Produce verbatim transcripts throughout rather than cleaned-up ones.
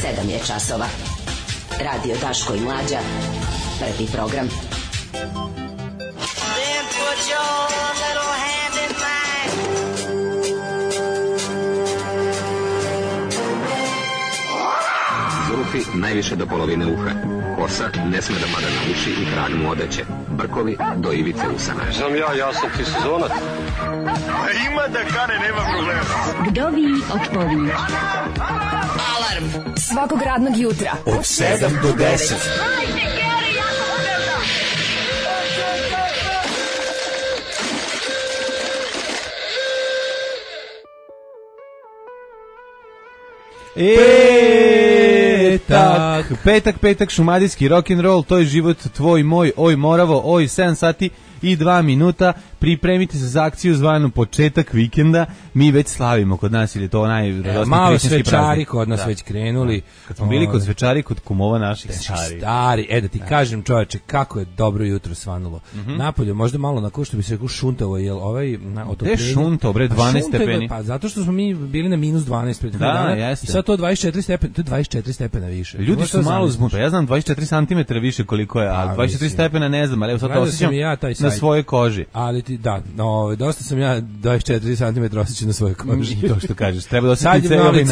sedam je časova. Radio Daško i Mlađa. Prvi program. Zulufi najviše do polovine uha. Kosa ne sme da pada na uši i krag mu odeće. Brkovi do ivice usana. Znam ja, ja sam ti sezonac. Ima da kane, nema problema. Vdovi od pović. Alarm svakog radnog jutra od sedam do deset. Petak, petak, petak, šumadijski rock'n'roll, to je život tvoj, moj, oj Moravo, oj sedam sati i dva minuta. Pripremite se za akciju zvanu početak vikenda. Mi već slavimo kod nas, ili je to najradosniji malo svečari kod nas da. Već krenuli. Kad smo bili kod svečari, kod kumova naših stari. Stari, e da ti da. kažem čoveče, kako je dobro jutro svanulo. Mm-hmm. Napolje možda malo na ko što bi se rekao šuntavo, jel ovaj na otopljenje. Gde šuntao, bre, dvanaest stepeni? Pa zato što smo mi bili na minus dvanaest pred da, dana. Jeste. I sad to dvadeset četiri stepena, to je dvadeset četiri stepena više. Ljudi su malo zbunjeni. Ja znam dvadeset četiri santimetra više koliko je, a dvadeset četiri stepena ne znam, ali evo sad to osjećam ja na svojoj koži. Ali ti da, no, dosta sam ja dvadeset četiri santimetra osjećam na svojoj koži. To što kažeš, treba da osjeti ceo narod.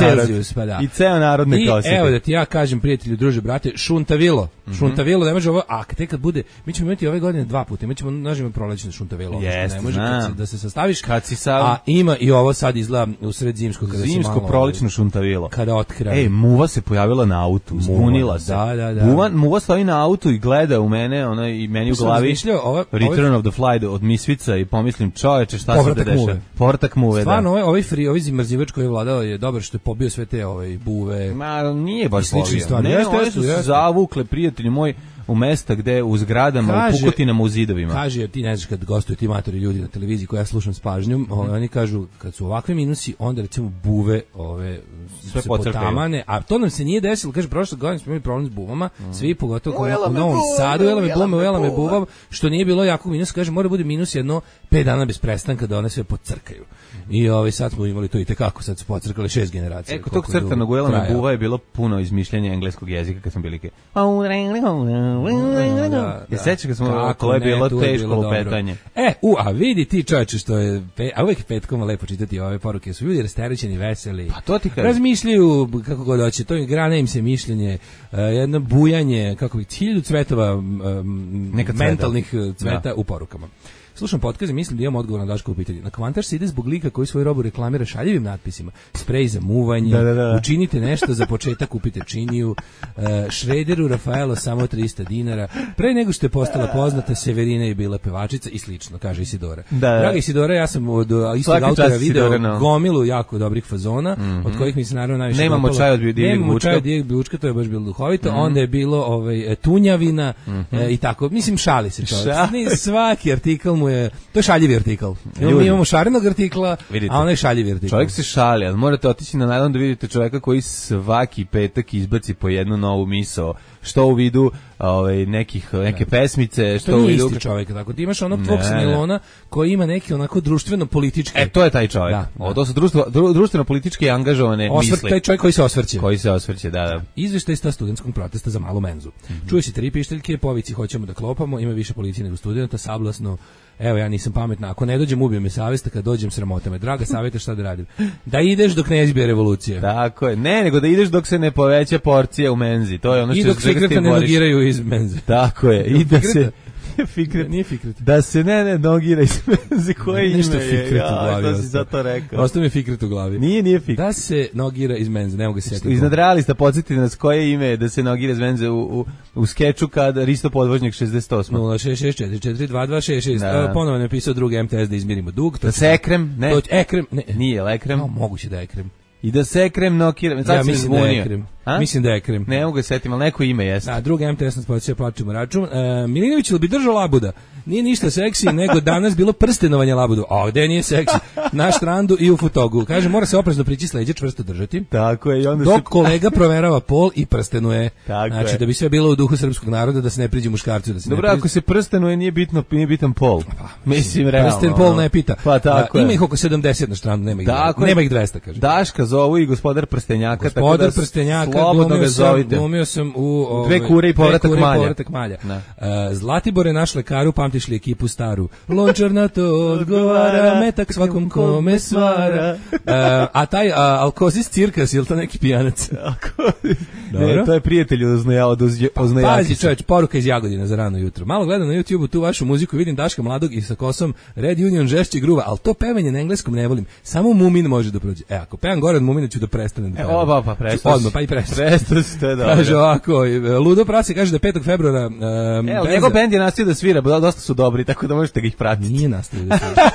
Pa da. I ceo narod neka osjeti. I evo da ti ja kažem, prijatelju, druže, brate, šuntavilo. Mm-hmm. Šuntavilo, ne može ovo, a tek kad bude, mi ćemo imati ove godine dva puta, mi ćemo nažimo prolećno šuntavilo. Jeste, ne može kad se, da se sastaviš. Kad si sav... A ima i ovo sad izgleda u sred zimsko. Kada zimsko prolećno šuntavilo. Kada otkraj. Ej, muva se pojavila na autu, zbunila se. Da, da, da. Muva, muva stoji na autu i gleda u mene, ona i meni u glavi. Ova, Return ovaj... of the Fly od Misvica i pomislim, čoveče, šta se da dešava? Povratak muve. Stvarno, ovaj, ovaj free, ovaj zimrzivač koji je vladao je dobar što je pobio sve te ovaj buve. Ma, nije baš pobio. Ne, jeste, one su se zavukle, prijatelji moj, u mesta gde u zgradama, kaže, u pukotinama, u zidovima. Kaže, jer ti ne znaš kad gostuju ti matori ljudi na televiziji koja ja slušam s pažnjom, mm-hmm. ovaj, oni kažu kad su ovakvi minusi, onda recimo buve ove sve se potamane, a to nam se nije desilo, kaže prošle godine smo imali problem s buvama, mm. svi pogotovo u Novom Sadu, ujela me bume, ujela me buva, što nije bilo jakog minusa, kaže mora bude minus jedno pet dana bez prestanka da one sve pocrkaju. I ovaj sad smo imali to i tekako, sad su pocrkali šest generacija. Eko tog crtanog ujela me buva je bilo puno izmišljanja engleskog jezika kad smo bili ke. Da, da. Ja sećam kad smo to je bilo teško lupetanje. E, u, a vidi ti čoveče što je, pe, a uvek petkom lepo čitati ove poruke, su ljudi rasterećeni, veseli. Pa to ti kažem. Razmišljaju kako god hoće, to je grane im se mišljenje, uh, jedno bujanje, kako bi hiljadu cvetova um, mentalnih cveta da. U porukama. Slušam podcast i mislim da imam odgovor na Daškovo pitanje. Na Kvantaš se ide zbog lika koji svoju robu reklamira šaljivim natpisima. Sprej za muvanje, da, da, da. Učinite nešto za početak, kupite činiju, uh, Šrederu Rafaelo samo trista dinara. Pre nego što je postala poznata, Severina je bila pevačica i slično, kaže Isidora. Da, da. Draga Isidora, ja sam od istog autora video no. gomilu jako dobrih fazona, mm-hmm. od kojih mi se naravno najviše Nemamo dopalo. čaj od Dijeg Bučka. Nemamo čaj od Dijeg Bučka, to je baš bilo duhovito. Mm-hmm. Onda je bilo ovaj, tunjavina mm-hmm. e, i tako. Mislim, šali se čovjek. Svaki artikl je, to je šaljivi artikl. Mi imamo šarenog artikla, vidite, a onaj šaljivi artikl. Čovjek se šali, ali morate otići na najlon da vidite čovjeka koji svaki petak izbaci po jednu novu misao, što u vidu ovaj, nekih, neke pesmice, što to u vidu... isti čovjek, tako ti imaš onog tvog Snilona koji ima neki onako društveno-politički... E, to je taj čovjek. Da, o, to su društvo, dru, društveno-politički angažovane Osvrt, misli. Taj čovjek koji se osvrće. Koji se osvrće, da, da. Izveštaj sta studentskog protesta za malu menzu. Mm-hmm. Čuje se tri pišteljke, povici hoćemo da klopamo, ima više policije nego studenta, sablasno. Evo, ja nisam pametna, ako ne dođem ubije me savjesta, kad dođem sramota me. Draga savjeta, šta da radim? Da ideš dok ne izbije revolucija. Tako je, ne, nego da ideš dok se ne poveća porcija u menzi. To je ono što I dok se fikreta ne nogiraju iz menze. Tako je, i da se... Fikret. Nije fikret. Da se ne ne nogira iz menze koje ime Nešto je. Fikret u glavi. Ja, to si zato rekao. Ostao mi je fikret u glavi. Nije, nije fikret. Da se nogira iz menze, ne mogu se sjetiti. Iznad realista podsjetite nas koje ime je da se nogira iz menze u, u, u skeču kad Risto Podvožnjak šezdeset osam. nula šest šest četiri četiri dva dva šest šest. Da. Ponovo je napisao drugi M T S da izmirimo dug. Da se ekrem, ne. To, ekrem, ne. Nije lekrem. No, moguće da je ekrem. I da se ekrem nokira. Ja mislim da je ekrem. A? Mislim da je ekrem. Ne mogu se setim, ali neko ime jeste. Da, drugi M T S nas podsjeća, plačemo račun. E, Milinović ili bi držao labuda? Nije ništa seksi, nego danas bilo prstenovanje labudu. A gde nije seksi? Na štrandu i u Futogu. Kaže, mora se oprezno prići sleđe, čvrsto držati. Tako je. I onda dok se... kolega proverava pol i prstenuje. Tako znači, je. Da bi sve bilo u duhu srpskog naroda, da se ne priđe muškarcu. Da se Dobro, ne priđe... ako se prstenuje, nije bitno, nije bitan pol. Pa, mislim, realno. Prsten pol ne pita. Pa tako A, je. ima ih oko sedamdeset na štrandu, nema ih, nema ih dvesta, kaže. Daška zovu i gospodar prstenjaka. Gospodar tako da prstenjaka Slobodno ga zovite. Glumio sam u ove, Dve kure i povratak kure malja. I povratak malja. Uh, Zlatibore naš lekaru, pamtiš li ekipu staru? Lončar na to odgovara, metak svakom kome svara. Uh, a taj uh, Alkozis Cirkas, je li to neki pijanac? Ne, to je prijatelj od Oznajakisa. Pazi čovječ, poruka iz Jagodina za rano jutro. Malo gledam na YouTubeu tu vašu muziku, vidim Daška mladog i sa kosom Red Union žešće gruva, ali to pevanje na engleskom ne volim. Samo Mumin može da prođe. E, ako pevam gore od Mumina ću da prestanem da pevam. E, oba, pa prestaš. Odmah, pa i prestaš. Prestaš, to je dobro. Kaže ovako, Ludo Prase kaže da je petog februara... Um, Evo, njegov bend je nastavio da svira, dosta su dobri, tako da možete ga ih pratiti. Nije nastavio da svira.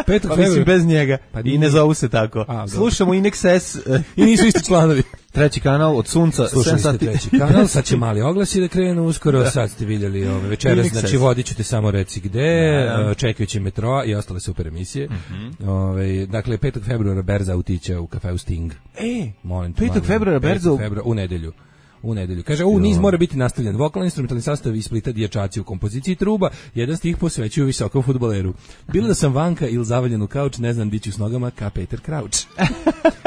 petog Pa mislim, bez njega. Pa I ne zovu se tako. A, slušamo Inex S. I nisu isti članovi. Treći kanal od sunca. Slušali ste treći kanal, sad će mali oglasi da krenu uskoro, sad ste vidjeli ove večeras, znači vodit ću te samo reci gde, da, da. čekajući metroa i ostale super emisije. Mm-hmm. Ove, dakle, petog februara berza utića u kafeu Sting. E, molim te, petog februara berza u... u nedelju. U nedelju. Kaže, u niz mora biti nastavljen. Vokalni instrumentalni sastav iz Splita, dječaci u kompoziciji truba, jedan stih posvećuju visokom fudbaleru. Bilo da sam vanka ili zavaljen u kauč, ne znam diću s nogama ka Peter Crouch.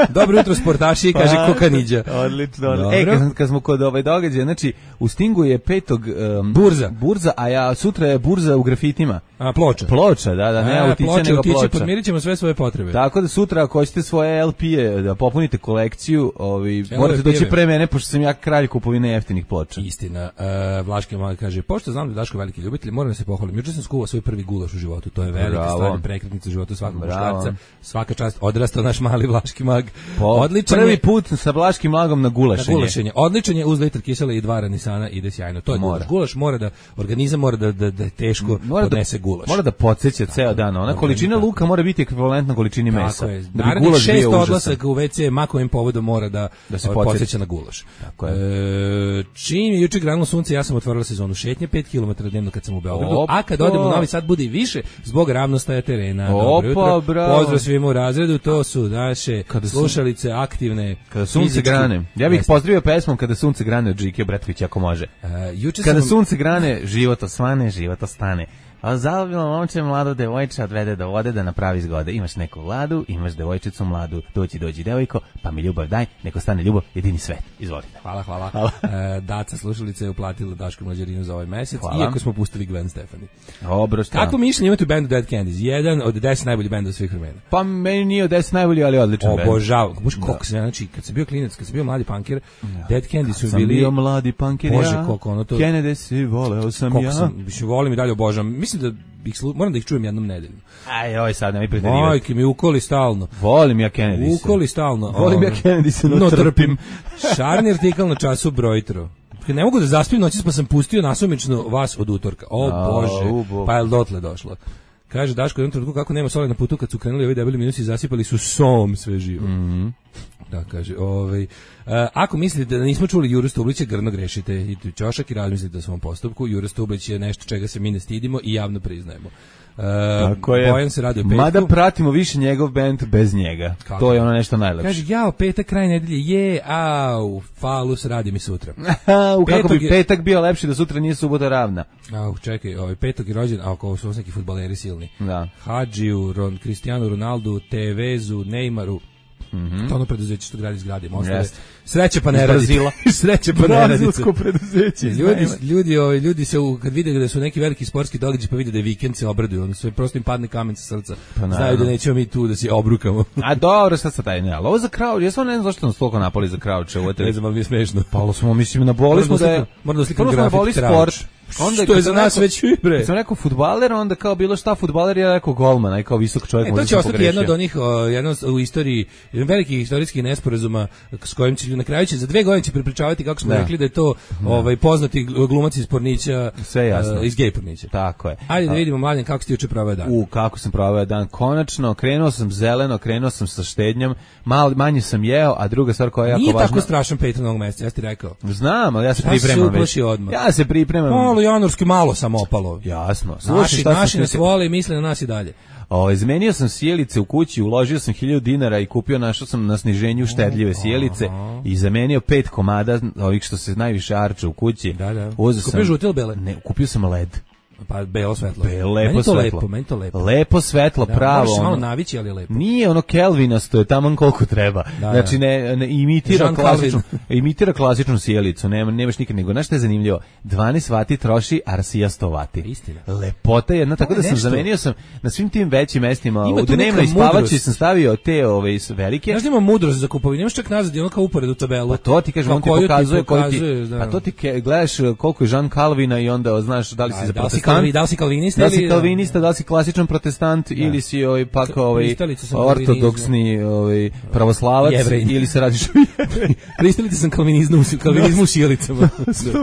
Dobro jutro sportaši, kaže pa, Kokaniđa. Odlično. E, kad, kad smo kod ovaj događaja, znači u Stingu je petog um, burza. Burza, a ja sutra je burza u grafitima. A ploča. Ploča, da, da, ne a, autiće ploča, nego autiće, ploča. Podmirit ćemo sve svoje potrebe. Tako da sutra ako hoćete svoje el pe-e da popunite kolekciju, ovi, morate doći pre mene, pošto sam ja kralj kupovine jeftinih ploča. Istina. Uh, Vlaški mali kaže, pošto znam da je Daško veliki ljubitelj, moram da se pohvalim. Juče sam skuvao svoj prvi gulaš u životu. To je velika stvar, prekretnica u životu svakog muškarca. Svaka čast, odrastao naš mali Vlaški mag. Po, Odličan prvi je, put sa Vlaškim magom na gulašenje. Na gulašenje. Odličan je, uz litar kisela i dva ranisana, ide sjajno. To je mora. Gulaš. Gulaš mora da, organizam mora da, da, da teško mora podnese da, gulaš. Mora da podsjeća ceo dan. Ona količina luka mora biti ekvivalentna količini mesa. Tako je. Da bi gulaš šest odlasak u ve ce makovim povodom mora da, da se podsjeća na gulaš. Tako je. E, čim je juče granulo sunce, ja sam otvorila sezonu šetnje pet kilometara dnevno kad sam u Beogradu, Opa. A kad odem u Novi Sad bude i više zbog ravnostaja terena. Dobro jutro. Pozdrav svima u razredu, to su naše kada slušalice aktivne. Kada sunce fizički grane. Ja bih pozdravio pesmom Kada sunce grane od Žike Bratovića ako može. Uh, juče kada sam... sunce grane, život osvane, život ostane. A zaljubljeno momče mladu devojče odvede do vode da napravi zgode. Imaš neku vladu, imaš devojčicu mladu, dođi, dođi devojko, pa mi ljubav daj, neko stane ljubav, jedini svet. Izvolite. Hvala, hvala. hvala. E, Daca slušalica je uplatila Daško Mlađarinu za ovaj mesec, hvala. Iako smo pustili Gwen Stefani. Dobro, šta? Kako mišljenje imate u bendu Dead Candies? Jedan od deset najboljih benda svih vremena. Pa meni nije od deset najboljih, ali odličan bend. Obožavam. Bož koliko se, znači, kad sam bio klinac, kad sam bio mladi punker, ja. Dead Candies su bili... Sam bio mladi punker, Bože, ja. koliko ono to... Kennedy si voleo sam koliko ja. Sam, biš, volim i dalje obožavam. Mislim da ih slu... moram da ih čujem jednom nedeljom. Aj, oj, sad ne mi preterivati. Majke mi ukoli stalno. Volim ja Kennedy. Ukoli stalno. Volim ja Kennedy se no trpim. Šarni artikal na času brojtro. Ne mogu da zaspim noći, pa sam pustio nasumično vas od utorka. O A, Bože, u, pa je dotle došlo. Kaže Daško, jednom trenutku kako nema soli na putu kad su krenuli ovi debeli minusi, zasipali su som sve živo. Mm-hmm. Da, kaže, ovaj, a, ako mislite da nismo čuli Juru Stublića, grdno grešite i tu ćošak i razmislite o svom postupku. Jura Stublić je nešto čega se mi ne stidimo i javno priznajemo. Uh, Tako je. Bojan se radi o petku. Mada pratimo više njegov bend bez njega. Kako? To je ono nešto najlepše. Kaže, jao, petak, kraj nedelje, je, au, falus, radi mi sutra. U kako bi petak bio lepši da sutra nije subota ravna. Au, čekaj, ovaj, petak je rođen, a ako su neki fudbaleri silni. Da. Hadžiju, Ron, Cristiano Ronaldo, Tevezu, Neymaru. Mhm. To ono preduzeće što gradi zgrade, mostove. Yes. Sreće pa ne radi. Sreće pa ne radi. Brazilsko preduzeće. Ljudi, ljudi, ovaj, ljudi se u, kad vide da su neki veliki sportski događaji pa vide da je vikend se obraduju, ono sve prosto im padne kamen sa srca. Pa znaju da nećemo mi tu da se obrukamo. A dobro, sad sa taj ne, ali ovo za Crouch, ja sam ne znam zašto nas toliko napali za Crouch. Ne znam, ali mi je smešno. Pa smo, mislim, naboli smo da je... Moram da slikam grafit Crouch. Onda što je za nas rekao, već bre. Sam rekao fudbaler, onda kao bilo šta fudbaler, ja rekao golman, aj kao visok čovjek. E, to će ostati jedno od onih, jedno u istoriji, jedan veliki historijskih nesporazuma s kojim će na kraju će za dve godine će prepričavati kako smo da. rekli da je to da. ovaj poznati glumac iz Pornića, sve jasno. Uh, iz Gej Pornića. Tako je. Ajde da vidimo mladen kako ste juče proveo dan. U kako sam proveo dan. Konačno krenuo sam zeleno, krenuo sam sa štednjom, malo manje sam jeo, a druga stvar koja je jako važna. Nije tako strašan Patreon ovog meseca, ja ti rekao. Znam, ali ja se pripremam već. Ja se pripremam. Malo januarski malo sam opalo. Jasno. Slušaj, naši, šta naši nas vole i misle na nas i dalje. O, izmenio sam sjelice u kući, uložio sam hiljadu dinara i kupio, našao sam na sniženju štedljive sjelice i zamenio pet komada ovih što se najviše arče u kući. Da, da. Uzeo kupio sam, žute ili bele? Ne, kupio sam led. Pa belo svetlo. Be, lepo meni to svetlo. lepo, meni to lepo. Lepo svetlo, Da, pravo. moraš se malo ono. navići, ali je lepo. Nije ono kelvinasto, je taman koliko treba. Da, znači ne, ne imitira Jean klasičnu, imitira klasičnu sjelicu, nema nemaš nikad nego. Znaš šta je zanimljivo? dvanaest vati troši Arsija sto vati. Istina. Lepota jedna, tako da sam nešto. zamenio sam na svim tim većim mestima. Ima U tu dnevnoj neka spavači mudrost. sam stavio te ove velike. Znaš da ima mudrost za kupovinu, imaš čak nazad, ono kao uporedu tabelu. Pa to ti kažem, on ti koju pokazuje, koju pokazuje, ti, da. pa to ti ke, gledaš koliko je Jean Calvina i onda znaš da li si za Da li si protestant, kalvi- da li si kalvinista da li si ili- kalvinista, da li si klasičan protestant ili si ovaj pak ovaj Pristalica sam ortodoksni ovaj pravoslavac Jevrej. ili se radiš Pristalice sam kalvinizmu, kalvinizmu u šijelicama.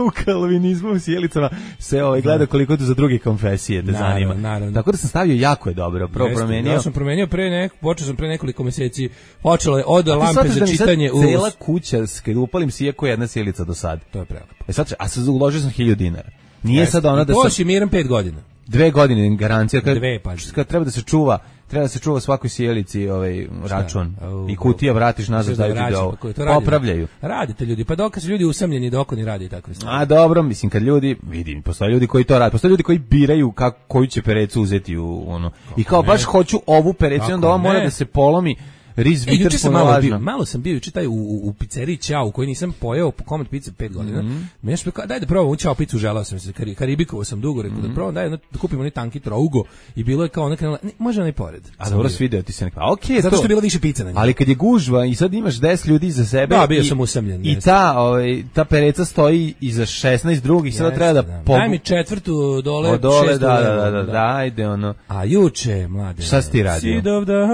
u kalvinizmu u sjelicama se ovaj gleda koliko tu za druge konfesije te Naravno, zanima. naravno. Tako da sam stavio jako je dobro. Prvo Jeste, promenio. Ja sam promenio pre nek, počeo sam pre nekoliko meseci. Počelo je od Ti lampe shvataš za da mi sad čitanje u cela kuća, kad upalim sijeko jedna sjelica do sad. To je prelepo. E sad, a sad uložio sam hiljadu dinara. Nije Jeste. sad ona da To sam si miran pet godina. dve godine garancija kad, Dve, pazi. kad treba da se čuva, treba da se čuva svakoj sjelici ovaj račun Au, i kutija vratiš nazad Sve da vraća, da ovo pa ko je to radio? popravljaju. Radite ljudi, pa dok su ljudi usamljeni dok oni rade i tako stvari. A dobro, mislim kad ljudi, vidim, postoje ljudi koji to rade, postoje ljudi koji biraju kako koju će perecu uzeti u ono. I kao baš hoću ovu perecu, Kako onda ova mora ne? da se polomi. Riz E, juče Viter sam malo bio, malo sam bio juče taj u, u, u pizzeriji Ćao, u kojoj nisam pojeo po komad pice pet godina. Mhm. Mm-hmm. Meni je daj da probam u Ćao picu, želeo sam se, kari, karibikovao sam dugo, rekao Mhm. da probam, daj da kupimo onaj tanki trougo i bilo je kao ona krenula, ne, može onaj pored. A Sam dobro bio. svideo ti se neka. A okej, Zato to. što je bilo više pica na njoj. Ali kad je gužva i sad imaš deset ljudi iza sebe Da, bio i, sam usamljen, i jeste. ta, ovaj, ta pereca stoji iza šesnaest drugih, sada Jeste, treba da, da. pogu- Daj mi četvrtu dole, od dole, šestu da, da, levo, da, da, da, ajde, ono. A juče, mlade. Šta si ti radio? Sidovdan,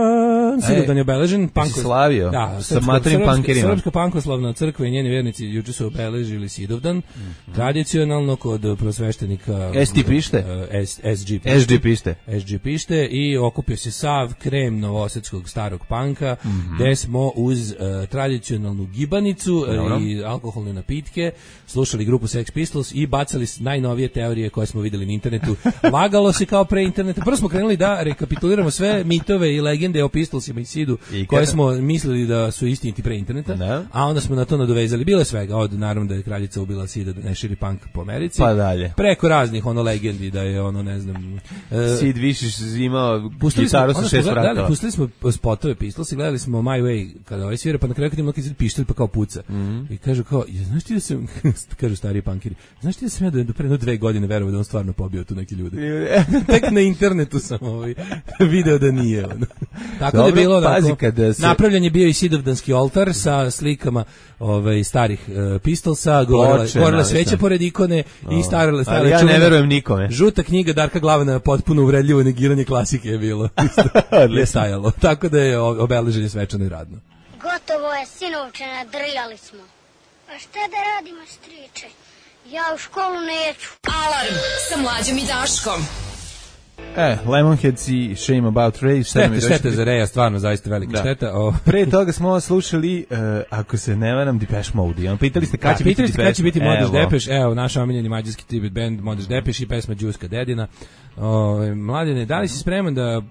Sidovdan je obeležen. Jesi slavio? Da, Sa materim srpska, pankerima? Srpska pankoslavna crkva i njeni vernici juče su obeležili Sidovdan. Mhm. Tradicionalno kod prosveštenika S T pište? eh, S, SG pište. S G pište. S G pište i okupio se sav krem novosadskog starog panka, Mhm. gde smo uz eh, tradicionalnu gibanicu eh, Dobro. i alkoholne napitke slušali grupu Sex Pistols i bacali s- najnovije teorije koje smo videli na internetu. Lagalo se kao pre interneta. Prvo smo krenuli da rekapituliramo sve mitove i legende o Pistolsima i Sidu I koje kada- smo mislili da su istiniti pre interneta, Da. a onda smo na to nadovezali. Bilo je svega, od naravno da je kraljica ubila Sida da ne širi punk po Americi. Pa dalje. Preko raznih ono legendi da je ono ne znam. e, Sid Višiš imao Pustili smo, gitaru onda sa smo šest gledali, vratova. pustili smo spotove Pistols i gledali smo My Way kada ovaj svira, pa na kraju kad ima neki pištolj pa kao puca. Mhm. I kažu kao, ja, znaš ti da sam, kažu stari punkiri, znaš ti da sam ja do, do pre jedno dve godine verovao da on stvarno pobio tu neki ljude. Tek na internetu sam ovaj video da nije. Ono. Tako Dobro, da je bilo pazi, onako, kada se- napravljen je bio i Sidovdanski oltar sa slikama ovaj starih uh, Pistolsa, govorila, Ploče, govorila navisam. sveća pored ikone i starale Ali stare ja ne čuvene- verujem nikome. Žuta knjiga Darka Glavana, potpuno uvredljivo negiranje klasike je bilo. Je stajalo. Tako da je o- obeleženje svečano i radno. Gotovo je, sinovče, nadrljali smo. A šta da radimo, striče? Ja u školu neću. Alarm sa mlađom i Daškom. E, Lemonheads i Shame About Ray. šta nam je Štete, došlo? štete za Reja, stvarno zaista velika Da. šteta. O, Pre toga smo slušali, uh, ako se ne varam, Depeche Mode. I on pitali ste kada će da, biti pitali ste kada će biti Depeche? Modeš Evo. Depeš, evo, naš omiljeni mađarski tribut band Modeš Depeš i pesma Đuska Dedina. O, mladine, da li si spreman da uh,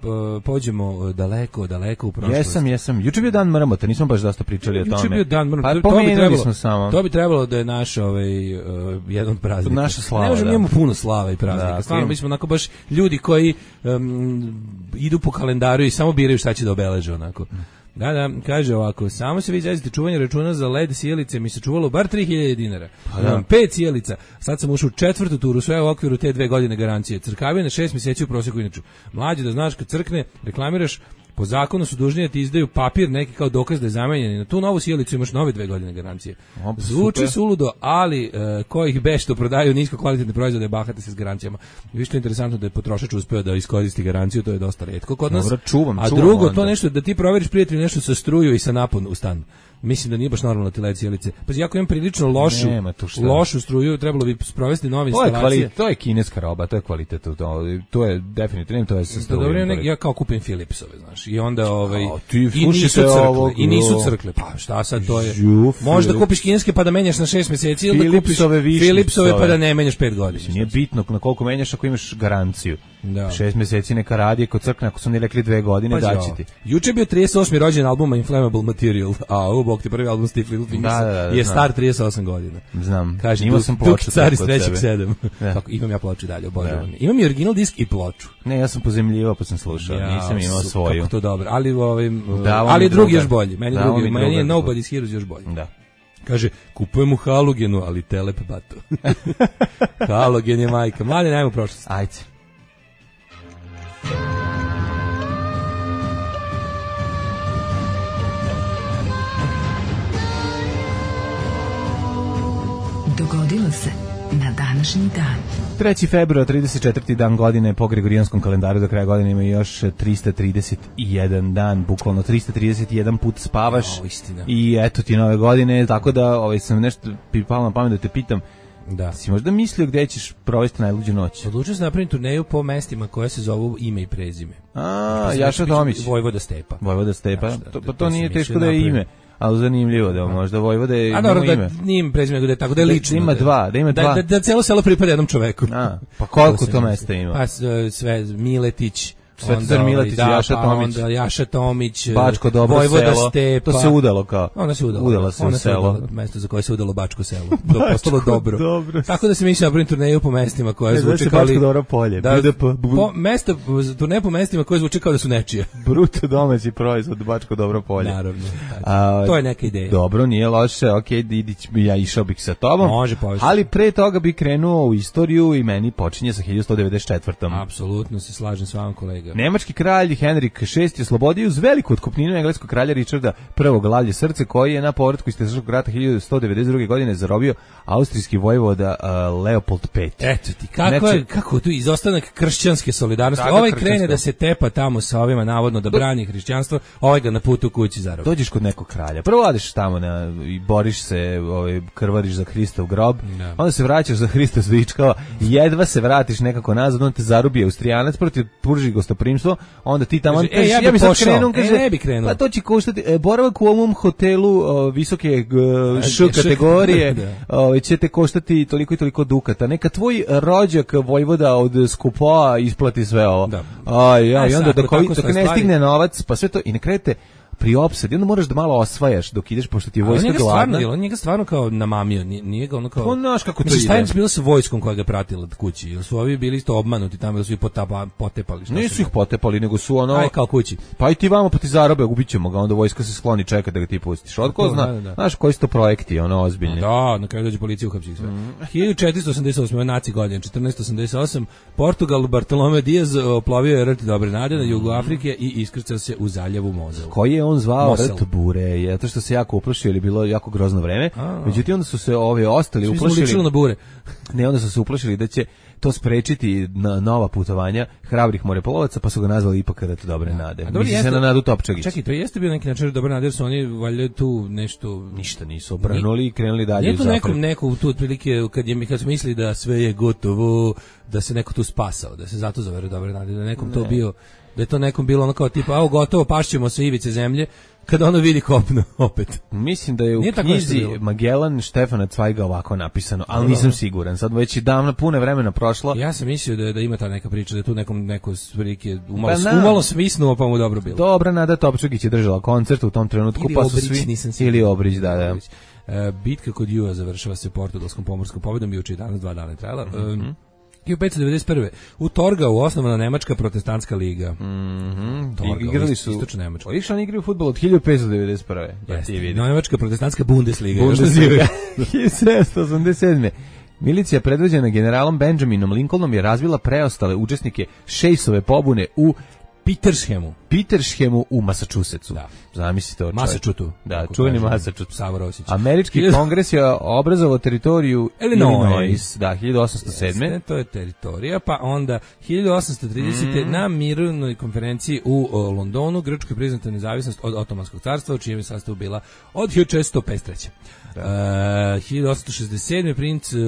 pođemo daleko, daleko u prošlost? Jesam, jesam. Juče je bio dan mrmota, nismo baš dosta pričali o tome. Juče je bio dan mrmota. Pa To- to bi pomenuli trebalo- smo samo. To bi trebalo da je naš ovaj uh, jedan od praznika. Naša slava, Ne možemo da. imamo puno slava i praznika. Da, Stvarno ok. mi smo onako baš ljudi koji um, idu po kalendaru i samo biraju šta će da obeleže onako. Da, da, kaže ovako, samo se vi izrazite čuvanje računa za led sjelice, mi se čuvalo bar tri hiljade dinara. Pa da. Imam pet sjelica, sad sam ušao u četvrtu turu, sve u okviru te dve godine garancije. Crkavio na šest mjeseci u prosjeku inače. Mlađe da znaš kad crkne, reklamiraš, po zakonu su dužni da ti izdaju papir neki kao dokaz da je zamenjen i na tu novu sjelicu imaš nove dve godine garancije. Op, Zvuči super. suludo, ali e, ko ih be što prodaju nisko kvalitetne proizvode bahate se s garancijama. I više je interesantno da je potrošač uspeo da iskoristi garanciju, to je dosta retko kod nas. Dobro, čuvam, A čuvam drugo, onda. to nešto da ti proveriš prijatelju nešto sa struju i sa napon u stan. Mislim da nije baš normalno ti led sjelice. Pa jako imam prilično lošu, Nema tu šta. lošu struju, trebalo bi sprovesti nove To je, instalacije. kvali, to je kineska roba, to je kvalitet, to, to je definitivno, to je sa To strujom. dobro, ja, ja kao kupim Philipsove, znaš. I onda ovaj A, ti i nisu slušajte crkle, ovog, i nisu o. crkle. Pa šta sad to je? Žu, Možda Philips. kupiš kineske pa da menjaš na šest mjeseci ili da kupiš Philipsove višnjicove. Philipsove pa da ne menjaš pet godina. Nije bitno na koliko menjaš ako imaš garanciju. Da. Šest mjeseci neka radi, kod crkne, ako su oni rekli dve godine, Pazi daći ovo. ti. Juče je bio trideset osmi rođendan albuma Inflammable Material, a ovo Bog ti prvi album Steve Little Fingers da, da, da, je znam. star trideset osam godina. Znam. Kaže, imao Duk, sam Duk ploču car iz kod trećeg sebe. sedam. Da. Tako, imam ja ploču dalje, obožavam. Da. Imam i original disk i ploču. Ne, ja sam pozemljivao pa sam slušao, Ja, nisam imao su, svoju. Kako to dobro, ali, ovim, Da, ali drugi druga. još bolji. Meni, Da, drugi, mi meni je druga. Nobody's Heroes još bolji. Da. Kaže, kupujemo halogenu, ali telep bato. Halogen je majka. Mlade, najmo prošlost. Ajde. Dogodilo se na današnji dan. treći februar, trideset četvrti dan godine po Gregorijanskom kalendaru, do kraja godine ima još trista trideset jedan dan, bukvalno trista trideset jedan put spavaš. O, istina. I eto ti nove godine, tako da ovaj, sam nešto pipalo na pamet da te pitam, Da. si možda mislio gde ćeš provesti najluđu noć? Odlučio sam napraviti turneju po mestima koja se zovu ime i prezime. A, Jaša Tomić. Vojvoda Stepa. Vojvoda Stepa, Znaš, da, to, da, pa to to sam nije mislio teško da je napraviti. ime, ali zanimljivo da možda Vojvoda je A ima dobro, ime. da nije im prezime, nego da je tako, da je lično. Da ima dva, da ima dva. Da, da, da celo selo pripada jednom čoveku. A, pa koliko To to sam mesta mislio. ima? Pa s- sve, Miletić, Svetozar onda, Miletić, da, Jaša pa Tomić. onda Jaša Tomić, Bačko dobro Vojvoda selo. Stepa. To se udalo kao. Ona se udala. Udala se Ona u selo. udala, mesto za koje se udalo Bačko selo. To je postalo dobro. dobro. Tako da se mišljam napravim turneju po mestima koje Ne, zove zvuče se kao Bačko li... dobro polje. Da, B D P. po, mesta, turneju po mestima koje zvuče kao da su nečije. Bruto domaći proizvod, Bačko dobro polje. Naravno. A, To je neka ideja. Dobro, nije loše, ok, idić, ja išao bih sa tobom. Može, povesti. Ali pre toga bih krenuo u istoriju i meni počinje sa hiljadu sto devedeset četvrtom. Apsolutno se slažem s vama, kolega. Nemački kralj Henrik šesti oslobodio uz veliku otkupninu engleskog kralja Richarda prvog Lavlje srce, koji je na povratku iz Teškog rata hiljadu sto devedeset druge godine zarobio austrijski vojvoda uh, Leopold peti. Eto ti, kako, Znači- je, kako tu izostanak kršćanske solidarnosti. Tako, Ovaj kršćansko. krene da se tepa tamo sa ovima navodno da brani hrišćanstvo, ovaj ga na putu u kući zarobi. Dođeš kod nekog kralja. Prvo odeš tamo na, i boriš se, ovaj, krvariš za Hristov grob, Da. onda se vraćaš za Hristov zvičkava, jedva se vratiš nekako nazad, onda te zarubi Austrijanac, protiv pruži gostoprimstvo, onda ti tamo Kaže, kažeš, e, ja bi bi sad pošao. krenuo, E, kaže, ne bi krenuo. pa to će koštati, e, boravak u ovom hotelu o, visoke e, š E, š- kategorije, da. ovaj, će te koštati toliko i toliko dukata. Neka tvoj rođak vojvoda od Skupoa isplati sve ovo. Da. Aj, ja, A i onda sad, dok, ako ovi- tako dok stoje ne stvari- stigne novac, pa sve to, i na kraju te pri opsadi, onda moraš da malo osvajaš dok ideš, pošto ti je Ali on vojska njega stvarno, gladna. jel, on njega stvarno kao namamio, nije, nije ga ono kao... Pa, znaš kako to Mislim, ide. šta je bilo sa vojskom koja ga pratila od kući? Jel su ovi bili isto obmanuti tamo, da su ih potapa, potepali? Šta Nisu su ih potepali, nego su ono... Aj, kao kući. Pa i ti vamo, pa ti zarobe, ubit ćemo ga, onda vojska se skloni, čeka da ga ti pustiš. Od ko Da, zna, da, da. znaš koji su to projekti, ono, ozbiljni. Da, na kraju dođe policija uhapsi ih sve. Mhm. hiljadu četiristo osamdeset osam. naci godin, četrnaesto osamdeset osam. Portugal, Bartolomeo Diaz oplovio je rt Dobre nade na jugu Afrike i iskrcao se u zaljevu Mozel. Koji je on zvao Mosel. rt bure, zato što se jako uplašio, ili bilo jako grozno vreme. A. Međutim, onda su se ove ostali Svi smo ličili uplašili. na bure. Ne, onda su se uplašili da će to sprečiti na nova putovanja hrabrih morepolovaca, pa su ga nazvali ipak rt Dobre nade. A dobro, Misli se jeste- na Nadu Topčagić. Čekaj, to jeste bio neki način Dobre nade, jer su oni valjda tu nešto... Ništa nisu obrnuli i krenuli dalje Nije u to zapad. nekom neko tu otprilike kad je kad smo mislili da sve je gotovo, da se neko tu spasao, da se zato zove Dobre nade, da je nekom to bio, da je to nekom bilo ono kao tipa, a gotovo, pašćemo sa ivice zemlje, kada ono vidi kopno opet. Mislim da je u Nije tako knjizi nešto bilo. Magellan Štefana Cvajga ovako napisano, ali nisam siguran. Sad već je davno puno vremena prošlo. Ja sam mislio da da ima ta neka priča, da je tu nekom neko prilike umalo, Pa na- umalo svisnuo, pa mu dobro bilo. Dobra Nada Topčagić je držala koncert u tom trenutku, Ili pa su Obrić, svi... nisam siguran. Ili Obrić, da, da. Obrić. E, bitka kod Jua završava se portugalskom pomorskom pobedom, juče i danas dva dana je trajala. Mhm. E, hiljadu petsto devedeset prve. U Torgau osnovana Nemačka protestantska liga. Mhm. Torgau, Igrali su... istočna Nemačka. Viš, oni igraju fudbal od hiljadu petsto devedeset prve. Da Jeste. ti vidi. Nemačka protestantska Bundesliga. još Bundesliga. nazivaju. hiljadu sedamsto osamdeset sedme. Milicija predvođena generalom Benjaminom Lincolnom je razvila preostale učesnike Šejsove pobune u Petershemu. Petershemu u Massachusettsu. Da. Zamislite to, čovječe. Massachusettu. Da, kako čuveni kaže Massachusetts. Savo Rosić. Američki Hiljadu- kongres je obrazovao teritoriju Illinois. Illinois, da, hiljadu osamsto sedme. Jeste, to je teritorija, pa onda hiljadu osamsto tridesete. Mm. na mirovnoj konferenciji u o, Londonu Grčkoj priznata nezavisnost od Otomanskog carstva, u čijem je sastavu bila od hiljadu četiristo pedeset treće. Uh, hiljadu osamsto šezdeset sedme. princ uh,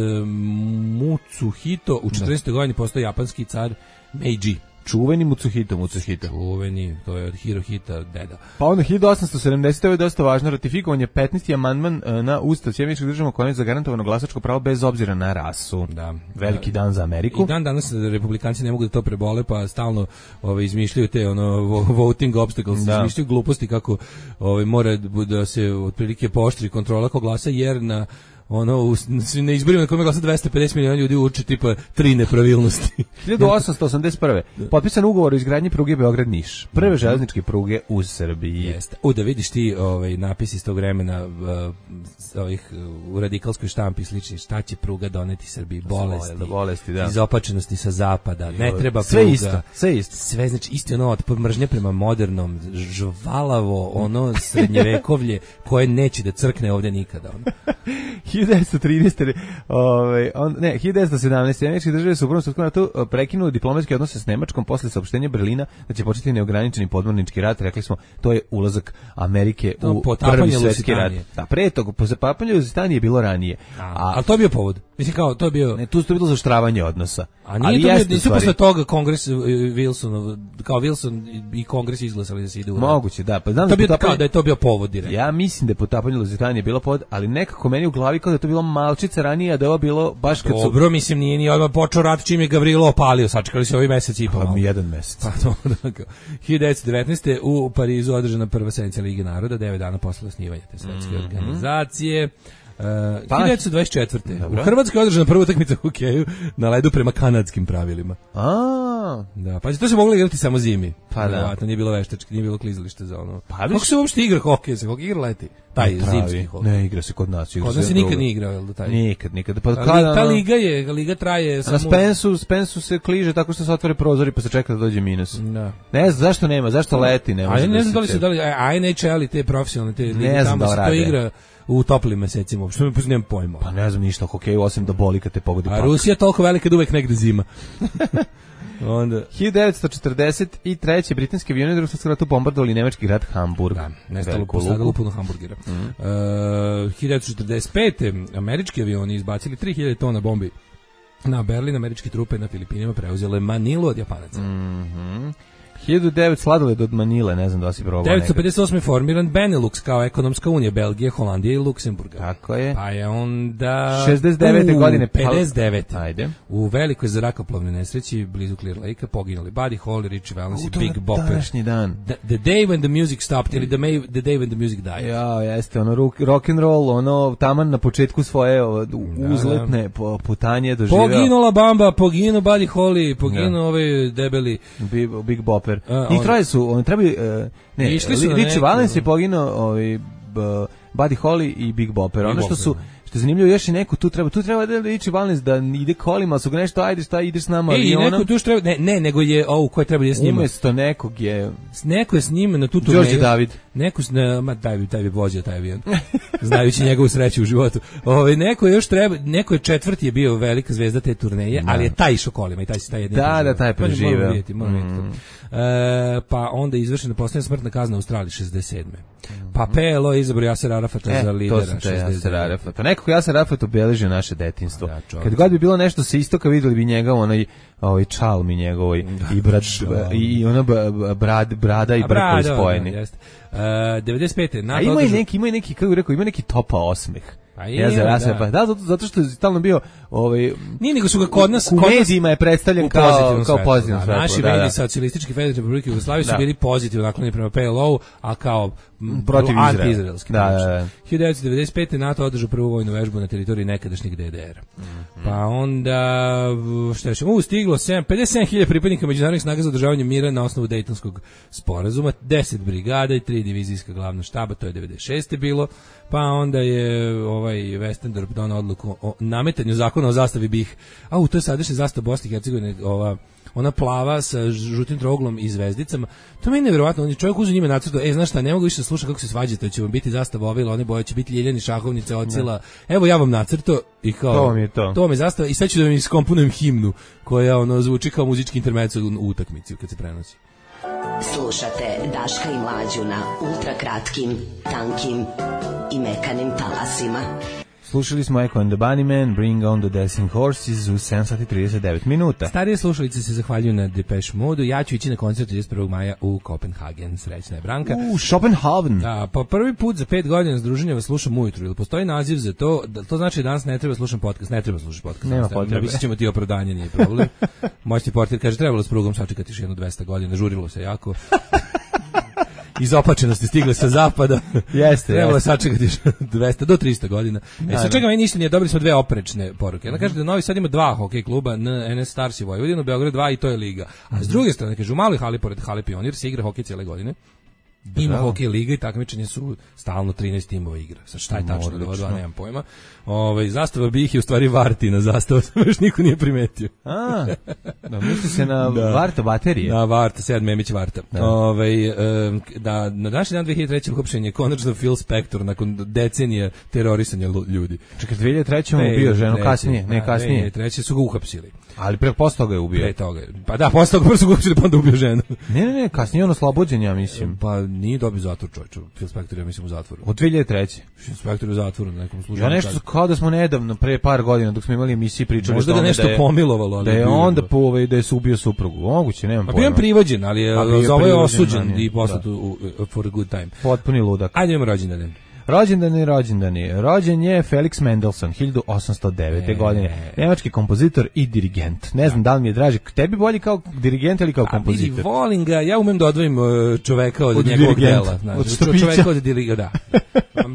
Mutsuhito u četrnaestoj godini postao japanski car Meiji. čuveni Mutsuhito, Mutsuhito. Čuveni, to je od Hirohita deda. Pa onda hiljadu osamsto sedamdesete. je dosta važno, ratifikovan je petnaesti amandman na Ustav Sjedinjenih Država kojim je zagarantovano glasačko pravo bez obzira na rasu. Da. Veliki dan za Ameriku. I dan danas republikanci ne mogu da to prebole, pa stalno ovaj izmišljaju te ono voting obstacles, da. izmišljaju gluposti kako ovaj mora da se otprilike pooštri kontrola ko glasa, jer na ono u, na izborima na kojima glasa dvesta pedeset miliona ljudi uče tipa tri nepravilnosti. hiljadu osamsto osamdeset prve. potpisan ugovor o izgradnji pruge Beograd-Niš. Prve mm-hmm. železničke pruge u Srbiji. Jeste. U da vidiš ti ovaj napis iz tog vremena uh, ovih uh, u radikalskoj štampi slični, šta će pruga doneti Srbiji, bolesti, da, bolesti da. izopačenosti sa zapada, ne treba sve pruga. Isto, sve isto. Sve znači isto ono od mržnje prema modernom, žvalavo, ono srednjevekovlje koje neće da crkne ovde nikada. Ono. hiljadu devetsto trinaeste. Ovaj on ne, hiljadu devetsto sedamnaeste. Američke države su u Prvom svetskom ratu prekinule diplomatske odnose s Nemačkom posle saopštenja Berlina da će početi neograničeni podmornički rat. Rekli smo, to je ulazak Amerike to u Prvi svjetski rat. Da, pre toga, po zapapanju Luzitanije je bilo ranije. A, a ali to je bio povod. Mislim kao, to je bio... Ne, tu je bilo zaoštravanje odnosa. A nije ali to bio, nisu posle toga kongres Wilson, kao Wilson i kongres izglasali da se ide u rat. Moguće, da. Pa znam to da, bio, potapanje, kao da je to bio povod direktno. Ja mislim da je potapanje Luzitanije bilo povod, ali nekako meni u glavi kao da je to bilo malčice ranije, a da je ovo bilo baš kad su... Dobro, mislim, nije ni odmah počeo rat čim je Gavrilo opalio, sačekali se ovi mesec i po. Pa mi jedan mesec. Pa to, dakle. hiljadu devetsto devetnaeste. u Parizu održana prva sednica Lige naroda, devet dana posle osnivanja te svetske mm-hmm. organizacije. Uh, pa, hiljadu devetsto dvadeset četvrte. Dobro. U Hrvatskoj je održana prva utakmica u hokeju na ledu prema kanadskim pravilima. A, da, pa to se moglo igrati samo zimi. Pa da, nije bilo veštački, nije bilo klizalište za ono. Pa kako se uopšte igra hokej, se hokej igra leti. Taj ne, zimski hokej. Ne, igra se kod nas, igra kod nas se nikad nije igrao, jel da taj. Nikad, nikad. Pa kada ta liga je, liga traje samo. Na Spensu, Spensu se kliže tako što se otvore prozori pa se čeka da dođe minus. Da. Ne znam zašto nema, zašto leti, ne može. A ne znam da li se da li N H L i te profesionalne te lige tamo se to igra u toplim mesecima, uopšte ne poznajem pojma. Pa ne znam ništa o hokeju, osim da boli kad te pogodi pak. A Rusija je toliko velika da uvek negde zima. Onda hiljadu devetsto četrdeset treće. britanski avioni u Drugom svjetskom ratu bombardovali nemački grad Hamburg. Da, nestalo posadalo puno hamburgera. Mm. Uh, hiljadu devetsto četrdeset pete. američki avioni izbacili tri hiljade tona bombi na Berlin, američke trupe na Filipinima preuzele Manilu od Japanaca. Mhm. hiljadu devetsto sladoled od Manile, ne znam da si probao. devetsto pedeset osme. formiran Benelux kao ekonomska unija Belgije, Holandije i Luksemburga. Tako je. Pa je onda šezdeset devete. u, godine pedeset devete. Ajde. U velikoj zrakoplovnoj nesreći blizu Clear Lake poginuli Buddy Holly, Richie Valens i Big Bopper. Današnji dan. The, the day when the music stopped ili the, may, the day when the music died. Ja, jeste, ono rock, rock and roll, ono taman na početku svoje uzletne da, da. putanje doživeo. Poginula Bamba, poginuo Buddy Holly, poginuo da. ovaj debeli Big, Big Bopper. Uh, I troje su, oni trebali, uh, ne, Richie Valens je poginuo, ovaj, Buddy Holly i Big Bopper. Ono što su, što je zanimljivo, još i neko tu treba, tu treba da Richie Valens da ide kolima, su ga nešto, ajde šta, ideš s nama. E, i neko tu treba, ne, ne, nego je, ovo, ko je treba da je s njima? Umesto nekog je... Neko je s njima na tu turneju. Đorđe David. Neko, ne, ma, taj bi, taj bi vozio taj avion, znajući njegovu sreću u životu. Ove, neko je još treba, neko je četvrti je bio velika zvezda te turneje, da. Ali je taj išao kolima i taj se taj jedin. Da, preživeo. Da, taj preživeo. Moramo vidjeti, moramo vidjeti. Mm. E, pa onda je izvršena posljednja smrtna kazna u Australiji šezdeset sedme. Pa P L O je izabrao Jaser Arafata e, za lidera. To sam te Jaser Arafat. Pa nekako Jaser Arafat obeležio naše detinjstvo. Da, kad god bi bilo nešto sa istoka, vidjeli bi njega onaj ovaj čal mi njegovoj i brad i ona brad brada i brkovi spojeni. Da, jeste. Uh, devedeset pete. A ima i neki, ima i neki, kako bih rekao, ima neki topa osmeh. Pa je, ja da. Pa, da, zato, zato što je stalno bio ovaj nije nego su ga kod nas u medijima je predstavljen kao kao pozitivno svetlo. Naši da, mediji da. Socijalističke Federativne Republike Jugoslavije su bili pozitivno naklonjeni prema P L O, a kao protiv anti-izraelski. Da, da, da. hiljadu devetsto devedeset pete. NATO održao prvu vojnu vežbu na teritoriji nekadašnjeg D D R. Mm-hmm. Pa onda šta je u stiglo pedeset sedam hiljada pripadnika međunarodnih snaga za održavanje mira na osnovu Dejtonskog sporazuma, deset brigada i tri divizijska glavna štaba, to je devedeset šeste bilo. Pa onda je ovaj Westendorp donao odluku o nametanju zakona o zastavi B I H. A u to je sadašnja zastava Bosne i Hercegovine, ova ona plava sa žutim troglom i zvezdicama. To meni je nevjerovatno, on je čovjek uzeo njime nacrtao, e, znaš šta, ne mogu više slušati kako se svađate, će vam biti zastava ove ili one boje, će biti ljeljani, šahovnice, ocila. Evo ja vam nacrtao i kao, to vam je to. To vam je zastava i sad ću da vam iskomponujem himnu koja ono zvuči kao muzički intermezzo u utakmici kad se prenosi. Slušate Daška i Mlađu na ultrakratkim, tankim i mekanim talasima. Slušali smo Echo and the Bunnymen, Bring on the Dancing Horses u sedam sati trideset devet minuta. Starije slušalice se zahvaljuju na Depeche Modu. Ja ću ići na koncert trideset prvog maja u Kopenhagen. Srećna je Branka. U Schopenhaven. Da, pa prvi put za pet godina združenja vas slušam ujutru. Ili postoji naziv za to? Da, to znači da danas ne treba slušam podcast. Ne treba slušati podcast. Nema potrebe. Mislim ćemo ti opravdanje, nije problem. Moćni portir kaže, trebalo s prugom sačekati još jedno dvesta godina. Žurilo se jako. Iz opačenosti stigle sa zapada. Jeste, trebalo jeste. sačekati dvesta do trista godina. E sad čekaj, meni ništa nije, dobili smo dve oprečne poruke. Ona kaže da Novi Sad ima dva hokej kluba, N S Stars i Vojvodina, Beograd dva i to je liga. A s druge strane, kaže, u maloj hali pored hale Pionir se igra hokej cijele godine. Ima hokej liga i takmičenje su stalno trinaest timova igra. Sad šta je tačno da dva, nemam pojma. Ovaj zastava BiH je u stvari Vartina zastava, samo još niko nije primetio. A, da misli se na da. Varta baterije. Na Varta, Sead Memić Varta. Da. Ovaj um, da na današnji dan dve hiljade treće uhapšen je konačno Phil Spector nakon decenija terorisanja ljudi. Čekaj, dve hiljade treće mu ubio ženu kasnije, ne kasnije. dve hiljade treće su ga uhapsili. Ali pre posle toga je ubio. Pre toga. Pa da, posle toga prvo su ga uhapsili, pa onda ubio ženu. Ne, ne, ne, kasnije on oslobođen, ja mislim. Pa nije dobio zatvor, čovječe. Phil Spector, ja mislim, u zatvoru. Od dve hiljade treće. Phil Spector u zatvoru na nekom službenom. Ja nešto kao da smo nedavno, pre par godina, dok smo imali emisiju pričali možda ga nešto da je, pomilovalo, ali da je onda po ovaj da je ubio suprugu. Moguće, nemam pojma. A bio je privođen, ali je za ovo je osuđen i poslat u for a good time. Potpuni ludak. Ajde imamo rođendane. Rođendani, rođendani. Rođen je Felix Mendelssohn, hiljadu osamsto devete. E, godine. Nemački kompozitor i dirigent. Ne znam da li mi je draži. Tebi bolji kao dirigent ili kao kompozitor? A vidi, volim ga. Ja umem da odvojim čoveka od, od njegovog dela. Znači, od štopića. Čoveka od dirigenta, da.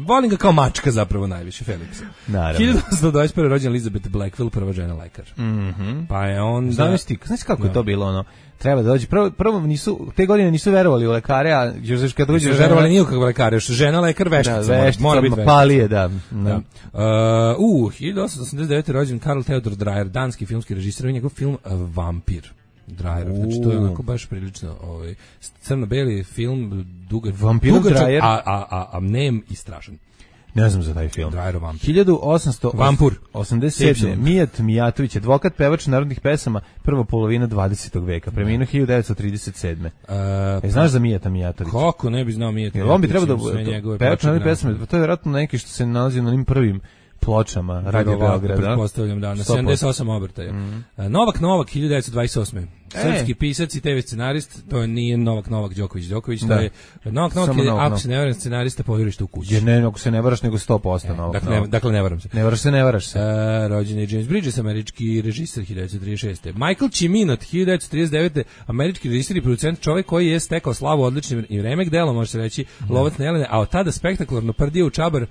Volim ga kao mačka zapravo najviše, Felixa. Naravno. hiljadu osamsto dvadeset prve. rođen Elizabeth Blackwell, prva žena lekar. Mhm. Pa je on... Znaš ti, znaš kako je to bilo ono? Treba da dođe. Prvo, prvo nisu, te godine nisu verovali u lekare, a još kad dođe... Nisu verovali nikog lekare, još žena lekar veštica. Da, veštica, mora biti veštica. Palije, da. da. da. Uh, uh, hiljadu osamsto osamdeset devete. rođen Karl Theodor Dreyer, danski filmski režisir, i njegov film Vampir. Dreyer, znači to je onako baš prilično ovaj, crno-beli film, dugačak, dugačak a, a, a, a nem i strašan. Ne znam za taj film. Vampir. hiljadu osamsto osamdeset sedme. Mijat Mijatović, advokat, pevač narodnih pesama, prva polovina dvadesetog veka, preminuo hiljadu devetsto trideset sedme. Uh, e, znaš za Mijata Mijatovića? Kako ne bi znao Mijata Mijatovića? On bi trebao da pevač narodnih pesama, to je vjerojatno neki što se nalazi na onim prvim pločama Radio Beograda. Pretpostavljam da, na sedamdeset osam obrtaja. Mm. Novak Novak, hiljadu devetsto dvadeset osme. Srpski pisac i te ve scenarist, to nije Novak Novak Đoković Đoković, da. To je Novak Novak je, ako se ne varam, scenarista Povjerište u kući. Jer ne, ako se ne varaš, nego sto posto e, Novak dakle, Novak. Ne, dakle, ne varam se. Ne varaš se, ne varaš se. E, rođen je James Bridges, američki režiser, hiljadu devetsto trideset šeste. Michael Cimino, hiljadu devetsto trideset devete. američki režiser i producent, čovjek koji je stekao slavu odličnim i remek delom, može se reći, mm. Lovac na Jelene, a od tada spektakularno prdio u čabar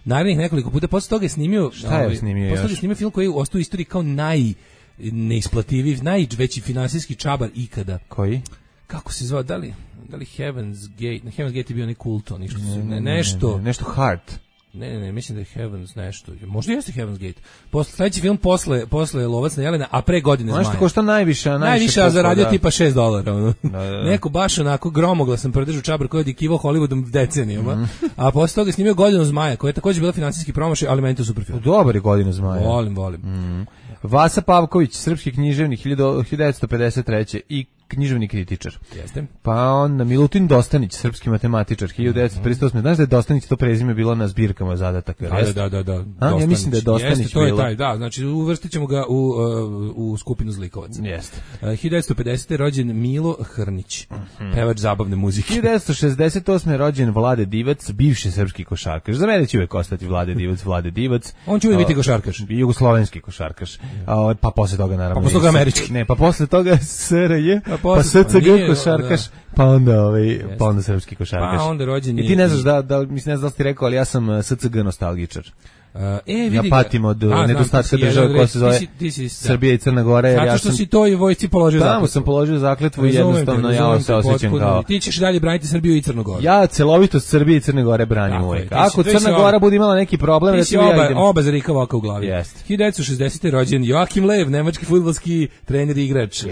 narednih nekoliko puta. Posle toga je snimio, šta je snimio posle toga je snimio film koji je ostao u istoriji kao naj neisplativiji, najveći finansijski čabar ikada. Koji? Kako se zvao? Da li, da li Heaven's Gate? Na Heaven's Gate je bio neki kulto, ništa, ne, ne, ne, nešto. Ne, nešto Heart. Ne, ne, ne, mislim da je Heaven's nešto. Možda jeste Heaven's Gate. Posle, sledeći film posle, posle Lovac na Jelena, a pre Godine zmaja. Ono što košta najviše, a najviše. Najviše, a zaradio tipa šest dolara. Ono. Da, da, da. Neko baš onako gromoglasan prodržu čabar koji je dikivao Hollywoodom decenijama. Mm. A posle toga je snimio Godinu zmaja, koja je također bila finansijski promašaj, ali meni to super film. Dobar je Godinu zmaja. Volim, volim. Mm. Vasa Pavković, srpski književnik, hiljadu devetsto pedeset treće. i književni kritičar. Jeste. Pa on Milutin Dostanić, srpski matematičar, hiljadu devetsto pedeset osme. Znaš da je Dostanić to prezime bilo na zbirkama zadataka? Da, da, da, da. A, ja mislim da je Dostanić jeste, to je taj, da, znači uvrstit ćemo ga u, uh, u skupinu zlikovaca. Jeste. Uh, hiljadu devetsto pedesete. rođen Milo Hrnić, mm-hmm. pevač zabavne muzike. hiljadu devetsto šezdeset osme. rođen Vlade Divac, bivši srpski košarkaš. Za mene će uvek ostati Vlade Divac, Vlade Divac. On će uvek biti košarkaš. Jugoslovenski košarkaš. A, pa posle toga naravno. Pa posle toga američki. Ne, pa posle toga S R J, pa, pa S C G košarkaš, da. pa onda ovaj, pa onda srpski košarkaš. Pa onda rođen je. I ti ne znaš da, da mislim ne znam da li ti rekao, ali ja sam S C G nostalgičar. Uh, e, vidi ja patim od a, nedostatka države koja se zove ti si, ti si, Srbija i Crna Gora. Jer zato ja što sam, si to i vojsci položio zakletvu. Tamo sam položio zakletvu i jednostavno te, ja se osjećam kao... Ti ćeš dalje braniti Srbiju i Crnu Goru. Ja celovitost Srbije i Crne Gore branim uvijek. Ako Crna Gora bude imala neki problem... Ti si oba, ja oba zarika ovako u glavi. Jest. hiljadu devetsto šezdesete. rođen Joakim Lev, nemački fudbalski trener i igrač.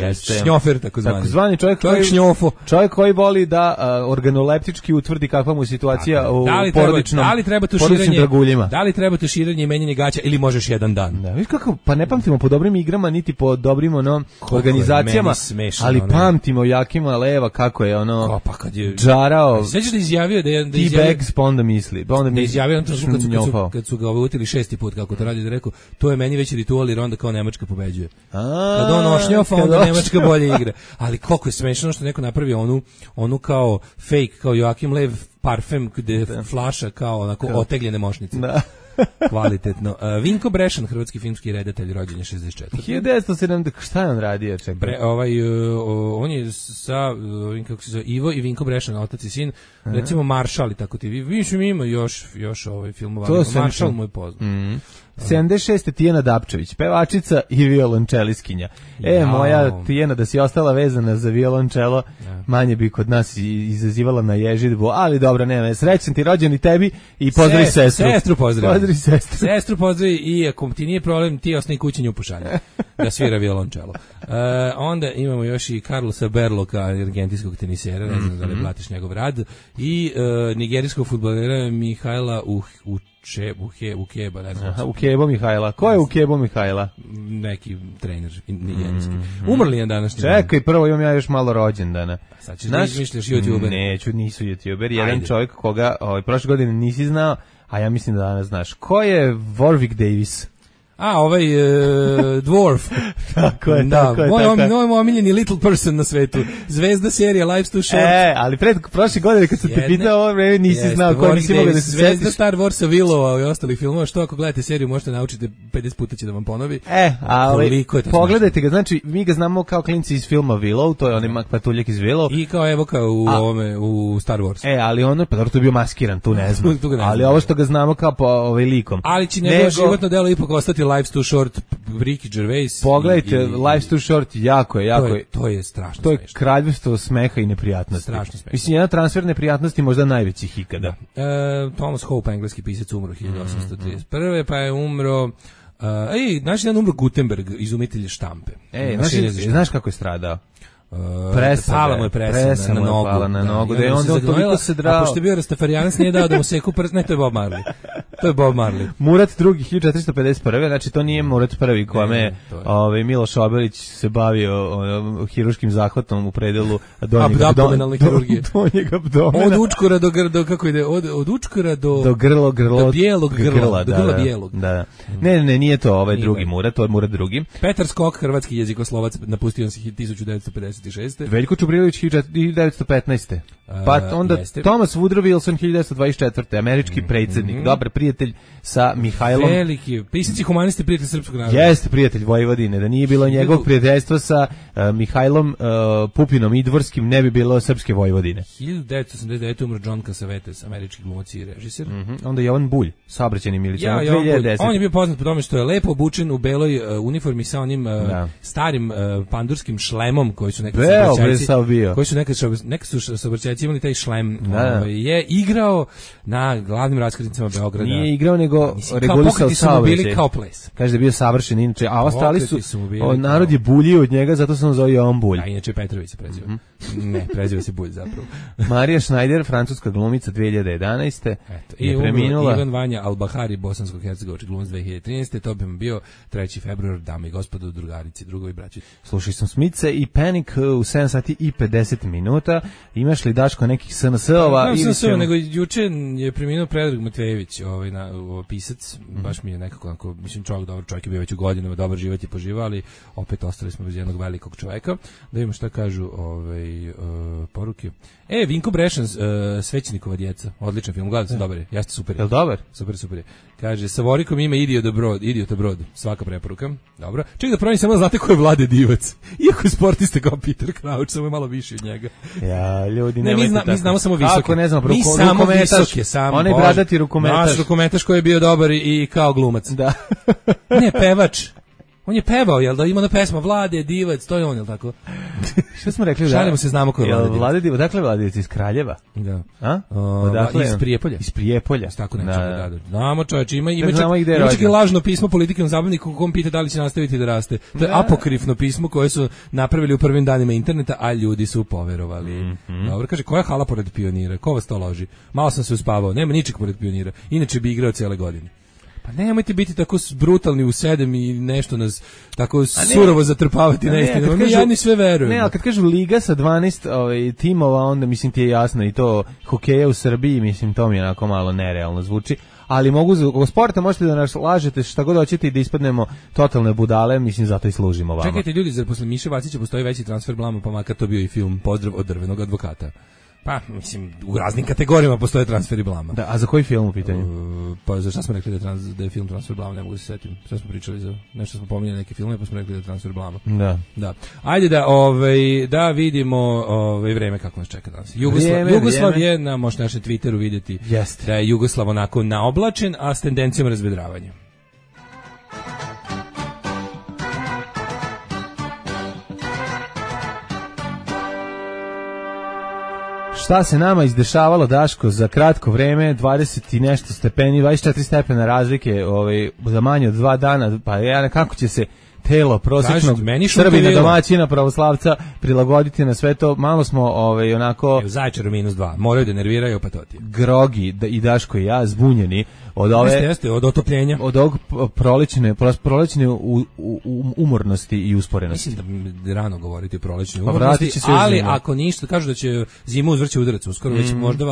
Šnjofer, takozvani. Takozvani čovjek koji, čovjek koji voli da organoleptički utvrdi kakva mu situacija u porodičnom draguljima. Da li treba tuširanje i menjanje gaća ili možeš jedan dan. Da, viš kako, pa ne pamtimo po dobrim igrama, niti po dobrim ono, organizacijama, smešno, ali ono. pamtimo Jakima Leva kako je ono Ko, pa kad je džarao. Sećaš da izjavio da je da izjavio, T-bags, pa onda misli. Pa onda da izjavio on to kad su, kad su, kad su ga uvutili šesti put kako to radi, da rekao, to je meni već ritual jer onda kao Nemačka pobeđuje. A, kad on ošnjofa, onda Nemačka bolje igra. Ali koliko je smešno što neko napravio onu, onu kao fake, kao Joakim Lev parfem gde flaša kao onako otegljene mošnice. Da. Kvalitetno. Uh, Vinko Brešan, hrvatski filmski redatelj, rođen je šezdeset četvrte hiljadu devetsto sedamdesete Šta je on radio? Bre, ovaj, uh, on je sa uh, kako se zove, Ivo i Vinko Brešan, otac i sin. Aha. Recimo Maršal i tako ti. Više mi ima još, još ovaj filmova. Maršal mu je poznat. Mm. sedamdeset šeste Tijana Dapčević, pevačica i violončeliskinja. E, ja. moja Tijana, da si ostala vezana za violončelo, ja. manje bi kod nas izazivala na ježidbu, ali dobro, nema, srećan ti rođen i tebi i pozdravi Sest, sestru. Sestru pozdravi. Pozdravi sestru. Sestru pozdravi i ako ti nije problem, ti osnovi kući nju pošalje da svira violončelo. Uh, onda imamo još i Carlosa Berloka, argentinskog tenisera, ne znam mm -hmm. da li platiš njegov rad, i uh, nigerijskog fudbalera Mihajla uh, uh, Če, uhe, Ukeba, ne znam. Aha, Ukebo Mihajla. Ko je Ukebo Mihajla? Neki trener nigerijski. Mm, Umrli je današnji. Čekaj, prvo imam ja još malo rođendana. Sad ćeš da izmišljaš YouTuber. Neću, nisu YouTuber. Jedan Ajde. čovjek koga ovaj, prošle godine nisi znao, a ja mislim da danas znaš. Ko je Warwick Davis? A, ovaj uh, Dwarf. Tako je, da, tako je. Moj, tako om, moj omiljeni little person na svetu. Zvezda serija Life's Too Short. E, ali pred prošle godine kad sam te pitao ovo vreme nisi jeste, znao ko nisi mogao da se Zvezda setiš. Star Warsa, Willova i ostalih filmova, što ako gledate seriju možete naučiti pedeset puta će da vam ponovi. E, ali pogledajte ga, znači mi ga znamo kao klinci iz filma Willow, to je onaj Mak Patuljak iz Willow. I kao Evoka u a, ovome, u Star Wars. E, ali ono, pa dobro, to je bio maskiran, tu ne znam. tu, tu ne ali znam. Ovo što ga znamo kao po ovaj likom. Ali će njegovo Nego... životno delo ipak ostati Life's Too Short, Ricky Gervais. Pogledajte, i, i, Life's Too Short, jako je, jako to je. To je strašno To je smešno. kraljevstvo smeha i neprijatnosti. Strašno smešno. Mislim, jedna transfer neprijatnosti možda najvećih ikada. Da. E, Thomas Hope, engleski pisac, umro hiljadu osamsto trideset prve pa je umro... Uh, ej, znaš jedan umro Gutenberg, izumitelj štampe. Ej, znaš, znaš kako je stradao? Uh, presa, pala mu je presa, presa na, na nogu, pala na nogu, da, da je onda on toliko se drao. A pošto je bio Rastafarijanac, nije dao da mu seku prst, ne, to je Bob Marley. To je Bob Marley. Murat drugi, hiljadu četiristo pedeset prve znači to nije Murat prvi kome ovaj Miloš Obilić se bavio o, hiruškim zahvatom u predelu donjeg abdominalne hirurgije. Donjeg abdomena. Od učkora do grdo, kako ide, od, od učkora do... Do grlo, grlo. Do bijelog grla, grla do grla da, bijelog. Da, da. Ne, ne, nije to ovaj nije drugi ne. Murat, to je Murat drugi. Petar Skok, hrvatski jezikoslovac, napustio se hiljadu devetsto pedeset šeste Veljko Čubrilović hiljadu devetsto petnaeste Pa onda uh, Thomas Woodrow Wilson hiljadu devetsto dvadeset četvrte američki mm -hmm. predsjednik, dobar prijatelj sa Mihajlom. Veliki, pisac i humanist, prijatelj srpskog naroda. Jeste prijatelj Vojvodine, da nije bilo njegovog prijateljstva sa uh, Mihajlom uh, Pupinom Idvorskim, ne bi bilo srpske Vojvodine. hiljadu devetsto osamdeset devete umro John Cassavetes, američki glumac i režiser. Mm -hmm. Onda Jovan Bulj, saobraćajni milicionar, ja, dve hiljade desete On je bio poznat po tome što je lepo obučen u beloj uh, uniformi sa onim uh, starim uh, pandurskim šlemom koji su nekad saobraćajci, koji su nekad, nekad su saobraćajci imali taj šlem. Da. Je igrao na glavnim raskrsnicama Beograda. Nije igrao, nego regulisao saobraćaj. Bili kao ples. Kaže da je bio savršen, inače, a ostali su, o, narod je buljio od njega, zato sam zove Jovan Bulj. A inače Petrović se preziva. Mm -hmm. Ne, preziva se Bulj zapravo. Marija Schneider, francuska glumica dve hiljade jedanaeste Eto, i je preminula. Ivan Vanja Albahari, bosansko-hercegovački glumac dve hiljade trinaeste To bi vam bio treći februar, dame i gospodo, drugarici, drugovi, braći. Slušaj sam Smice i Panic u sedam sati i pedeset minuta Imaš li, Daško, nekih S N S-ova? Ne, ne, ne, nego juče je preminuo Predrag Matvejević, ovaj, na, ovaj pisac, mm -hmm. baš mi je nekako, onako, mislim, čovjek dobar, čovjek je bio već u godinama, dobar život je poživao, ali opet ostali smo bez jednog velikog čovjeka. Da vidimo šta kažu ovaj, uh, poruke. E, Vinko Brešan, uh, Svećenikova djeca, odličan film, gledam se, dobar je, jeste super. Je li dobar? Super, super je. Kaže, sa Vorikom ima Idiota Brod, Idiota Brod, svaka preporuka, dobro. Čekaj da pravim samo, znate ko je Vlade Divac, iako je sportista kao Peter Crouch, samo je malo viši od njega. Ja, ljudi, ne, mi, zna, mi znamo samo visoke. Kako ne znam, mi ruko, samo rukometaš, visoke, samo. Onaj bradati rukometaš. Naš rukometaš koji je bio dobar i, i kao glumac. Da. Ne, pevač. On je pevao, jel da ima na pesma Vlade Divac, to je on, jel tako? Šta smo rekli? Šalimo se, znamo ko je Vlade Divac. Vlade Divac, dakle Vlade Divac iz Kraljeva? Da. A? O, dakle, iz Prijepolja. Iz Prijepolja. Tako nečega, da, da. Znamo čovječ, ima, ima, čak, ima čak i lažno pismo politikom zabavniku kom pita da li će nastaviti da raste. To je da. apokrifno pismo koje su napravili u prvim danima interneta, a ljudi su poverovali. Mm -hmm. Dobro, kaže, koja hala pored Pionira? Ko vas to loži? Malo sam se uspavao, nema ničeg pored Pionira. Inače bi igrao cijele godine. Pa nemojte biti tako brutalni u sedam i nešto nas tako surovo zatrpavati neistinama. Mi ja ni sve verujemo. Ne, ali kad kažu liga sa dvanaest ovaj, timova, onda mislim ti je jasno i to hokeja u Srbiji, mislim to mi je onako malo nerealno zvuči. Ali mogu zbog sporta možete da nas lažete šta god hoćete i da ispadnemo totalne budale, mislim zato i služimo vama. Čekajte ljudi, zar posle Miše Vacića postoji veći transfer blama, pa makar to bio i film Pozdrav od drvenog advokata. Pa, mislim, u raznim kategorijama postoje transferi blama. Da, a za koji film u pitanju? Uh, pa za šta smo rekli da je, trans, da je film transfer blama, ne mogu se setim. Šta smo pričali za nešto, smo pominjali neke filme, pa smo rekli da je transfer blama. Da. Da. Ajde da, ovaj, da vidimo ovaj, vreme kako nas čeka danas. Jugoslav, vrijeme, Jugoslav vrijeme. Je, na možete našem Twitteru vidjeti Jest. Da je Jugoslav onako naoblačen, a s tendencijom razvedravanja. Šta se nama izdešavalo, Daško, za kratko vreme, dvadeset i nešto stepeni, dvadeset četiri stepena razlike, ovaj, za manje od dva dana, pa ja kako će se telo prosječnog Srbina, domaćina, pravoslavca prilagoditi na sve to, malo smo ovaj, onako... U Zaječaru minus dva, moraju da nerviraju, pa to ti. Grogi, da, i Daško i ja, zbunjeni od ove... Jeste, jeste, od otopljenja. Od ovog prolećne, prolećne u, u, umornosti i usporenosti. Mislim da rano govoriti o prolećnoj pa umornosti, ali zima. Ako ništa, kažu da će zima uzvrće udarac, uskoro mm. već možda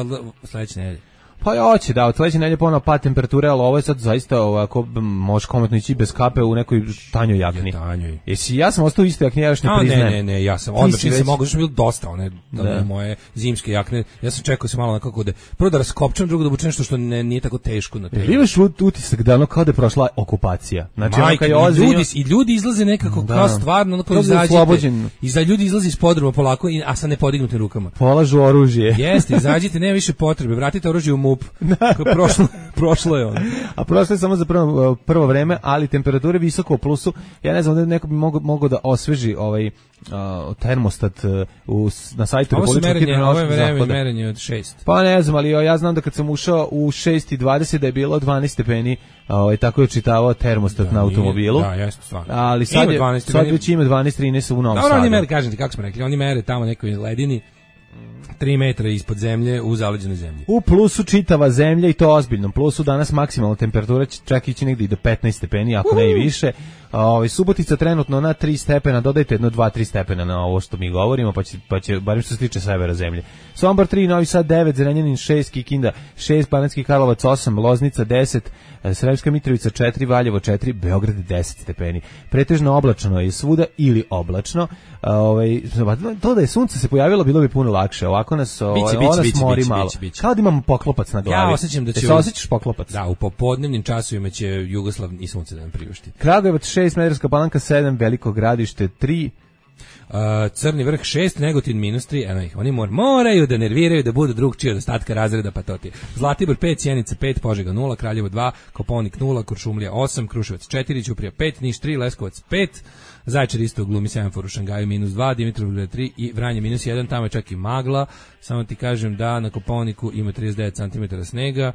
sledeće nedelje. Pa ja hoće, da, od sledeće nedelje ponovo pad temperature, ali ovo je sad zaista ovako, možeš kometno ići bez kape u nekoj tanjoj jakni. Tanjoj. Jesi, ja sam ostao isto jakni, ja još ne A, priznajem. Ne, ne, ne, ja sam, odmah čim već... se mogu, što bilo dosta one, one moje zimske jakne, ja sam čekao se malo nekako da, prvo da raskopčam, drugo da obučem nešto što ne, nije tako teško na telu. Imaš utisak da ono kao da je prošla okupacija. Znači, Majke, je i, ljudi, i ljudi izlaze nekako da. Kao stvarno, ono kao izađite, i za ljudi izlazi iz podruma polako, a sa nepodignutim rukama. Polažu oružje. Jeste, izađite, nema više potrebe, vratite oružje u MUP. Prošlo, prošlo je ono. A prošlo je samo za prvo, prvo vreme, ali temperature visoko u plusu. Ja ne znam da neko bi mogao mogo da osveži ovaj uh, termostat uh, u, na sajtu Republičkog hidrološkog zavoda. Ovo je merenje od šest. Pa ne znam, ali ja znam da kad sam ušao u šest i dvadeset da je bilo dvanaest stepeni, ovaj, tako je čitavao termostat da, na automobilu. Da, jeste, stvarno. Ali sad, je, dvanaest, sad već ima dvanaest trinaest u Novom Sadu. Dobro, oni mere, kažem ti kako smo rekli, oni mere tamo nekoj ledini, tri metra ispod zemlje u zaleđenoj zemlji. U plusu čitava zemlja i to ozbiljnom plusu, danas maksimalna temperatura će čak ići negdje i do petnaest stepeni, ako uh-huh. ne i više. Ovaj Subotica trenutno na tri stepena, dodajte jedno dva tri stepena na ovo što mi govorimo, pa će pa će barem što se tiče severa zemlje. Sombor tri, Novi Sad devet, Zrenjanin šest, Kikinda šest, Banatski Karlovac osam, Loznica deset, Sremska Mitrovica četiri, Valjevo četiri, Beograd deset stepeni. Pretežno oblačno je svuda ili oblačno. Ovaj to da je sunce se pojavilo bilo bi puno lakše. Ovako nas ovaj ona smori malo. Kao da imamo poklopac na glavi. Ja osjećam da će se osjećaš poklopac. Da, u popodnevnim časovima će Jugoslav i sunce da nam priušti. Kragujevac šest, Smederevska Palanka sedam, Veliko Gradište tri, Uh, Crni vrh šest, Negotin minus tri, eno ih, oni mor, moraju da nerviraju, da budu drugčiji od ostatka razreda, pa to ti. Zlatibor pet, Sjenica pet, Požega nula, Kraljevo dva, Koponik nula, Kuršumlija osam, Kruševac četiri, Ćuprija pet, Niš tri, Leskovac pet, Zaječar isto glumi semafor u Šangaju minus dva, Dimitrovgrad tri i Vranje minus jedan, tamo je čak i magla, samo ti kažem da na Koponiku ima trideset devet centimetara snega,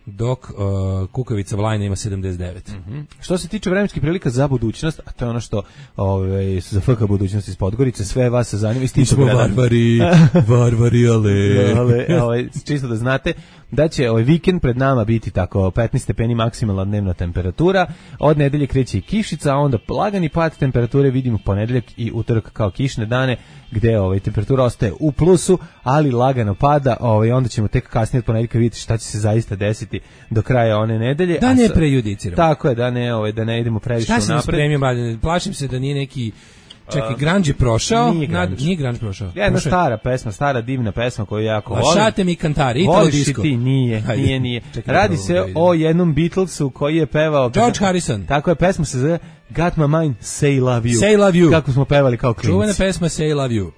dok uh, Kukavica Vlajna ima sedamdeset devet. Mm-hmm. Što se tiče vremenskih prilika za budućnost, a to je ono što ovaj, za F K budućnost iz Podgorice, sve vas se zanima iz tih grada. Varvari, varvari, ale. ale ovaj, čisto da znate da će ovaj vikend pred nama biti tako petnaest stepeni maksimalna dnevna temperatura, od nedelje kreće i kišica, a onda lagani pad temperature vidimo ponedeljak i utorak kao kišne dane, gde ovaj temperatura ostaje u plusu, ali lagano pada, ovaj onda ćemo tek kasnije od ponedeljka vidjeti šta će se zaista desiti do kraja one nedelje. Da ne prejudiciramo. Tako je, da ne, ovaj da ne idemo previše unapred. Šta se spremio, mladen? Plašim se da nije neki Čekaj, Grunge je prošao? Nije Grunge. Nad, nije Grunge prošao. Jedna stara pesma, stara divna pesma koju jako volim. Lašate mi kantari, Italo Voliš disco. Ti, nije, Hajde. nije, nije. Čekaj, Radi se da o jednom Beatlesu koji je pevao... George Harrison. Tako je, pesma se zove Got My Mind, Say Love You. Say Love You. Kako smo pevali kao klinci. Čuvena pesma Say Love You.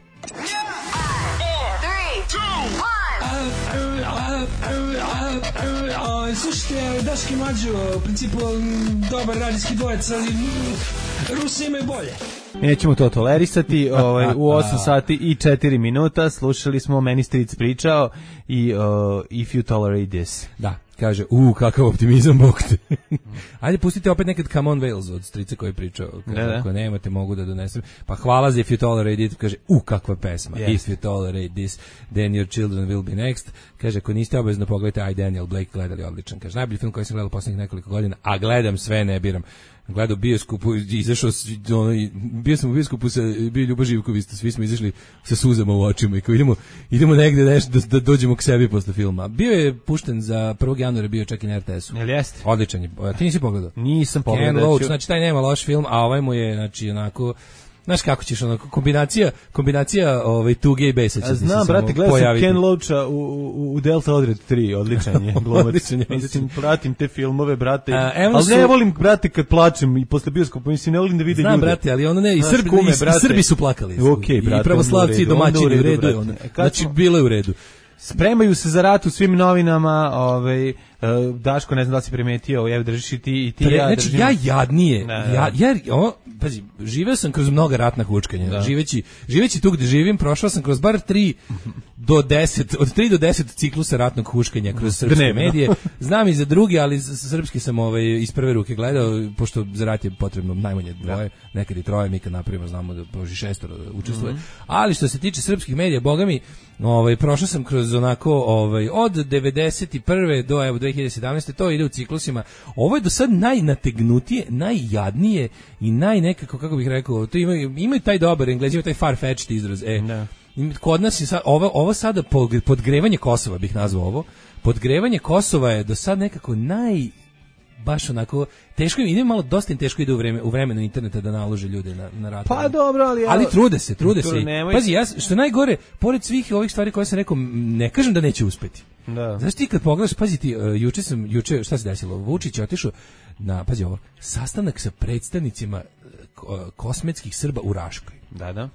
Slušajte, Daški Mađo, u principu dobar radijski dvojec, ali Rusi imaju bolje. Nećemo to tolerisati. Ovaj, u osam sati i četiri minuta slušali smo Meni Stric pričao i uh, If You Tolerate This. Da. Kaže, u, kakav optimizam, bog te. Ajde, pustite opet nekad Come on Wales od strica koji je pričao. Kaže, da, da. ako nemate, mogu da donesem. Pa hvala za If You Tolerate It. Kaže, u, kakva pesma. Yes. If You Tolerate This, then your children will be next. Kaže, ako niste obavezno pogledajte I, Daniel Blake, gledali odličan. Kaže, najbolji film koji sam gledao poslednjih nekoliko godina, a gledam sve, ne biram. Gledao bioskopu, izašao, ono, bio sam u bioskopu sa, bio Ljuba Živković, svi smo izašli sa suzama u očima i kao idemo, idemo negde nešto da, da dođemo k sebi posle filma. Bio je pušten za prvog januara, bio čak i na er te esu. Jel jeste? Odličan je. Ti nisi pogledao? Nisam pogledao. Ken Loach, znači taj nema loš film, a ovaj mu je, znači, onako, znaš kako ćeš, ono, kombinacija, kombinacija ovaj, tuge i besa će Znam, se brate, gledao sam Ken Loacha u, u, u Delta Odred tri, odličan je glumac. Odličan je, Mislim, pratim te filmove, brate, A, ali su... ne volim, brate, kad plačem i posle bioskopa, mislim, ne volim da vide Znam, ljude. brate, ali ono ne, i, Znaš, Srbi, kume, i, brate. i Srbi su plakali. Okay, brate, i pravoslavci i domaćini, u redu je ono. Znači, bilo je u redu. Spremaju se za rat u svim novinama, ovaj, uh, Daško, ne znam da li si primetio, ja držiš i ti, i ti Pre, ja znači, držim. ja jadnije, Da, ja, jer, o, pazi, živeo sam kroz mnoga ratna hučkanja, Da. živeći, živeći tu gde živim, prošao sam kroz bar tri do deset, od tri do deset ciklusa ratnog huškanja kroz srpske Dnevno. medije, znam i za drugi, ali s- srpski sam ovaj, iz prve ruke gledao, pošto za rat je potrebno najmanje dvoje, nekad i troje, mi kad napravimo znamo da proži šestoro da učestvuje, Mhm. ali što se tiče srpskih medija, boga mi, ovaj, prošao sam kroz onako, ovaj, od devedeset prve do evo dve hiljade sedamnaeste to ide u ciklusima. Ovo je do sad najnategnutije, najjadnije i naj nekako, kako bih rekao, to imaju, imaju taj dobar, Englezi imaju taj far-fetched izraz. E, Da. kod nas je sad, ovo, ovo sada pog- podgrevanje Kosova bih nazvao ovo. Podgrevanje Kosova je do sad nekako naj baš onako teško im ide, malo dosta im teško ide u vreme u vremenu interneta da nalože ljude na na rat. Pa dobro, ali ali trude se, trude se. Nemoj... Pazi, ja što je najgore, pored svih ovih stvari koje sam rekao, ne kažem da neće uspeti. Da. Znaš ti kad pogledaš, pazi ti, uh, juče sam, juče, šta se desilo? Vučić je otišao na, pazi ovo, sastanak sa predstavnicima uh, kosmetskih Srba u Raškoj. Da, da.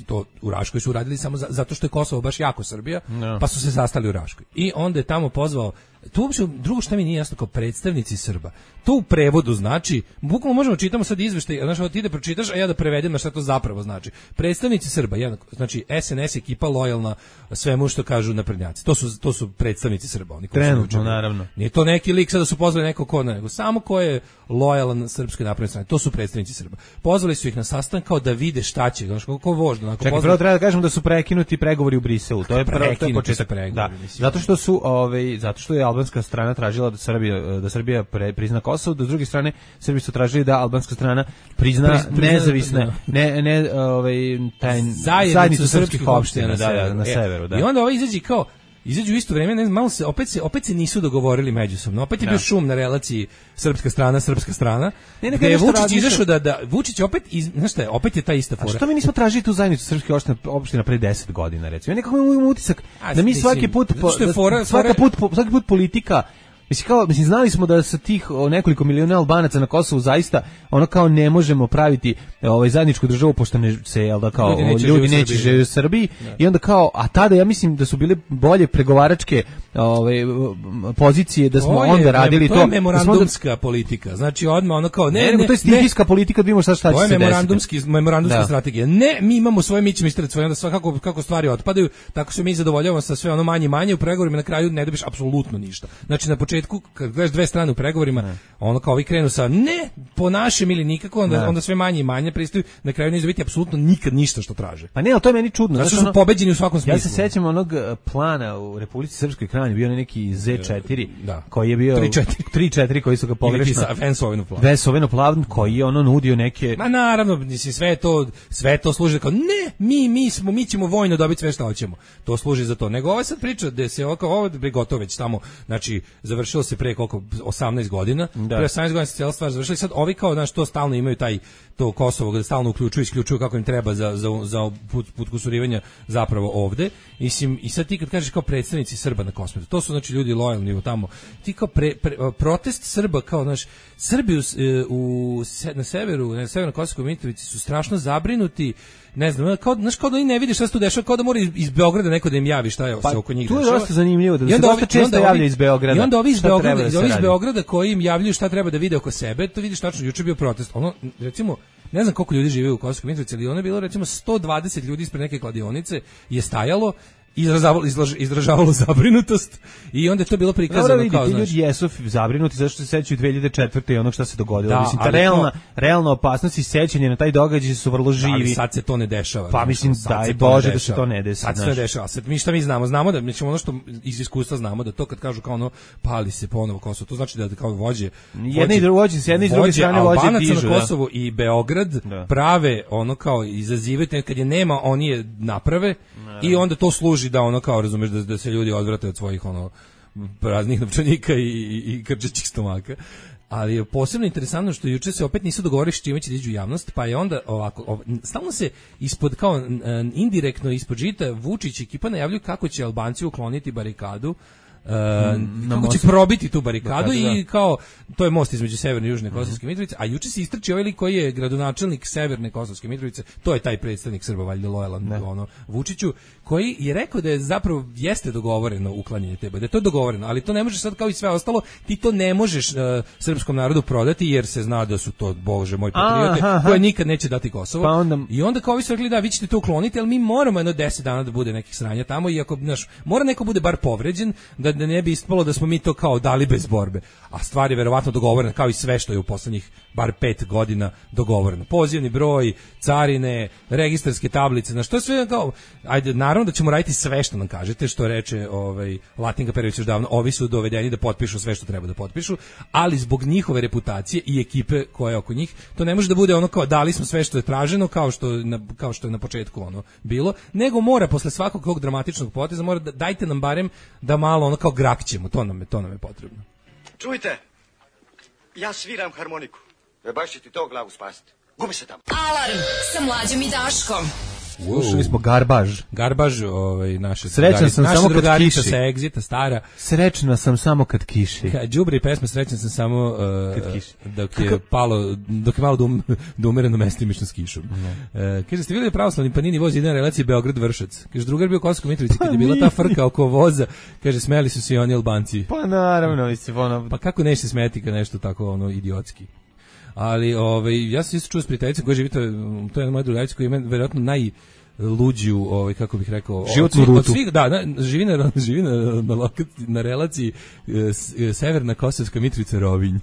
To u Raškoj su uradili samo za, zato što je Kosovo baš jako Srbija, No. pa su se sastali u Raškoj. I onda je tamo pozvao, to uopšte, drugo što mi nije jasno, kao predstavnici Srba. To u prevodu znači, bukvalno možemo čitamo sad izveštaj, znaš, ovo ti da pročitaš, a ja da prevedem na šta to zapravo znači. Predstavnici Srba, jednako, znači es en es ekipa lojalna svemu što kažu naprednjaci. To su, to su predstavnici Srba. Oni koji su Trenutno, naučili. naravno. Nije to neki lik sada su pozvali neko ko, nego samo ko je lojalan srpskoj naprednoj strani. To su predstavnici Srba. Pozvali su ih na sastanak kao da vide šta će, znači kako vožda, onako. Čekaj, pozvali- prvo treba da kažemo da su prekinuti pregovori u Briselu. To je prvo, to je Prekinuti su početak. pregovori, Da. mislim. Zato što su, ovaj, zato što je albanska strana tražila da Srbija da Srbija pre, prizna Kosovo, da s druge strane Srbi su tražili da albanska strana prizna Priz- prizna- nezavisne, da. ne ne ovaj taj zajednicu, zajednicu srpskih opština da, da, na E, severu, da. I onda ovo izađe kao izađu u isto vrijeme, ne znam, malo se opet se opet se nisu dogovorili međusobno. Opet je Da. bio šum na relaciji srpska strana, srpska strana. Ne, ne, gde je nešto Vučić razmišlja- izašao da da Vučić opet iz, znaš šta je, opet je ta ista A fora. što mi nismo tražili tu zajednicu srpskih opština, opština pre deset godina, recimo? Ja nekako imam utisak A, da mi mislim, svaki put, zato što je da fora- svaka fora- put, po- svaki put politika. Mislim, kao, mislim, znali smo da sa tih o, nekoliko miliona Albanaca na Kosovu zaista ono kao ne možemo praviti e, ovaj zajedničku državu pošto ne se jel da kao Ljudi neće ljudi živjeti u neće Srbiji. živjeti u Srbiji i onda kao a tada ja mislim da su bile bolje pregovaračke ovaj pozicije da smo To je onda mem- radili to. To je da smo onda- memorandumska politika. Znači odmah ono kao ne, ne, nego ne, to je ne, stihijska politika, da vidimo šta šta će to je se desiti. memorandumski memorandumska Da. strategija. Ne, mi imamo svoje, mi ćemo istrati svoje, onda svakako kako stvari otpadaju, tako se mi zadovoljavamo sa sve ono manje i manje u pregovorima, na kraju ne dobiš apsolutno ništa. Znači na početku kad gledaš dve strane u pregovorima, ono kao ovi krenu sa ne po našem ili nikako, onda, Ne. onda sve manje i manje pristaju, na kraju neće biti apsolutno nikad ništa što traže. Pa ne, ali to je meni čudno. Zato što znaš, su ono- pobeđeni u svakom smislu. Ja se sećam onog eh, plana u Republici Srpskoj Krajini, bio je neki zet četiri, Da. koji je bio tri četiri. tri četiri koji su ga pogrešno Vensovinu plan. Vesoveno plavn koji je ono nudio neke Ma naravno, mislim sve to sve to služi kao ne, mi mi smo mi ćemo vojno dobiti sve što hoćemo. To služi za to. Nego ova sad priča da se oko ovo je gotovo već tamo, znači završilo se pre koliko osamnaest godina. Da. Pre osamnaest godina se cijela stvar završila i sad ovi kao znaš to stalno imaju taj to Kosovo da stalno uključuju, isključuju kako im treba za za za put, put kusurivanja zapravo ovde. Mislim i sad ti kad kažeš kao predstavnici Srba na Kosmetu, to su znači ljudi lojalni tamo. Ti kao pre, pre, protest Srba kao naš Srbi u, u se, na severu, na severnoj Kosovskoj Mitrovici su strašno zabrinuti. Ne znam, kao znaš kao da oni ne vide šta se tu dešava, kao da mora iz, iz Beograda neko da im javi šta je pa, se oko njih tu je dešava. dosta zanimljivo da I se onda dosta ovi- i često onda javlja ovi- iz Beograda. I onda ovi iz šta Beograda, treba da se ovi iz radi. Beograda koji im javljaju šta treba da vide oko sebe, to vidiš tačno, juče je bio protest. Ono, recimo, ne znam koliko ljudi žive u Kosovskoj Mitrovici, ali ono je bilo recimo sto dvadeset ljudi ispred neke kladionice je stajalo izražavalo, izražavalo zabrinutost i onda je to bilo prikazano Dobro, vidi, kao, ti znaš... ljudi jesu zabrinuti zato što se sećaju dve hiljade četvrte i onog šta se dogodilo. Da, mislim, ta realna, to... realna opasnost i sećanje na taj događaj su vrlo živi. Ali sad se to ne dešava. Pa mislim, daj Bože da se to ne desi. Sad se ne dešava. Sad mi šta mi znamo? Znamo da, mislim, ono što iz iskustva znamo da to kad kažu kao ono, pali se ponovo Kosovo, to znači da kao vođe... Jedne i druge vođe, s jedne i druge strane vođe dižu. Albanaca na Kosovu i Beograd da. prave ono kao izazivaju, kad je nema, oni je naprave da. i onda to služi da ono kao, razumeš, da, da se ljudi odvrate od svojih ono praznih novčanika i, i, i krčećih stomaka. Ali je posebno interesantno što juče se opet nisu dogovorili s čime će da iđu javnost, pa je onda ovako, ov, stalno se ispod, kao indirektno ispod žita Vučić ekipa najavljuju kako će Albanci ukloniti barikadu, Uh, mm, kako će probiti tu barikadu Bakadu, i kao to je most između Severne i Južne Kosovske mm. Mitrovice, a juče se istrči ovaj lik koji je gradonačelnik Severne Kosovske Mitrovice, to je taj predstavnik Srba valjda lojalan ono Vučiću, koji je rekao da je zapravo jeste dogovoreno uklanjanje te da je to dogovoreno, ali to ne može sad kao i sve ostalo, ti to ne možeš uh, srpskom narodu prodati jer se zna da su to bože moj patriote aha, aha. koje nikad neće dati Kosovo. Pa onda... I onda kao vi su rekli da vi ćete to ukloniti, ali mi moramo jedno deset dana da bude nekih sranja tamo i ako naš mora neko bude bar povređen da da ne bi ispalo da smo mi to kao dali bez borbe. A stvar je verovatno dogovorena kao i sve što je u poslednjih bar pet godina dogovoreno. Pozivni broj, carine, registarske tablice, na što je sve kao, ajde, naravno da ćemo raditi sve što nam kažete, što reče ovaj, Latinka Perović još davno, ovi su dovedeni da potpišu sve što treba da potpišu, ali zbog njihove reputacije i ekipe koja je oko njih, to ne može da bude ono kao dali smo sve što je traženo, kao što, na, kao što je na početku ono bilo, nego mora posle svakog tog dramatičnog poteza, mora da, dajte nam barem da malo ono kao grakćemo, to nam je, to nam je potrebno. Čujte, ja sviram harmoniku. E baš će ti to glavu spasiti. Gubi se tamo. Alarm sa Mlađom i Daškom. Slušali smo Garbaž. Garbaž, ovaj, naše Srećan sam samo kad kiši. Sa Exita, stara. Srećna sam samo kad kiši. Đubri pesma Srećan sam samo uh, kad kiši. Dok je palo, dok je malo dum, da umere na mestimično s kišom. Uh, kaže, ste vidjeli pravoslavni Panini voz ide na relaciji Beograd-Vršac. Kaže, drugar bio u Kosovskoj Mitrovici, kad je bila ta frka oko voza, kaže, smeli su se i oni Albanci. Pa naravno, mislim, ono... Pa kako neće se smeti kad nešto tako, ono, idiotski. Ali ovaj ja sam isto čuo s prijateljicom koja živi, to je, to je moja drugarica koja ima verovatno najluđu, ovaj kako bih rekao, životnu rutu. Od svih, da, na, živi na živi na na, lokaciji, na relaciji e, Severna Kosovska Mitrovica Rovinj.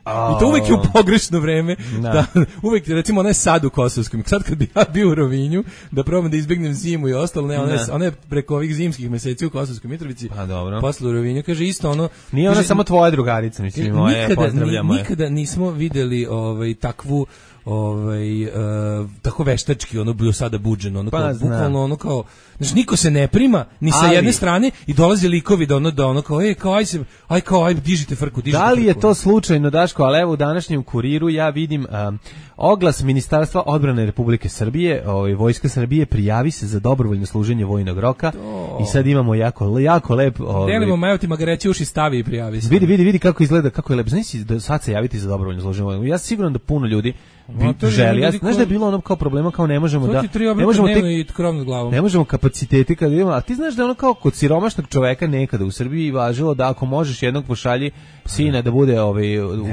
Oh. I to uvek je u pogrešno vreme. Da. Da, uvek, recimo, ona je sad u Kosovskom. Sad kad bi ja bio u Rovinju, da probam da izbegnem zimu i ostalo, ne, ona je, ona je preko ovih zimskih meseci u Kosovskoj Mitrovici. Pa dobro. Posle u Rovinju, kaže isto ono... Nije ona kaže, samo tvoja drugarica, mislim, moje, nikada, pozdravljamo je. Nikada nismo videli ovaj, takvu ovaj uh, tako veštački ono bio sada buđeno ono pa, kao bukvalno ono kao znači niko se ne prima ni sa ali, jedne strane i dolaze likovi da ono da ono kao ej kao aj se aj kao aj dižite frku dižite. Da li frku, je to slučajno Daško, ali evo u današnjem Kuriru ja vidim um, oglas Ministarstva odbrane Republike Srbije, ovaj Vojska Srbije prijavi se za dobrovoljno služenje vojnog roka to. I sad imamo jako jako lep ovaj delimo majotima ga reći uši stavi i prijavi se. Vidi vidi vidi kako izgleda, kako je lep. Znači da sad se javiti za dobrovoljno služenje vojnog. Ja siguran da puno ljudi bi želi. Ja, znaš da je bilo ono kao problema kao ne možemo da ne možemo tek i krov nad glavom. Ne možemo kapaciteti kad idemo, a ti znaš da ono kao kod siromašnog čoveka nekada u Srbiji važilo da ako možeš jednog pošalji sina da bude ovaj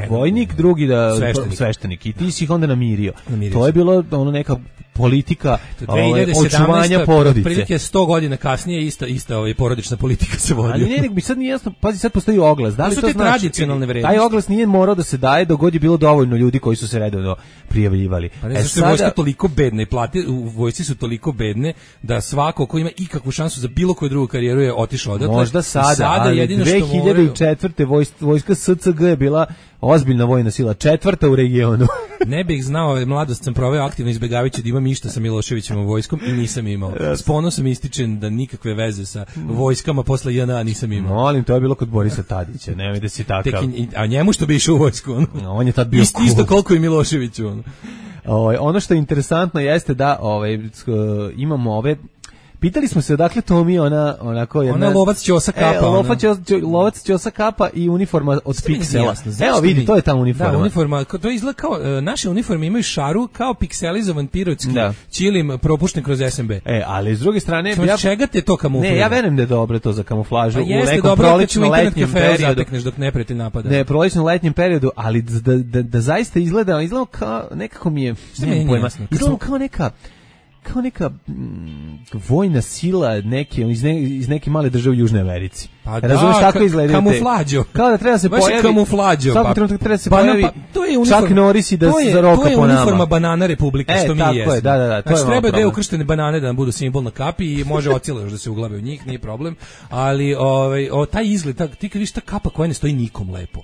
vojnik, drugi da sveštenik. sveštenik i ti si ih onda namirio. namirio to je bilo ono neka politika ovaj, očuvanja porodice. Prilike sto godina kasnije ista ista ovaj porodična politika se vodi. Ali ne, nek bi sad nije jasno, pazi sad postoji oglas. Da li to, to znači tradicionalne vrednosti? Taj oglas nije morao da se daje dok god je bilo dovoljno ljudi koji su se redovno prijavljivali. Pa ne, e, sada... vojska toliko bedna i plate u vojsci su toliko bedne da svako ko ima ikakvu šansu za bilo koju drugu karijeru je otišao odatle. Možda sada, sada ali jedino dve hiljade četvrte vojska, vojska S C G je bila ozbiljna vojna sila, četvrta u regionu. Ne bih znao, mladost sam proveo aktivno izbjegavajući da imam išta sa Miloševićem u vojskom i nisam imao. S ponosom ističem da nikakve veze sa vojskama posle J N A nisam imao. Molim, to je bilo kod Borisa Tadića, nemoj da si takav. A njemu što bi išao u vojsku? Ono? On je tad bio Isto, isto koliko i Miloševiću. Ono. O, ono što je interesantno jeste da ovaj, imamo ove... Pitali smo se odakle to mi ona onako jedna ona lovac ćosa kapa, e, lovac ćosa, lovac ćosa kapa i uniforma od Sve piksela. Evo vidi, mi, to je ta uniforma. Da, uniforma, to izgleda kao uh, naše uniforme imaju šaru kao pikselizovan pirotski ćilim propušten kroz S M B. E, ali s druge strane, ja čega te to kamuflira? Ne, ja verujem da je dobro to za kamuflažu pa u nekom prolećnom letnjem periodu, dok neprijatelj napada. Ne, prolećnom letnjem periodu, ali da, da, da zaista izgleda, izgleda kao nekako mi je, ne pojma, izgleda kao neka kao neka mm, vojna sila neke iz, ne, iz neke male države u Južnoj Americi. Pa razumeš da, kako ka, izgleda kamuflađo. Kao da treba se Baš pojavi kamuflađo. Svaki pa, trenutak treba se bana, pojavi. Pa, to je uniforma. Čak Norris i da je, za roka po nama. To je uniforma banana Republike, e, što mi tako jesmo. je, da, da, da. To znači, je treba dve problem. ukrštene banane da nam budu simbol na kapi i može ocile još da se uglabe u njih, nije problem. Ali ovaj, o, taj izgled, ta, ti kad vidiš ta kapa koja ne stoji nikom lepo.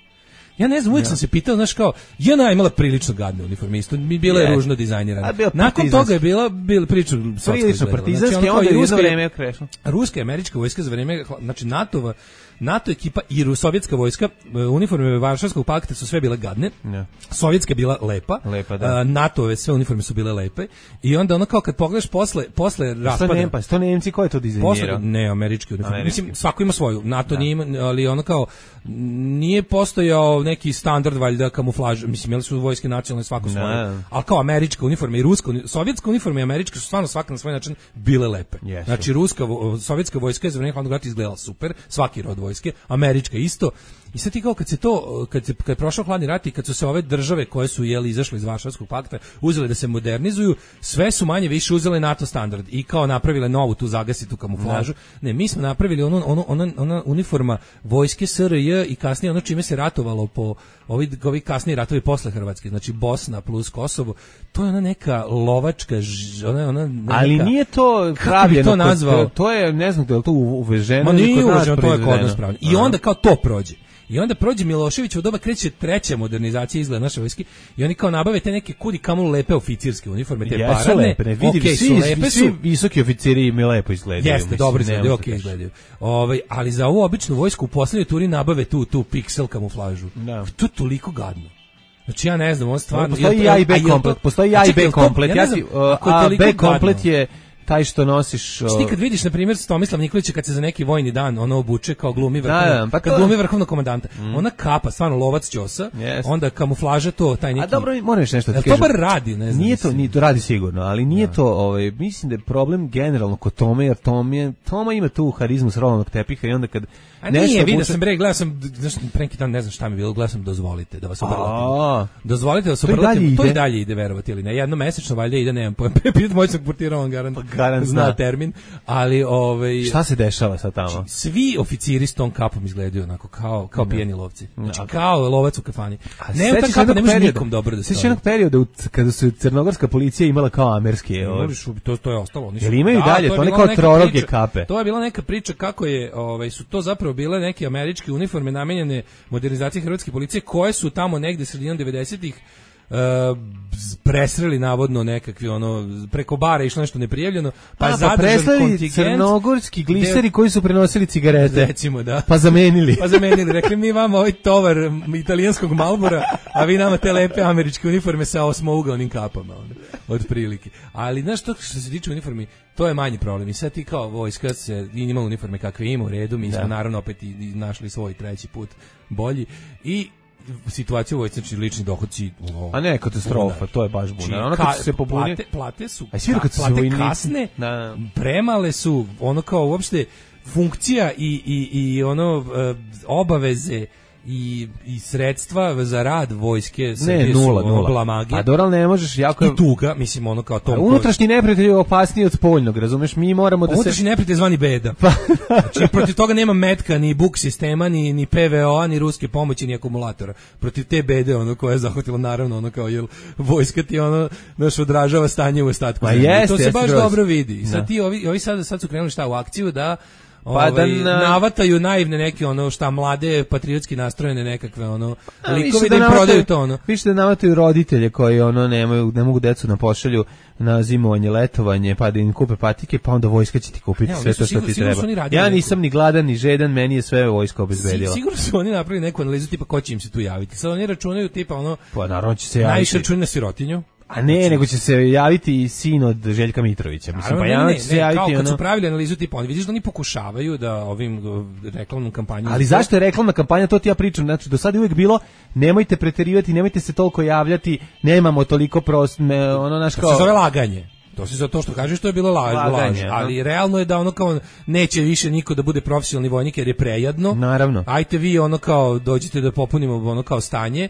Ja ne znam, uvijek ja. sam se pitao, znaš kao, J N A je imala prilično gadne uniforme, isto mi bila je ružno dizajnirana. Nakon toga je bila, bila prilično prilično partizanski, znači, onda je jedno vreme krešno. Ruska i američka vojska za vreme, znači NATO-va, NATO ekipa i sovjetska vojska, uniforme Varšavskog pakta su sve bile gadne, ja. Sovjetska je bila lepa, lepa da. NATO-ove sve uniforme su bile lepe i onda ono kao kad pogledaš posle, posle raspada... Što Nemci, to Nemci, ko je to dizajnirao? Ne, američki uniforme. Mislim, svako ima svoju, NATO da. Nije ima, ali ono kao, nije postojao neki standard valjda kamuflaž, mislim, imali su vojske nacionalne svako svoje, ali kao američka uniforma i ruska, sovjetska uniforma i američka su stvarno svaka na svoj način bile lepe. Yes. Znači, ruska, sovjetska vojska je za vreme hladnog rata izgledala super, svaki rod vojske, američka isto. I sad ti kao kad se to, kad, se, kad je prošao hladni rat i kad su se ove države koje su jeli izašle iz Varšavskog pakta uzele da se modernizuju, sve su manje više uzele NATO standard i kao napravile novu tu zagasitu kamuflažu. Ne, mi smo napravili onu, onu, ona, ona uniforma vojske S R J i kasnije ono čime se ratovalo po ovi, ovi kasniji ratovi posle Hrvatske, znači Bosna plus Kosovo, to je ona neka lovačka, ona, ona neka, ali nije to pravljeno, to nazvao? To, to je, ne znam da je to uveženo. Ma nije uveženo, to je kod nas pravljeno. I onda kao to prođe. I onda prođe Milošević, u doba kreće treća modernizacija izgleda naše vojske i oni kao nabave te neke kudi kamo lepe oficirske uniforme, te jesu paradne. Lepe, ne, vidi, okay, svi, su lepe, svi visoki oficiri mi lepo izgledaju. Jeste, mislim, dobro izgledaju, ok izgledaju. Ovaj, ali za ovu običnu vojsku u poslednjoj turi nabave tu tu piksel kamuflažu. Da. To je toliko gadno. Znači ja ne znam, on stvarno... Postoji i A i B komplet, postoji i A i B komplet, ja si, a B komplet je taj što nosiš... O... Ti kad vidiš, na primjer, Tomislav Nikolića kad se za neki vojni dan ono obuče kao glumi vrhovnog, da, da, pa kad to... glumi vrhovnog komandanta, mm. ona kapa, stvarno lovac ćosa, yes. onda kamuflaža to, taj neki... A dobro, moraš nešto ti kažem. To bar radi, ne znam. Nije to, nije to radi sigurno, ali nije da. to, ovaj, mislim da je problem generalno kod Tome, jer Tome, Toma ima tu harizmu s rolanog tepiha i onda kad... A nije, vidio sam, bre, gledao sam, znaš, preki dan, ne znam šta mi je bilo, gledao sam Dozvolite, da vas obrlatim. Dozvolite da vas obrlatim, to i dalje ide, verovati ili ne, jedno mesečno valjda ide, nemam pojem, pitat mojcog portira, on garant, garant zna termin, ali ovaj... Šta se dešava sa tamo? Svi oficiri s tom kapom izgledaju onako, kao, kao pijeni lovci, znači kao lovac u kafani. Ne, ta kapa ne može nikom dobro da stoji. Sveći jednog perioda kada su crnogorska policija imala kao amerske, to, to je ostalo. Jel imaju dalje, to ne kao troroge kape? To je bila neka priča kako je, ovaj, su to zapravo bile neke američke uniforme namenjene modernizaciji hrvatske policije koje su tamo negde sredinom devedesetih uh, presreli navodno nekakvi ono preko bara išlo nešto neprijavljeno, pa je zadržan kontingent crnogorski gliseri koji su prenosili cigarete, recimo, da, pa zamenili pa zamenili, rekli mi vama ovaj tovar italijanskog Marlbora, a vi nama te lepe američke uniforme sa osmougaonim kapama, onda, od prilike. Ali znaš, to što se tiče uniformi, to je manji problem. I sad ti kao vojska se ima uniforme kakve ima u redu, mi smo da. naravno opet i, i našli svoj treći put bolji i situaciju u vojsci, znači lični dohodci, ono, a ne katastrofa, buna. To je baš buna. Ono kad se pobuni, plate, plate su, a svi kad su plate vojnici, kasne, da. premale su, ono kao uopšte funkcija i, i, i ono obaveze i, i sredstva za rad vojske ne, nula, su nula. Blamage. A dobro, ne možeš jako... I tuga, mislim, ono kao to... A unutrašnji neprijatelj je opasniji od spoljnog, razumeš? Mi moramo da se... Unutrašnji neprijatelj zvani beda. Znači, protiv toga nema metka, ni buk sistema, ni, ni P V O-a, ni ruske pomoći, ni akumulatora. Protiv te bede, ono, koja je zahvatila, naravno, ono, kao, jel, vojska ti, ono, naš odražava stanje u ostatku. Ma jest, to se jest, baš groz. dobro vidi. I sad da. ti, ovi, ovi sad, sad su krenuli šta u akciju da... Pa ovaj, da na... navataju naivne neke ono šta mlade patriotski nastrojene nekakve ono a, likovi da im navataju, prodaju to ono. Više da navataju roditelje koji ono nemaju, ne mogu decu na pošalju na zimovanje, letovanje, pa da im kupe patike, pa onda vojska će ti kupiti ne, sve to što ti treba. Ja nisam ni gladan ni žedan, meni je sve vojska obezbedila. Sigurno su oni napravili neku analizu tipa ko će im se tu javiti. Sad oni računaju tipa ono, pa naravno će se javiti. Najviše računaju na sirotinju. A ne, znači, nego će se javiti i sin od Željka Mitrovića. Mislim, pa ja će se javiti kao ono... kad su pravili analizu tipa, oni vidiš da oni pokušavaju da ovim reklamnom kampanjom... Ali zašto je reklamna kampanja, to ti ja pričam. Znači, do sada je uvijek bilo, nemojte preterivati, nemojte se toliko javljati, nemamo toliko prost... Ne, ono, naš kao... To se zove laganje. To se za to što kažeš, to je bilo laž, laž, ali realno je da ono kao neće više niko da bude profesionalni vojnik jer je prejadno. Naravno. Ajte vi ono kao dođite da popunimo ono kao stanje.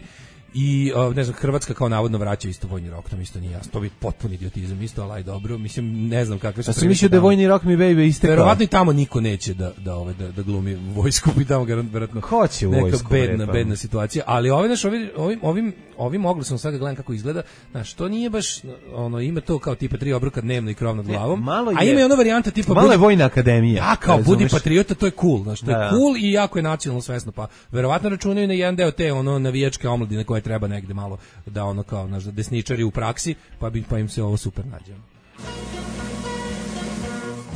I o, ne znam, Hrvatska kao navodno vraća isto vojni rok, to mi isto nije jasno, to bi potpuni idiotizam, isto, ali dobro, mislim, ne znam kakve su... A sam mislio da je vojni rok mi baby istekao. Verovatno i tamo niko neće da, da, ove, da, da glumi vojsku, i tamo verovatno hoće u neka vojsku, bedna, repa. bedna situacija, ali ove, znaš, ovim, ovim, ovim, ovim oglasom sad gledam kako izgleda, znaš, to nije baš, ono, ima to kao tipa tri obroka dnevno i krov nad glavom, ne, a ima i ona varijanta tipa... Malo je vojna akademija. Ja, kao budi patriota, to je cool, znaš, to je da, cool i jako je nacionalno svesno, pa verovatno računaju na jedan deo te, ono, navijačke omladine koje treba negde malo da ono kao naš desničari u praksi, pa bi pa im se ovo super nađe.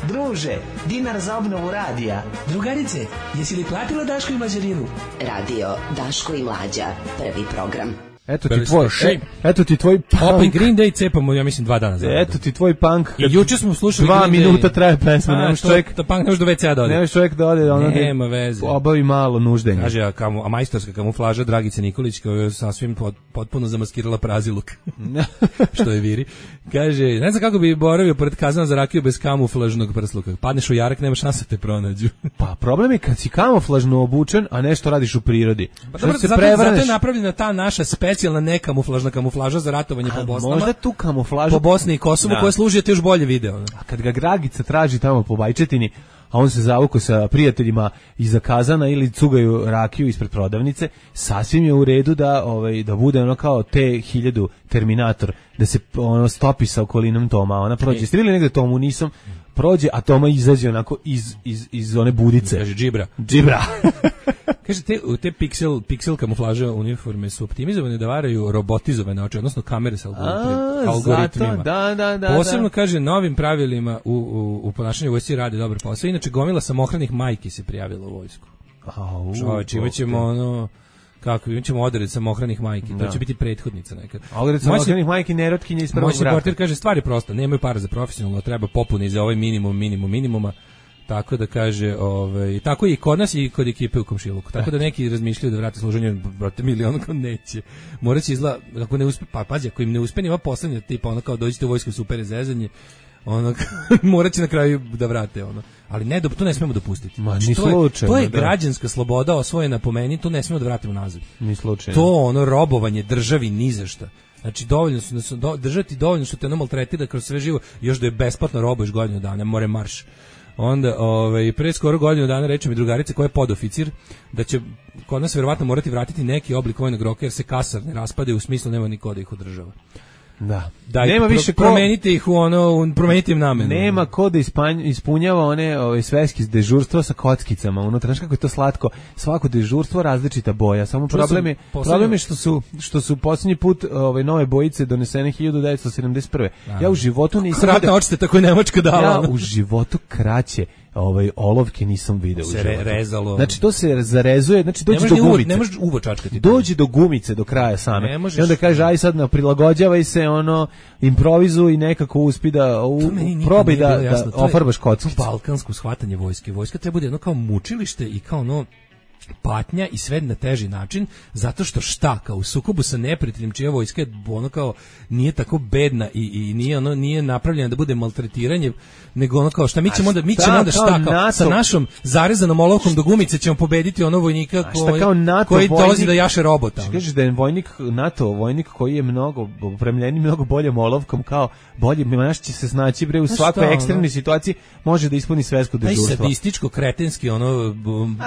Druže, dinar za obnovu radija. Drugarice, jesi li platila Daško i Mlađarinu? Radio Daško i Mlađa, prvi program. Eto ti tvoj, e, eto ti tvoj punk. Opa i Green Day cepamo, ja mislim, dva dana za. Eto ti tvoj punk. I juče smo slušali dva Green minuta Day. traje pesma, nemaš čovjek. To punk ne može do ve ce a da ode. Nemaš čovjek da ode, ono nema veze. Obavi malo nuždenja. Kaže, a, kamu, a majstorska kamuflaža Dragice Nikolić, koja je sasvim pot, potpuno zamaskirala praziluk. Što je viri. Kaže, ne znam kako bi boravio pored kazana za rakiju bez kamuflažnog prsluka. Padneš u jarak, nema šanse te pronađu. Pa problem je kad si kamuflažno obučen, a nešto radiš u prirodi. Pa dobro, se zato, prevrneš. zato je napravljena ta naša specijalna nekamuflažna kamuflaža za ratovanje a, po Bosnama. Možda tu kamuflažu po Bosni i Kosovu, koja služi ti još bolje video. Ne? A kad ga Dragica traži tamo po Bajčetini, a on se zavuko sa prijateljima iza kazana ili cugaju rakiju ispred prodavnice, sasvim je u redu da ovaj da bude ono kao te hiljadu Terminator, da se ono stopi sa okolinom Toma, ona prođe. Jeste vidjeli negde Tomu? Nisam. Prođe, a Toma izađe onako iz, iz, iz one budice. Kaže džibra. Džibra. Kaže, te, te pixel, pixel kamuflaže uniforme su optimizovane da varaju robotizovane oči, odnosno kamere sa algoritmima. Zato, da, da, da, posebno, da. kaže, novim pravilima u, u, u ponašanju vojsci radi dobar posao. Inače, gomila samohranih majki se prijavila u vojsku. Čovječ, imaćemo ono... Kako, imat ćemo odred samohranih majki, da. To će biti prethodnica neka. Odred samohranih majki, nerotkinje iz prvog braka. Moj portir kaže, stvar je prosta, nemaju para za profesionalno, treba popuni za ovaj minimum, minimum, minimuma, tako da kaže, ovaj, tako i kod nas i kod ekipe u komšiluku, tako da neki razmišljaju da vrate služenje, brate, milion, kao neće. Morat će izgleda, ako ne uspe, pa pazi, ako im ne uspe, nima poslednja tipa, ono kao dođite u vojsku, super je zezanje, ono, morat će na kraju da vrate, ono. Ali ne, to ne smemo dopustiti. Ma, znači, ni to, je, slučajno, to je da. građanska sloboda osvojena po meni, to ne smemo da vratimo nazad. Ni slučajno. To ono robovanje državi ni za šta. Znači dovoljno su, su do, držati dovoljno što te ono maltretira kroz sve živo, još da je besplatno robuješ godinu dana, more marš. Onda, ovaj, pre skoro godinu dana reče mi drugarica koja je podoficir da će kod nas verovatno morati vratiti neki oblik vojnog roka jer se kasar ne raspade, u smislu nema niko da ih održava. Da. Dajte, nema više pro, promenite ih u ono, promenite im namenu. Nema ko da ispanj, ispunjava one ove sveski dežurstvo sa kockicama unutra. Znaš kako je to slatko? Svako dežurstvo različita boja. Samo problem je, problem je što su što su posljednji put ove nove bojice donesene hiljadu devetsto sedamdeset prve. Ja u životu nisam Kratna očite tako je Nemačka dala. Ja u životu kraće ovaj olovke nisam video se re, rezalo. Znači to se zarezuje, znači dođe do gumice. Ne možeš uvo čačkati. Dođe do gumice do kraja same. Možeš, i onda kaže aj sad na prilagođavaj se, ono improvizuj i nekako uspi da u, probaj da, da ofarbaš kockice. Balkansko shvatanje vojske. Vojska treba bude jedno kao mučilište i kao ono patnja i sve na teži način, zato što šta, kao u sukobu sa neprijateljem čija vojska je ono kao nije tako bedna i, i nije ono nije napravljena da bude maltretiranje, nego ono kao šta mi ćemo onda mi ćemo onda šta kao NATO, sa našom zarezanom olovkom do gumice ćemo pobediti ono vojnika koji, kao NATO koji vojnik, dolazi da jaše robota. Kažeš da je vojnik NATO vojnik koji je mnogo opremljeniji mnogo boljom olovkom, kao bolje naš će se snaći bre u svakoj šta, ekstremnoj ono? Situaciji može da ispuni svesku dežurstvo. Taj sadističko kretenski ono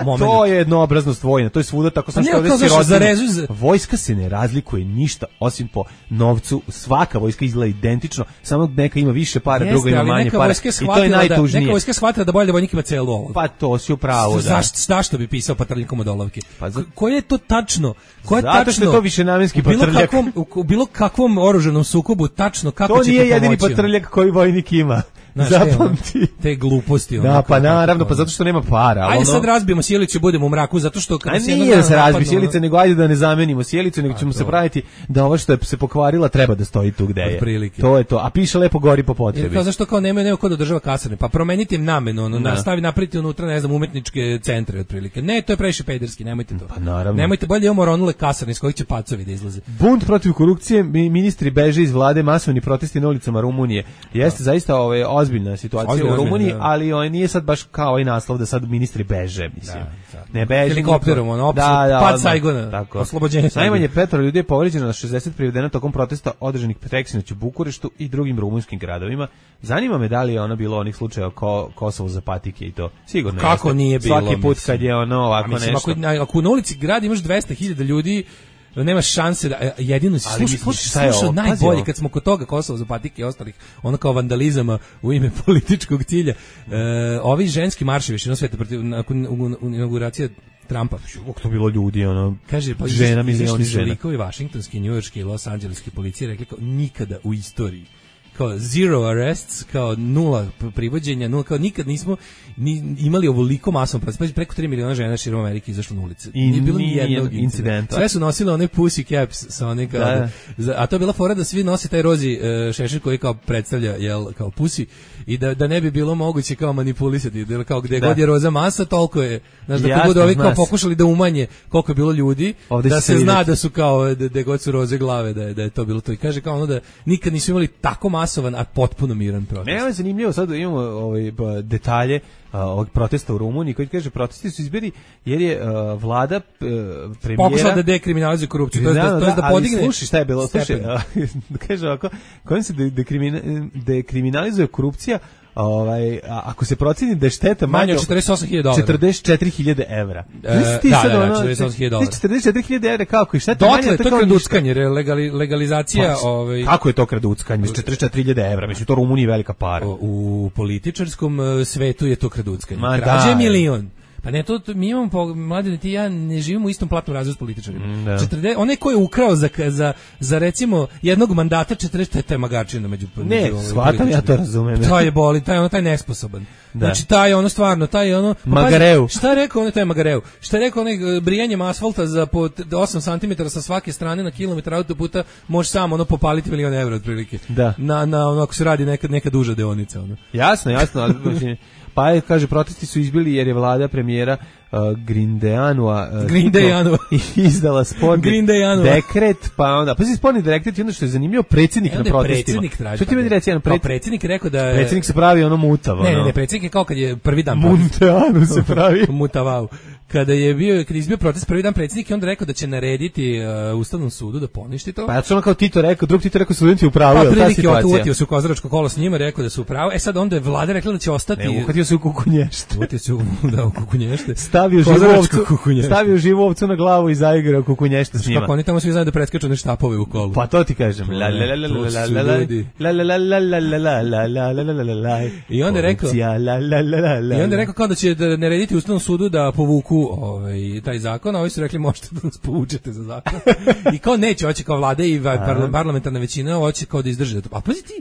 moment. To je jednoobraznost vojna, to je svuda tako sam što ovdje si rođen. Vojska se ne razlikuje ništa osim po novcu, svaka vojska izgleda identično, samo neka ima više para, druga ima manje para i to je najtužnije. Neka vojska shvatila da bolje da vojnik ima celu olovku. Pa to si u pravu, da. Zašto, zašto bi pisao patrljikom od olovke? Pa za... Koje je to tačno? Koje Zato tačno, što je to višenamenski patrljak. U bilo kakvom oružanom sukobu tačno kako to će to pomoći? To nije jedini patrljak koji vojnik ima. Znaš, zapamti. Te, te gluposti. Da, pa naravno, pa zato što nema para. Ajde ono... sad razbijemo sjelicu i budemo u mraku, zato što... A nije da se razbije sjelice, nego ajde da ne zamenimo sjelicu, nego ćemo se praviti da ovo što je se pokvarila treba da stoji tu gde je. Prilike. To je to, a piše lepo gori po potrebi. Jer kao zašto kao nemaju neko ko da održava kasarne, pa promenite im namenu, ono, nastavi napraviti unutra, ne znam, umetničke centre otprilike. Ne, to je previše pederski, nemojte to. Pa naravno. Nemojte, bolje imamo ronule kasarne iz kojih će pacovi da izlaze. Bunt protiv korupcije, ministri beže iz vlade, masovni protesti na ulicama Rumunije. Jeste zaista ovaj ozbiljna situacija Ozbiljna, u Rumuniji, da. ali on nije sad baš kao ovaj naslov da sad ministri beže, mislim. Da, da. Ne beže. Helikopterom, ono, da, da, pad odmah. Saigona, Tako. oslobođenje Saigona. Najmanje petoro ljudi je povređeno, na šezdeset privedeno tokom protesta održanih preksinoć u Bukureštu i drugim rumunskim gradovima. Zanima me da li je ono bilo onih slučajeva ko Kosovo za patike i to. Sigurno kako jeste. nije bilo. Svaki put mislim. kad je ono ovako mislim, nešto. Ako, ako na ulici grad imaš dvesta hiljada ljudi, nema šanse da jedino si slušao, slušao, slušao najbolje kad smo kod toga Kosovo za patike i ostalih, ono kao vandalizama u ime političkog cilja. E, ovi ženski marševi širom sveta protiv nakon inauguracije Trumpa. Kako to bilo ljudi, ono, kaže, pa žena, milioni žena. Likovi vašingtonski, njujorški i Los Angeleski policije rekli kao nikada u istoriji, kao zero arrests, kao nula privođenja, nula, kao nikad nismo ni, imali ovoliko masovno protest, preko tri miliona žena širom Amerike izašlo na ulice. I nije bilo ni nijednog incidenta. Sve su nosile one pussy caps sa one kao, da. Da, a to je bila fora da svi nose taj rozi uh, šešir koji kao predstavlja jel, kao pussy i da, da ne bi bilo moguće kao manipulisati, da kao gde da. God je roza masa, toliko je, znaš, da kako ovi kao pokušali da umanje koliko je bilo ljudi, ovdje da se, se zna da su kao, da, da god su roze glave, da je, da je to bilo to. I kaže kao ono da nikad nisu imali tako masovan, a potpuno miran protest. Ne, ovo je zanimljivo, sad imamo ovaj, detalje uh, ovog protesta u Rumuniji, koji kaže protesti su izbili jer je uh, vlada uh, premijera... Pokušala da dekriminalizuje korupciju, to je da, da, da podigne... Ali sluši šta je bilo, sluši, uh, kaže ovako, kojim se dekrimina, dekriminalizuje korupcija, ovaj, a, ako se proceni da je šteta manje od četrdeset osam hiljada dolara. četrdeset četiri hiljade evra. E, da, da, da, četrdeset osam hiljada dolara. četrdeset četiri hiljade evra, kako? I šteta manje? Dotle, to je kraduckanje, legali, legalizacija... Pa, ovaj... Kako je to kraduckanje? Mislim, četrdeset četiri hiljade evra, mislim, to u Rumuniji velika para. U, u političarskom svetu je to kraduckanje. Ma Krađe da, milion. Pa ne, to, to mi imamo, po, mladine, ti ja ne živimo u istom platnom razredu s političarima. Da. četrdeset onaj ko je ukrao za, za, za recimo jednog mandata četrdeset, taj magačina među ne, shvatam, ja to razumem. Taj je boli, taj je ono, taj nesposoban. Da. Znači, taj je ono stvarno, taj je ono... Magareu. Šta je rekao, ono, taj je Magareu? Šta je rekao, onaj brijanjem asfalta za po osam santimetara sa svake strane na kilometar autoputa, može samo ono popaliti milion evra otprilike. Da. Na, na ono, ako se radi neka, neka duža deonica, ono. Jasno, jasno, ali... Pa je, kaže, protesti su izbili jer je vlada premijera uh, Grindejanua uh, Grindejanua izdala sporni dekret, pa onda, pa si sporni dekret i onda što je zanimljivo, predsjednik na protestima. Što ti meni reći, jedan pred... predsjednik rekao da je... Predsjednik se pravi ono mutav. Ne, ono. ne, ne, predsjednik je kao kad je prvi dan... Munteanu se pravi. Mutavau. Kada je bio, kada je izbio protest prvi dan, predsjednik je onda rekao da će narediti uh, Ustavnom sudu da poništi to. Pa ja sam ono kao Tito rekao, drug Tito rekao studenti u pravu, pa, je ta situacija. Uvatio se u kozaračko kolo s njima, rekao da su u pravu. E sad onda je vlada rekla da će ostati... Ne, uhvatio se u kukunješte. Uvatio se u, da, u kukunješte. Stavio živovcu, stavio živovcu na glavu i zaigrao kukunješte s njima. Kako oni tamo svi znaju da preskaču ne štapove u kolu. Pa to ti kažem. La la la la la la la la la la la la la la la la la. I onda je rekao, i onda je rekao kao da će da narediti Ustavnom sudu da povuku ovaj taj zakon, a ovi su rekli možete da nas povučete za zakon. I kao neće, hoće kao vlada i parlamentarna većina, hoće kao da izdrže to. A pazi ti,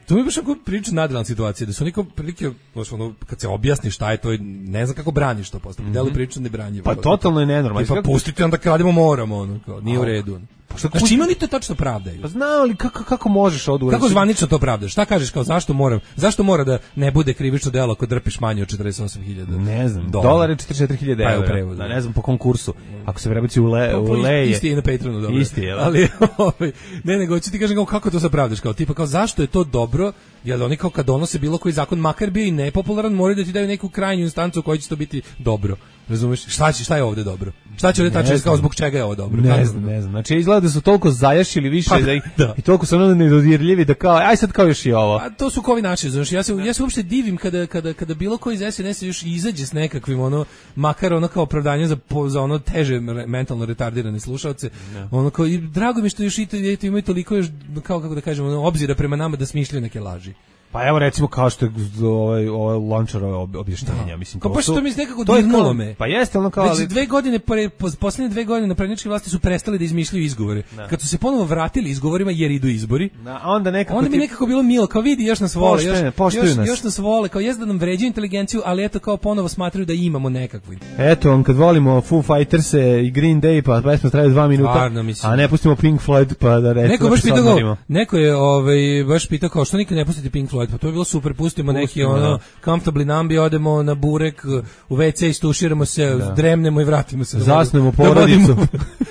to mi je baš ako priča nadrealna situacija, da su niko prilike, ono, kad se objasni šta je to, ne znam kako braniš to postavljati, mm -hmm. delu priču ne branje. Pa totalno je nenormalno. Pa pustite onda kradimo moramo, ono, kao, nije u redu. Pa što, znači ima li to tačno pravdaju? Pa znao li kako, kako možeš od Kako zvanično to pravdaš? Šta kažeš kao zašto moram? Zašto mora da ne bude krivično delo ako drpiš manje od četrdeset osam hiljada? Ne znam. Dolar je četrdeset četiri hiljade evra. Da, ne znam po konkursu. Ako se prebaci u le, u leje. Isti je na Patreonu, dobro. Isti je. Ali ovaj ne nego hoću ti kažem kao kako to sa pravdaš, kao tipa kao zašto je to dobro? Jel oni kao kad donose bilo koji zakon makar bio i nepopularan, moraju da ti daju neku krajnju instancu u kojoj će to biti dobro. Razumeš? Šta će, šta je ovde dobro? Šta će ovde tačno kao zbog čega je ovo dobro? Ne znam, ne znam. Znači izgleda da su toliko zajašili više pa, da, ih, da i toliko su ono nedodirljivi da kao aj sad kao još i ovo. A to su kovi naši, znači ja se ja se uopšte divim kada kada kada bilo koji iz es en es još izađe s nekakvim ono makar ono kao opravdanje za za ono teže mentalno retardirane slušaoce. No. Ono kao i drago mi što još i to imaju toliko još kao kako da kažemo ono, obzira prema nama da smišljaju neke laži. Pa evo recimo kao što je ovaj ovaj Lončarove objašnjenja, da. mislim to. Pa što mi nekako to dirnulo me. Pa jeste ono kao već ali... dve godine pre poslednje dve godine naprednjačke vlasti su prestali da izmišljaju izgovore. Da. Kad su se ponovo vratili izgovorima jer idu izbori. Da, a onda nekako onda mi ti... nekako bilo milo, kao vidi još nas vole, poštene, još još, nas. još nas vole, kao jezda nam vređaju inteligenciju, ali eto kao ponovo smatraju da imamo nekakvu. Eto, on kad volimo Foo Fighters-e i Green Day, pa pesma traje dva minuta. Varno, a ne pustimo Pink Floyd pa da recimo. Neko baš pitao, neko je ovaj baš pitao kao što nikad ne pustite Pink Floyd, pa to je bilo super. Pustimo neki ono comfortably nambi, odemo na burek, u ve ce istuširamo se, da. Dremnemo i vratimo se. Zasnemo porodicu.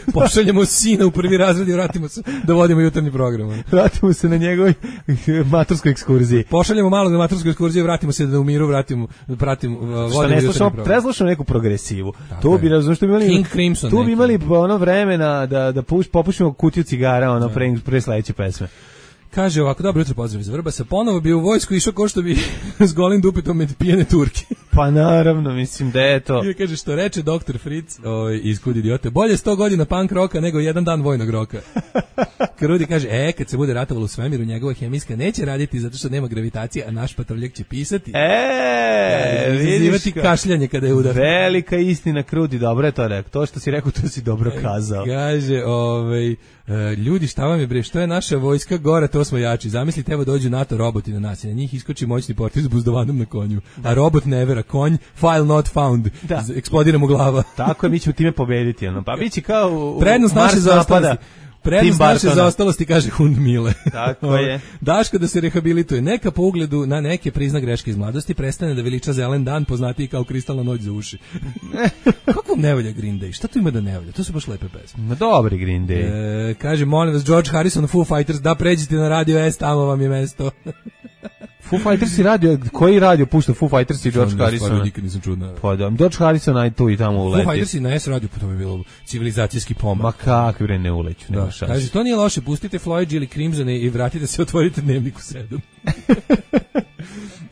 Da Pošaljemo sina u prvi razred i vratimo se da vodimo jutarnji program. Vratimo se na njegovoj maturskoj ekskurziji. Pošaljemo malo na matursku ekskurziju i vratimo se da u miru vratimo, pratimo, vodimo jutarnji program. Preslušamo neku progresivu. Tu bi, razumiješ, tu bi imali, King Crimson, tu bi imali ono vremena da, da puš, popušimo kutiju cigara ono, pre, pre sledeće pesme. Kaže ovako, dobro jutro, pozdrav iz Vrbasa, ponovo bi u vojsku išao ko što bi s golim dupetom med pijene Turke. Pa naravno, mislim da je to. I kaže što reče doktor Fritz oj, iz Kud idiote, bolje sto godina punk roka nego jedan dan vojnog roka. Krudi kaže, e, kad se bude ratovalo u svemiru, njegova hemijska neće raditi zato što nema gravitacije, a naš patroljak će pisati. E, vidiš kašljanje kada je udar. Velika istina, Krudi, dobro je to rekao. To što si rekao, to si dobro kazao. Kaže, ovaj, ljudi, šta vam je bre, što je naša vojska gora, to smo jači. Zamislite, evo dođu NATO roboti na nas i na njih iskoči moćni portir s buzdovanom na konju. A robot ne vera, konj, file not found. Da. Eksplodira mu glava. Tako je, mi ćemo time pobediti. Ono. Pa biće kao u, prednost naše zaostalosti. Prednost naše zaostalosti, kaže Hund Mile. Tako je. Daško da se rehabilituje. Neka po ugledu na neke prizna greške iz mladosti, prestane da veliča zelen dan, poznatiji kao kristalna noć za uši. Kako vam ne volja Green Day? Šta tu ima da ne volja? To su baš lepe pesme. Ma dobri Green Day. E, kaže, molim vas, George Harrison, Foo Fighters, da pređite na Radio S, tamo vam je mesto. Foo Fighters i radio, koji radio pušta Foo Fighters i George Harrison? Nikad nisam čuo. Pa da, George Harrison aj tu i tamo uleti. Foo Fighters i na S radio, pa to bi bilo civilizacijski pomak. Ma kakvi bre ne uleću, nema šanse. Kaže, to nije loše, pustite Floyd ili Crimsone i vratite se, otvorite Dnevnik u sedam.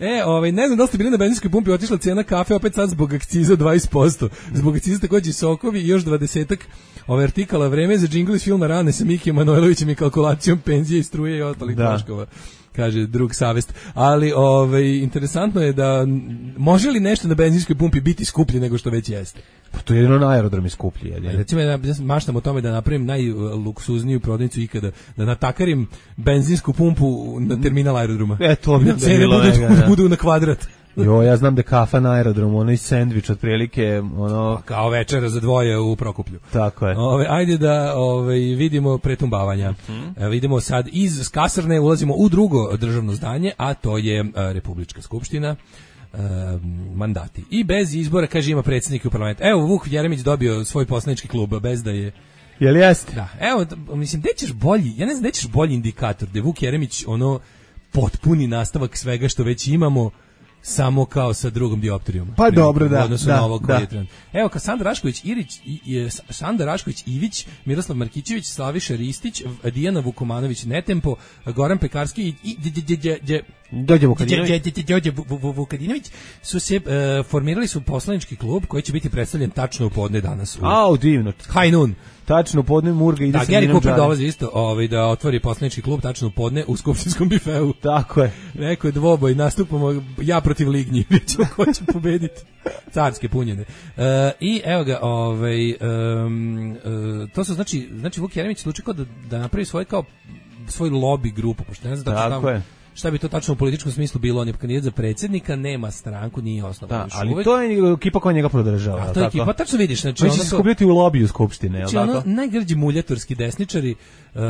E, ovaj, ne znam da li ste bili na benzinskoj pumpi, otišla cijena kafe, opet sad zbog akciza dvadeset posto. Zbog akciza takođe sokovi i još dvadesetak ovaj artikala, vreme za džingl iz filma Rane sa Mikijem Manojlovićem i kalkulacijom penzije i struje i ostalih troškova. Kaže drug savest, ali ovaj interesantno je da može li nešto na benzinskoj pumpi biti skuplje nego što već jeste. Pa to je jedino na aerodromu skuplje. Je. Recimo ja maštam o tome da napravim najluksuzniju prodavnicu ikada, da natakarim benzinsku pumpu na terminal aerodroma. E to bi da bilo budu, da. budu na kvadrat. Jo, ja znam da kafa na aerodromu, ono i sendvič otprilike, ono pa kao večera za dvoje u Prokuplju. Tako je. Ove, ajde da ove, vidimo pretumbavanja. Mm-hmm. E, vidimo sad iz kasarne ulazimo u drugo državno zdanje, a to je a, Republička skupština. E, mandati. I bez izbora, kaže, ima predsjednik u parlamentu. Evo, Vuk Jeremić dobio svoj poslanički klub, bez da je... Jel jeste? Da. Evo, mislim, gde ćeš bolji, ja ne znam, gde ćeš bolji indikator, da je Vuk Jeremić ono potpuni nastavak svega što već imamo, samo kao sa drugom dioptrijom. Pa dobro, da. Da, na ovog da. Evo, kao Sandra Rašković Irić, i, i, Sandra Rašković Ivić, Miroslav Markićević, Slaviša Ristić, Dijana Vukomanović Netempo, Goran Pekarski i, i Đorđe Vukadinović. Đorđe Vukadinović su se uh, formirali su poslanički klub koji će biti predstavljen tačno u podne danas. Au, divno. High noon. Tačno u podne Murga ide da, sa Gary Cooper dolazi isto ovaj, da otvori poslanički klub tačno u podne u skupštinskom bifeu. Tako je. Rekao je dvoboj, nastupamo ja protiv Lignji, vidimo ko će pobediti. Carske punjene. Uh, I evo ga, ovaj, um, uh, to su znači, znači Vuk Jeremić slučio da, da napravi svoj kao svoj lobby grupu, pošto ne znam da tako je. Šta bi to tačno u političkom smislu bilo? On je kandidat za predsjednika, nema stranku, nije osnovan da, još ali uvek. To je ekipa koja njega podržava. A to je ekipa, tačno vidiš. Znači, on će se skupljati u lobiju skupštine. Znači, ono, najgrđi muljatorski desničari, uh,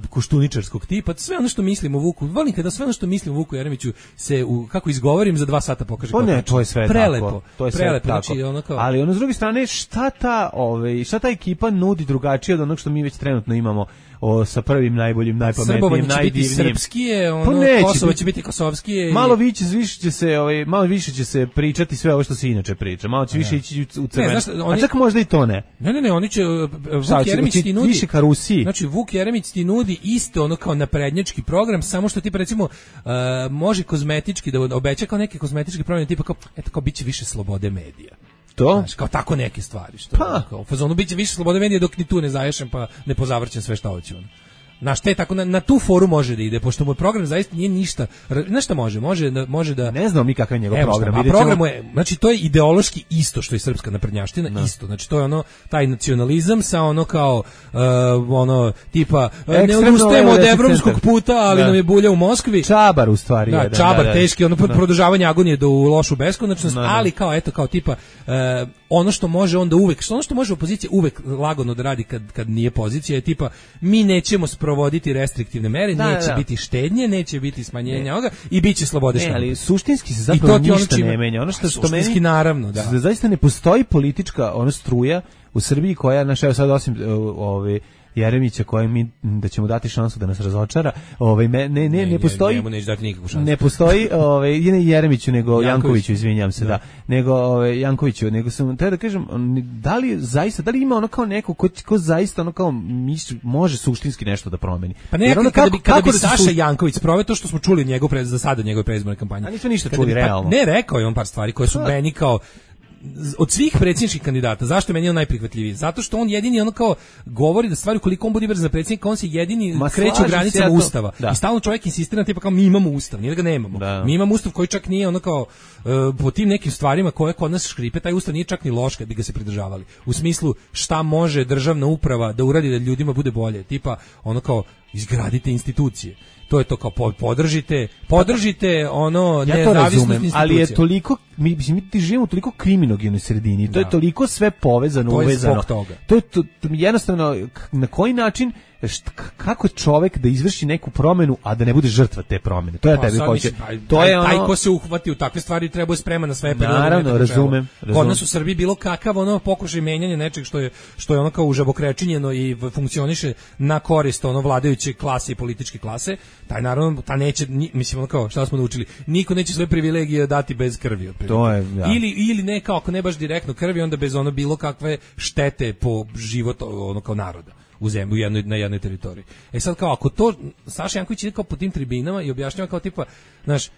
koštuničarskog tipa, sve ono što mislim o Vuku, volim kada sve ono što mislim o Vuku Jeremiću se, u, kako izgovorim, za dva sata pokaže. To ne, to je sve prelepo, tako. To je prelepo, sve znači, tako. ono kao... Ali ono s druge strane, šta ta, ove, šta ta ekipa nudi drugačije od onog što mi već trenutno imamo o, sa prvim najboljim, najpametnijim, najdivnijim. Srpski je, ono, Kosovo će biti kosovski. Malo više, više će se, ovaj, malo više će se pričati sve ovo što se inače priča. Malo će više ići u cement. A čak možda i to ne. Ne, ne, ne, oni će Vuk Jeremić ti nudi više ka Rusiji. Znači Vuk Jeremić ti nudi isto ono kao naprednjački program, samo što ti recimo uh, može kozmetički da obeća kao neke kozmetičke promjene tipa kao eto kao biće više slobode medija. To? Znaš, kao tako neke stvari što pa. Kao fazonu biće više slobode medija dok ni tu ne zaješem pa ne pozavrćem sve šta hoću. Na šta je tako na, na tu foru može da ide pošto moj program zaista nije ništa. Znaš šta može? Može da može da ne znam ni kakav je njegov Evo program. Šta, a program je znači to je ideološki isto što i srpska naprednjaština no. isto. Znači to je ono taj nacionalizam sa ono kao uh, ono tipa ne odustajemo od evropskog puta, ali da. nam je bulja u Moskvi. Čabar u stvari. Da, jedan, čabar da, da, teški ono da. produžavanje agonije do u lošu beskonačnost, da, da. ali kao eto kao tipa uh, ono što može onda uvek, što ono što može opozicija uvek lagano da radi kad, kad nije pozicija je tipa mi nećemo sprovoditi restriktivne mere, da, neće da. biti štednje, neće biti smanjenja ovoga i biće slobode štampe. Ne, ali suštinski se zapravo ništa ne menja. Ono što, što meni, suštinski naravno, da. da. Zaista ne postoji politička ona struja u Srbiji koja, naš, evo sad osim ove Jeremića koje mi da ćemo dati šansu da nas razočara, ovaj ne ne ne, ne postoji njemu neće dati nikakvu šansu. Ne postoji, ovaj ne Jeremiću nego Janković. Jankoviću, izvinjavam se, da. da. Nego ovaj Jankoviću, nego sam te da kažem, da li zaista da li ima ono kao neko ko, ko zaista ono kao misli može suštinski nešto da promeni. Pa ne, kada kako, bi kada bi Saša su... Janković sproveo to što smo čuli njegov pre za sada njegove predizborne kampanje. A nismo ništa čuli realno. Pa, ne, rekao je on par stvari koje su meni kao od svih predsjedničkih kandidata, zašto je meni on najprihvatljiviji? Zato što on jedini ono kao govori da stvari koliko on bude brzo za predsjednika, on se jedini Ma, kreće u granicama ja Ustava. Da. I stalno čovjek insistira tipa kao mi imamo Ustav, nije da ga nemamo. Da. Mi imamo Ustav koji čak nije ono kao uh, po tim nekim stvarima koje kod nas škripe, taj Ustav nije čak ni loš kad bi ga se pridržavali. U smislu šta može državna uprava da uradi da ljudima bude bolje, tipa ono kao izgradite institucije. To je to kao podržite, podržite ono ja nezavisnost institucija. Ali je toliko, mi, mi ti živimo u toliko kriminogenoj sredini, to da. je toliko sve povezano, to je uvezano. Toga. To je to, to, jednostavno, na koji način, št, kako čovek da izvrši neku promenu, a da ne bude žrtva te promene. To je pa, tebi hoće. To je ono... Taj ko se uhvati u takve stvari treba je spreman na sve. Naravno, razumem. Kod nas u Srbiji bilo kakav ono pokušaj menjanja nečeg što je, što je ono kao užabokrečinjeno i funkcioniše na korist ono vladajuće klase i političke klase, taj naravno, ta neće, mislim ono kao, šta smo naučili, niko neće sve privilegije dati bez krvi. To je, ja. Ili, ili ne, kao, ako ne baš direktno krvi, onda bez ono bilo kakve štete po život ono kao naroda u zemlji, u jednoj, na jednoj teritoriji. E sad kao, ako to, Saša Janković ide kao po tim tribinama i objašnjava kao tipa, znaš,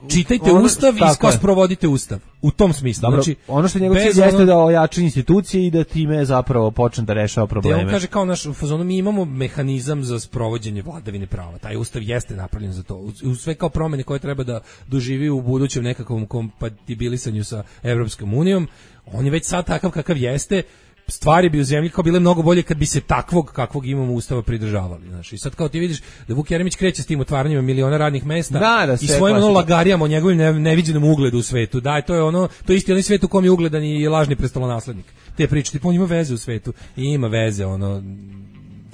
čitajte ono, Ustav i kao sprovodite Ustav. U tom smislu. Dobro, znači, ono što njegov cilj jeste da ojača institucije i da time zapravo počne da rešava probleme. On kaže kao naš u fazonu mi imamo mehanizam za sprovođenje vladavine prava. Taj Ustav jeste napravljen za to. U sve kao promene koje treba da doživi u budućem nekakvom kompatibilisanju sa Evropskom unijom, on je već sad takav kakav jeste. Stvari bi u zemlji kao bile mnogo bolje kad bi se takvog kakvog imamo Ustava pridržavali, znači. I sad kao ti vidiš da Vuk Jeremić kreće s tim otvaranjima miliona radnih mesta da, da, i svojim ono lagarijama o njegovim ne, neviđenom ugledu u svetu. Da, to je ono, to je isti onaj svet u kom je ugledan i lažni prestolonaslednik. Te priče, tipa on ima veze u svetu i ima veze, ono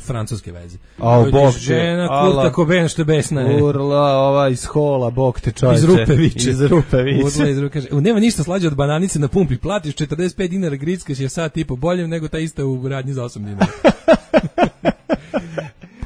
francuske veze. A bog žena Kurta Cobain što je besna je. Urla ova iz hola, bog te čovječe. Iz rupe viče. Iz rupe viče. Urla iz rupe kaže, nema ništa slađe od bananice na pumpi, platiš četrdeset pet dinara, grickaš je sad tipo bolje nego ta ista u radnji za osam dinara.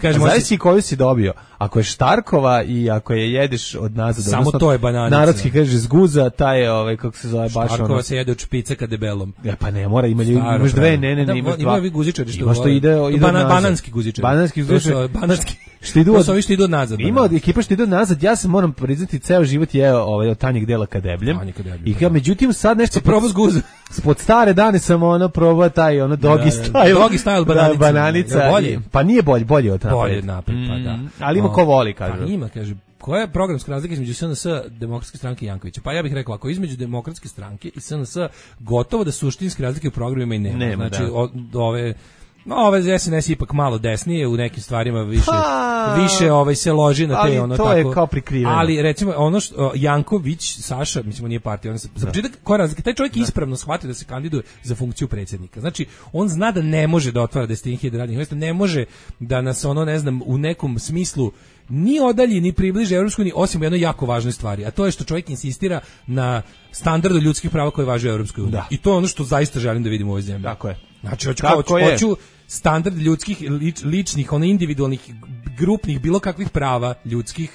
Kažemo, zavisi koju si dobio. Ako je Štarkova i ako je jedeš od nazad, samo odnosno, to je bananica. Narodski kaže zguza, taj je ovaj kako se zove baš Štarkova ono. se jede od špice ka debelom. Ja pa ne mora, ima imaš dve, ne, ne, ne, imaš dva. Ima vi guzičari što. Ima što ide, ide Bana, bananski guzičari. Bananski guzičari. Bananski. Što idu od, to što idu nazad. Ima od ekipa što idu nazad, ja se moram priznati ceo život je ovaj od tanjeg dela ka debljem. I kao međutim sad nešto probao zguza. Spod stare dane sam ono probao taj ono doggy style. Doggy style bananica. Bananica. Pa nije bolje, bolje od napred. Bolje napred, pa da. Ali ima ko voli, kaže. Pa ima, kaže. Koja je programska razlika između S N S, Demokratske stranke i Jankovića? Pa ja bih rekao, ako između Demokratske stranke i S N S gotovo da suštinske razlike u programima i nema. nema znači, o, ove... No, ove S N S ipak malo desnije, u nekim stvarima više pa, više ovaj se loži na te ono tako. Ali to je kao prikriveno. Ali recimo ono što Janković, Saša, mislim on nije partija, on se za početak koja razlika, taj čovjek da. ispravno shvatio da se kandiduje za funkciju predsjednika. Znači, on zna da ne može da otvara deset hiljada radnih mesta, ne može da nas ono ne znam u nekom smislu ni odalji ni približi Evropskoj uniji, osim u jednoj jako važnoj stvari, a to je što čovjek insistira na standardu ljudskih prava koji važe u Evropskoj uniji. I to je ono što zaista želim da vidim u ovoj zemlji. Tako je. Znači, hoću, hoću, hoću standard ljudskih, lič, ličnih, ono individualnih, grupnih, bilo kakvih prava ljudskih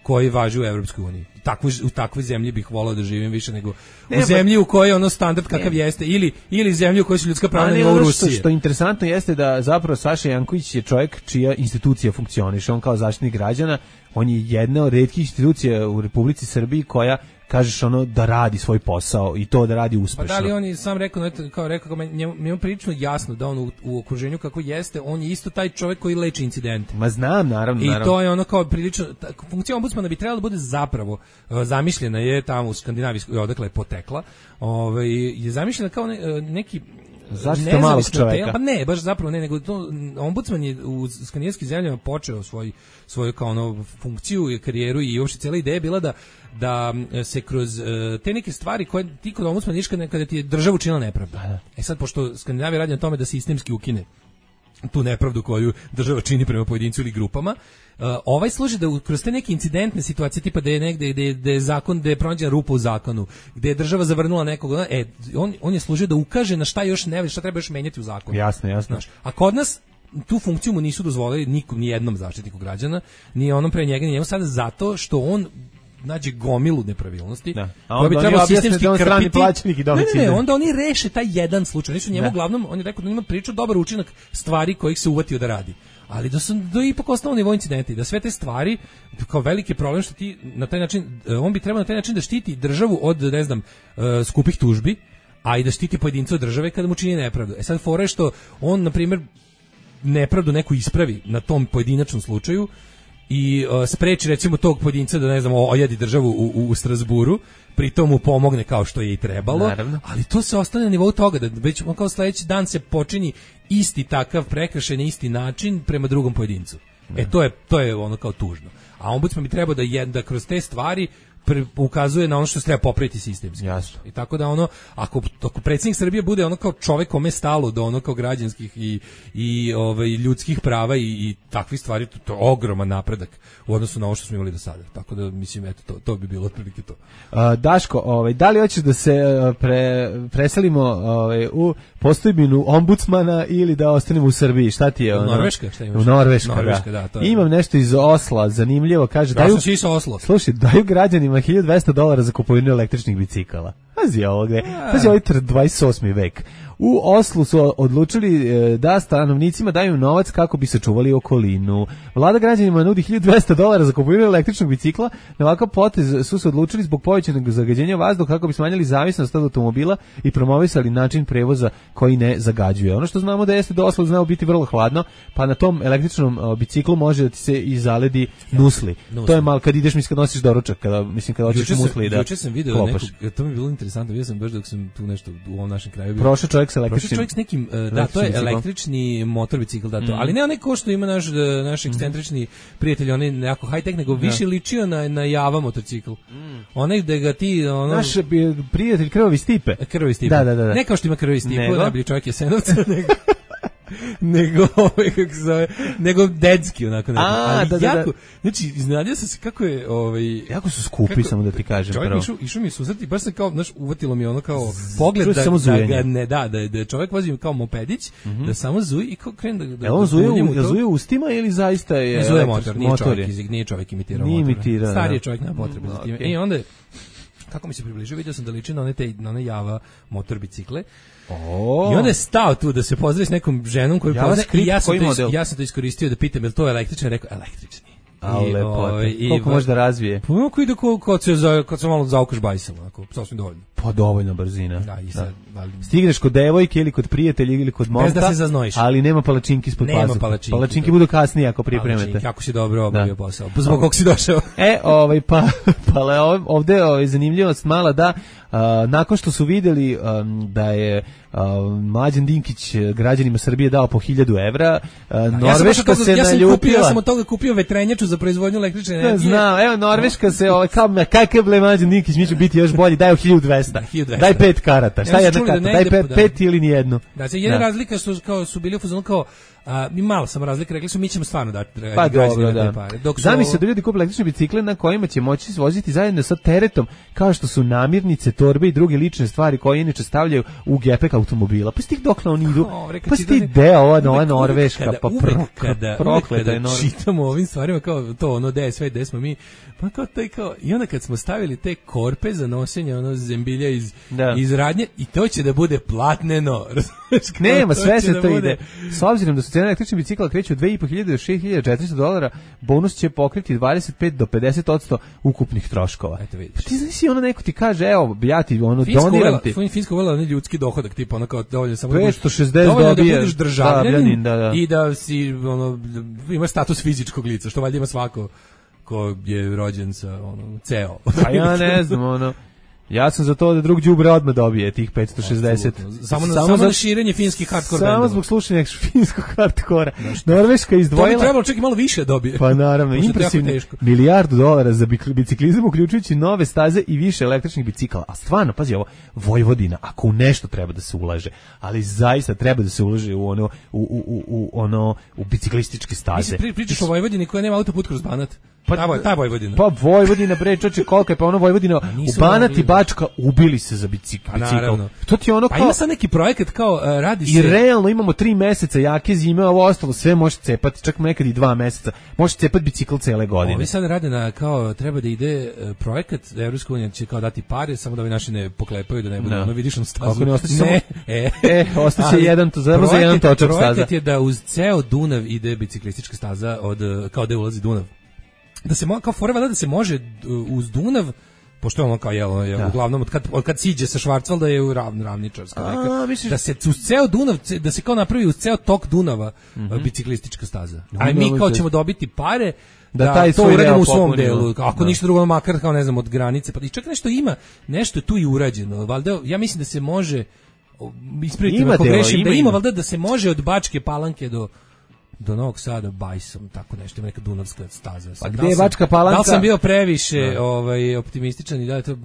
koji važe u Evropskoj uniji. Takvu, u takvoj zemlji bih volao da živim više nego ne, u zemlji u kojoj je ono standard kakav ne. jeste ili ili zemlji u kojoj su ljudska prava na u Rusiji. Što, što interesantno jeste da zapravo Saša Janković je čovjek čija institucija funkcioniše, on kao zaštitnik građana, on je jedna od retkih institucija u Republici Srbiji koja kažeš ono da radi svoj posao i to da radi uspešno. Pa da li on je sam rekao, kao rekao, njemu je prilično jasno da on u, u okruženju kako jeste, on je isto taj čovjek koji leči incidente. Ma znam, naravno. I naravno. to je ono kao prilično, ta, funkcija ombudsmana bi trebala da bude zapravo uh, zamišljena je tamo u Skandinaviji, odakle je potekla, ovaj, je zamišljena kao ne, neki Zaštita malog čoveka. Pa ne, baš zapravo ne, nego to, ombudsman je u skandinavskim zemljama počeo svoj, svoju kao ono funkciju i karijeru i uopšte cijela ideja je bila da, da se kroz uh, te neke stvari koje ti kod ombudsmana niš kada, kada ti je država učinila nepravdu. E sad, pošto Skandinavija radi na tome da sistemski ukine tu nepravdu koju država čini prema pojedincu ili grupama, uh, ovaj služi da kroz te neke incidentne situacije tipa da je negde da je, da je zakon, da je pronađena rupa u zakonu, gde je država zavrnula nekog, e, on, on je služio da ukaže na šta još ne, šta treba još menjati u zakonu. Jasno, jasno. Znaš, a kod nas tu funkciju mu nisu dozvolili nikom, ni jednom zaštitniku građana, ni onom pre njega, ni njemu sada zato što on nađe gomilu nepravilnosti. Da. A onda bi trebalo sistemski da on strani plaćenik i domicilni. Ne, ne, ne, onda oni reše taj jedan slučaj. Nisu njemu uglavnom, on je rekao da ima priču dobar učinak stvari kojih se uvatio da radi. Ali da su da ipak ostalo nivo incidenti, da sve te stvari kao veliki problem što ti na taj način, on bi trebao na taj način da štiti državu od, ne znam, skupih tužbi, a i da štiti pojedinca od države kada mu čini nepravdu. E sad fora je što on, na primjer, nepravdu neku ispravi na tom pojedinačnom slučaju i uh, spreči recimo tog pojedinca da ne znam ojedi državu u, u, u Strasburu, pritom mu pomogne kao što je i trebalo. Naravno. Ali to se ostane na nivou toga da već on kao sledeći dan se počini isti takav prekršaj na isti način prema drugom pojedincu. Ne. E to je to je ono kao tužno. A ombudsman bi trebao da jedna kroz te stvari ukazuje na ono što se treba popraviti sistemski. Jasno. I tako da ono, ako, ako predsjednik Srbije bude ono kao čovjek kome stalo do ono kao građanskih i, i ovaj, ljudskih prava i, i takvih stvari, to, to je ogroman napredak u odnosu na ovo što smo imali do sada. Tako da, mislim, eto, to, to bi bilo otprilike to. Uh, Daško, ovaj, da li hoćeš da se pre, preselimo ovaj, u postojbinu ombudsmana ili da ostanemo u Srbiji? Šta ti je? U ono? Norveška? Šta imaš? U Norveška, Norveška da. da to je. Imam nešto iz Osla, zanimljivo, kaže... Ja sam si iz Oslo. Slušaj, daju građanima hiljadu dvesta dolara za kupovinu električnih bicikala. Pazi ovo gde. Pazi ovaj dvadeset osmi vek. U Oslu su odlučili da stanovnicima daju novac kako bi sačuvali okolinu. Vlada građanima nudi hiljadu dvesta dolara za kupovinu električnog bicikla. Na ovakav potez su se odlučili zbog povećanog zagađenja vazduha kako bi smanjili zavisnost od automobila i promovisali način prevoza koji ne zagađuje. Ono što znamo da jeste da Oslo znao biti vrlo hladno, pa na tom električnom biciklu može da ti se i zaledi nusli. nusli. To je malo kad ideš, mislim kad nosiš doručak, kada mislim kad hoćeš musli da. Juče sam video nekog, to mi je bilo interesantno, vidio sam baš dok sam tu nešto u ovom našem kraju bio. Prošao čovjek sa električnim. Prošao čovjek s nekim, uh, da, to je električni motor bicikl, da to. Mm. Ali ne onaj ko što ima naš naš ekscentrični mm. prijatelj, on je jako high tech, nego više ja. ličio na na Java motocikl. Mm. Onaj da ga ti ono naš prijatelj Krvavi Stipe. Krvavi Stipe. Da, da, da. Ne kao što ima Krvavi Stipe, najbolji čovjek je Senovca, nego nego kako se zove, nego dedski onako neko. A, ali da, da, jako, da. znači iznadio sam se kako je ovaj jako su skupi kako, samo da ti kažem čovjek pravo. Išao, išao mi susreti, baš se kao, znaš, uvatilo mi ono kao pogled da, da ga ne da, da, da čovjek vozi kao mopedić, mm-hmm. da samo zuji i kao krene da da. E on zuje, u, zuje ustima ili zaista je zuje motor, nije čovjek, iz, nije čovjek imitirao motor. Imitira, stari je čovjek, nema potrebe za time. I onda kako mi se približio, vidio sam da liči na one te na one Java motor bicikle. Oh. I onda je stao tu da se pozdravi s nekom ženom koju poznaje i ja sam, to, ja sam to iskoristio da pitam je li to električan, rekao električni. A lepo. Koliko može da razvije? Pa kako ide kad se za kad se malo zaukaš bajsom, onako, sasvim dovoljno. Pa dovoljno brzina. Da, i sad, da. Ali... stigneš kod devojke ili kod prijatelja ili kod momka. Bez da se zaznojiš. Ali nema palačinki ispod pazuha. Nema palačinki. Palačinki budu kasnije ako pripremate. Kako si dobro obavio posao. Zbog kog si došao. E, ovaj pa pa ovde ovaj zanimljivost mala da uh, nakon što su videli um, da je uh, Mlađan Dinkić građanima Srbije dao po hiljadu evra, uh, Norveška ja se ja naljutila. Kupio, ja sam od toga kupio vetrenjaču za proizvodnju električne energije. Znam, evo Norveška se ovaj kao kakav ble Mlađan Dinkić mi će biti još bolji, daj hiljadu dvesta. Daj pet karata. Šta je jedna karta? Da daj pet, pet ili ni jednu. Da, se jedna razlika su kao su bili u fazonu kao a, mi malo sam razlika, rekli su mi ćemo stvarno dati pa dobro, da. pare. Dok Zamisli se da ljudi kupe električne bicikle na kojima će moći voziti zajedno sa teretom, kao što su namirnice, torbe i druge lične stvari koje inače stavljaju u gepek automobila. Pa stih dokle oni idu? Oh, pa sti deo ova nova Norveška, pa prokleta je Norveška. Čitamo o ovim stvarima kao to, ono, gde je sve, gde smo mi, pa kao taj kao, i onda kad smo stavili te korpe za nošenje, ono, zembilja iz, iz radnje, i to će da bude platneno. Nema, sve se to ide. S obzirom da su cene električnih bicikla kreću od dve i po hiljade do šest hiljada četiristo dolara, bonus će pokriti dvadeset pet do pedeset posto ukupnih troškova. Eto vidiš. Pa ti znaš i ono neko ti kaže, evo, ja ti ono doniram ti. Finsko uvela onaj ljudski dohodak, tipa ono kao dovoljno samo petsto šezdeset dobije, da budeš državljanin da, da. i da si, ono, ima status fizičkog lica, što valjda ima svako ko je rođen sa, ono, ceo. A ja ne znam, ono, Ja sam za to da drug đubre odmah dobije tih petsto šezdeset. Samo na, samo, samo za širenje finskih hardcore bendova. Samo zbog slušanja finskog hardkora. Norveška izdvojila... To bi trebalo čak i malo više dobije. Pa naravno, impresivno. Milijardu dolara za biciklizam, uključujući nove staze i više električnih bicikala. A stvarno, pazi ovo, Vojvodina, ako u nešto treba da se ulaže, ali zaista treba da se ulaže u ono, u, u, u, u, ono, u biciklističke staze. Mislim, pričaš o Vojvodini koja nema autoput kroz Banat. Pa, ta, ta Vojvodina. Pa Vojvodina, bre, čoče, kolika je, pa ono Vojvodina, u Banat i Bačka ubili se za bicikl. Pa naravno. To ti ono kao... Pa ima sad neki projekat kao uh, radi I se... I realno imamo tri meseca jake zime, ovo ostalo sve može cepati, čak nekad i dva meseca. Može cepati bicikl cele godine. Ovi sad rade na, kao, treba da ide uh, projekat, Evropska unija će kao dati pare, samo da ovi naši ne poklepaju, da ne budu, no. ono vidiš na stazu. Kako ne ostaće ne, samo... E, e ostaće jedan, to za za jedan točak staza. Projekat je da uz ceo Dunav ide biciklistička staza, od, kao da ulazi Dunav. Da se mo, kao foreva da se može uz Dunav, pošto je ono kao jelo, je, da. uglavnom od kad, od kad siđe sa Švarcvalda je u ravn, ravničarska neka, misliš... da se uz ceo Dunav, da se kao napravi uz ceo tok Dunava mm-hmm. biciklistička staza. A mi kao ćemo dobiti pare da, da taj to uradimo u svom delu, ako da. ništa drugo, makar kao ne znam od granice, pa i čak nešto ima, nešto je tu i urađeno, valjda, ja mislim da se može, ispraviti ako grešim, da ima valjda da se može od Bačke Palanke do do Novog Sada bajsom, tako nešto, ima neka dunavska staza. Pa gde je Bačka Palanka? Da li sam bio previše no. ovaj, optimističan i da je to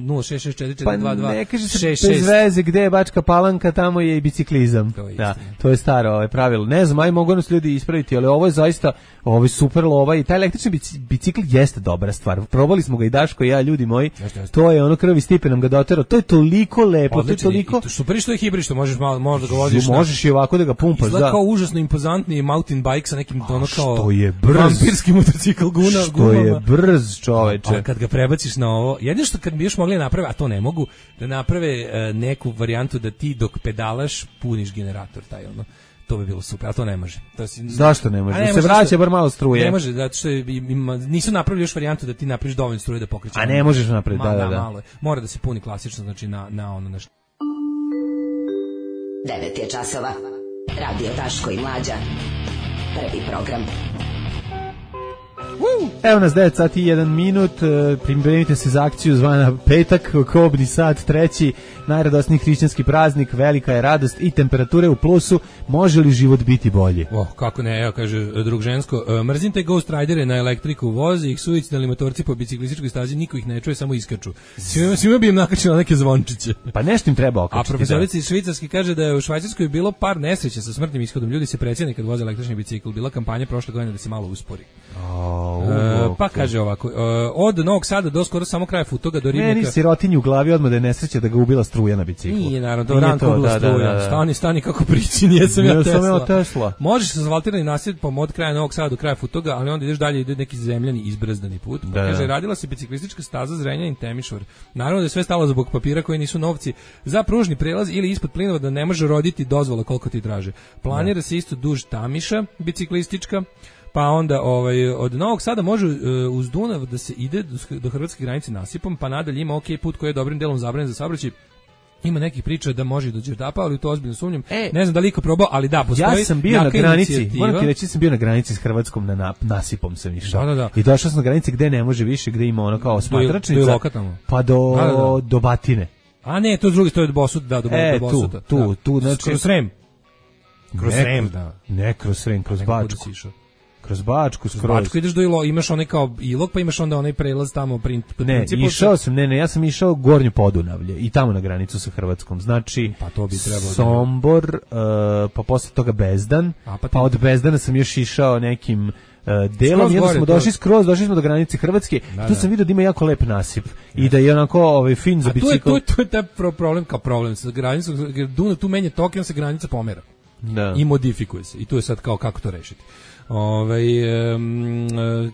nula šest šest četiri četiri dva dva Pa ne kaže se bez veze gde je Bačka Palanka, tamo je i biciklizam. To je, da, to je staro ovaj, pravilo. Ne znam, aj mogu nas ljudi ispraviti, ali ovo je zaista ovaj super lova i taj električni bicikl jeste dobra stvar. Probali smo ga i Daško i ja, ljudi moji. Jeste, jeste. To je ono krvi Stipe nam ga doterao. To je toliko lepo, odlični, to je toliko... Super što je hibrid, što možeš malo, možda ga voziš. Možeš i ovako da ga pumpaš. Izgleda kao užasno impozantni mountain bike sa nekim ono kao što je brz vampirski motocikl guna što gumama. Je brz, čoveče. A kad ga prebaciš na ovo, jedino što kad bi još mogli napraviti, a to ne mogu, da naprave uh, neku varijantu da ti dok pedalaš puniš generator taj ono. To bi bilo super, a to ne može. To si, zašto ne može? Ne se vraća što, bar malo struje. Ne može, zato što ima, nisu napravili još varijantu da ti napraviš dovoljno struje da pokreće. A ne možeš napraviti, da, da, da. Malo. Mora da se puni klasično, znači na, na ono nešto. devet je časova. Radio Daško i Mlađa. Prvi program. Evo nas devet sati i jedan minut, pripremite se za akciju zvana Petak, kobni sat, treći, najradosniji hrišćanski praznik, velika je radost i temperature u plusu, može li život biti bolji? Oh, kako ne, evo kaže drug žensko, mrzim te Ghost Ridere na elektriku, vozi ih suicidalni motorci po biciklističkoj stazi, niko ih ne čuje, samo iskaču. Svima, svima bi im nakačilo neke zvončiće. Pa nešto im treba okačiti. A profesorica iz Švicarski kaže da je u Švajcarskoj bilo par nesreća sa smrtnim ishodom, ljudi se precijene kad voze električni bicikl, bila kampanja prošle godine da se malo uspori. Oh. Uh, pa kaže ovako, uh, od Novog Sada do skoro samo kraja Futoga do Ribnika. Meni sirotinji u glavi odmah da je nesreća da ga ubila struja na biciklu. Nije, naravno, to ranko ubila struja. Da, da, da. Stani, stani kako priči, nijesam ja, ja Tesla. Tesla. Možeš sa asfaltiranim nasipom od kraja Novog Sada do kraja Futoga, ali onda ideš dalje, ide neki zemljani izbrzdani put. Pa da, kaže, da. radila se biciklistička staza Zrenjanin Temišvar. Naravno da je sve stalo zbog papira koji nisu novci za pružni prelaz ili ispod plinova da ne može roditi dozvola koliko ti traže. Planira da. se isto duž Tamiša biciklistička. Pa onda ovaj od Novog Sada može uh, uz Dunav da se ide do, do hrvatske granice nasipom, pa nadalje ima ok put koji je dobrim delom zabranjen za saobraćaj. Ima nekih priča da može do Đerdapa, ali to ozbiljno sumnjam. E, ne znam da li iko probao, ali da, postoji. Ja sam bio na granici, moram ti reći, sam bio na granici s Hrvatskom na, na nasipom sam išao. Da, da, da. I došao sam na granici gde ne može više, gde ima ono kao smatračnica. Pa do, da, da, da. do Batine. A ne, to je drugi, to je do Bosuta, da, do, e, do Bosuta. Tu, tu, da. tu, znači... Kroz Srem. Kroz ne, Srem, da. Ne, kroz Srem, kroz Bačku. Kroz Bačku, skroz. Kroz Bačku ideš do Ilog, imaš onaj kao Ilog, pa imaš onda onaj prelaz tamo print. Ne, principu, išao sam, ne, ne, ja sam išao Gornje Podunavlje i tamo na granicu sa Hrvatskom. Znači, pa to bi trebalo. Sombor, uh, pa posle toga Bezdan, A, pa, pa od Bezdana sam još išao nekim uh, delom, jedno smo došli skroz, došli smo do granice Hrvatske, da, tu sam vidio da ima jako lep nasip i da je onako ovaj, fin za bicikl. To je, to je taj problem kao problem sa granicom, Dunav tu menja tok i on se granica pomera. Da. I modifikuje se. I tu je sad kao kako to rešiti. Ove, um,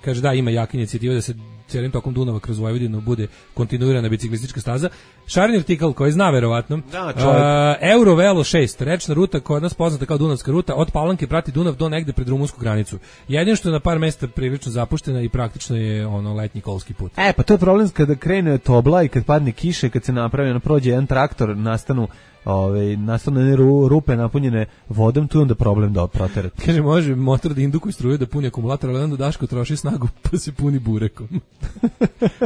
kaže da ima jaka inicijativa da se cijelim tokom Dunava kroz Vojvodinu bude kontinuirana biciklistička staza. Šareni artikal koji zna verovatno. Da, uh, Eurovelo šest, rečna ruta koja je nas poznata kao Dunavska ruta, od Palanke prati Dunav do negde pred rumunsku granicu. Jedino što je na par mesta prilično zapuštena i praktično je ono letnji kolski put. E, pa to je problem kada krene tobla i kad padne kiša i kad se napravi, ono prođe jedan traktor, nastanu Ove, nastane rupe napunjene vodom, tu je onda problem da proterati. Kaže, može motor da indukuje struju da puni akumulator, ali onda Daško troši snagu pa se puni burekom.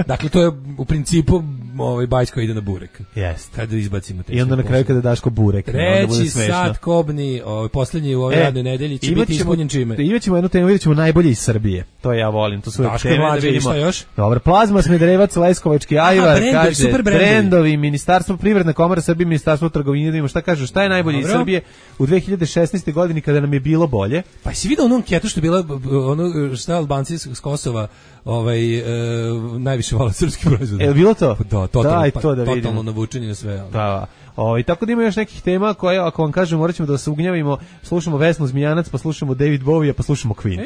Dakle, to je u principu ovaj bajs koji ide na burek. Jeste. Kada izbacimo te. I onda na kraju kada daš ko burek. Treći sat kobni, ovaj, posljednji u ovoj e, radnoj nedelji će biti ispunjen čime. Imaćemo jednu temu, vidjet ćemo najbolje iz Srbije. To ja volim, to su uvijek teme da vidimo. Šta još? Dobro, Plazma, Smederevac, Leskovački ajvar, kaže, brendovi, Ministarstvo Privredna komora Srbije, Ministarstvo trgovine, da vidimo šta kažu, šta je najbolje iz Srbije u dve hiljade šesnaestoj godini kada nam je bilo bolje. Pa si vidio onu anketu što je bila, ono šta Albanci s Kosova ovaj e, najviše vole srpski proizvod. Je bilo to? Da, totalno, Daj, to da totalno navučeni na sve. Ali. Da. Ovaj tako da ima još nekih tema koje ako vam kažem moraćemo da se ugnjavimo, slušamo Vesnu Zmijanac, pa slušamo David Bowie, pa slušamo Queen.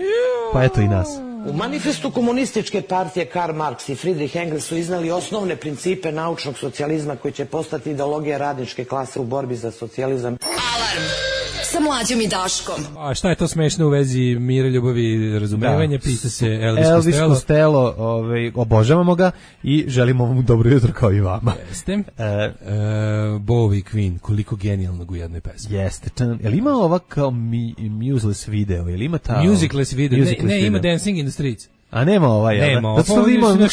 Pa eto i nas. U manifestu komunističke partije Karl Marx i Friedrich Engels su iznali osnovne principe naučnog socijalizma koji će postati ideologija radničke klase u borbi za socijalizam. Alarm sa Mlađom i Daškom. A šta je to smešno u vezi mira, ljubavi i razumevanja? Pita se Elvis, Elvis Costello. Costello, ovaj, obožavamo ga i želimo mu dobro jutro kao i vama. Jeste. E, e, Bowie, Queen, koliko genijalnog u jednoj pesmi. Jeste. Je li ima ova kao mi, museless video? Je li ima ta... Musicless video. Musicless ne, ne video. ima Dancing in the Streets. A nema ovaj, ja. Nema, zato što ima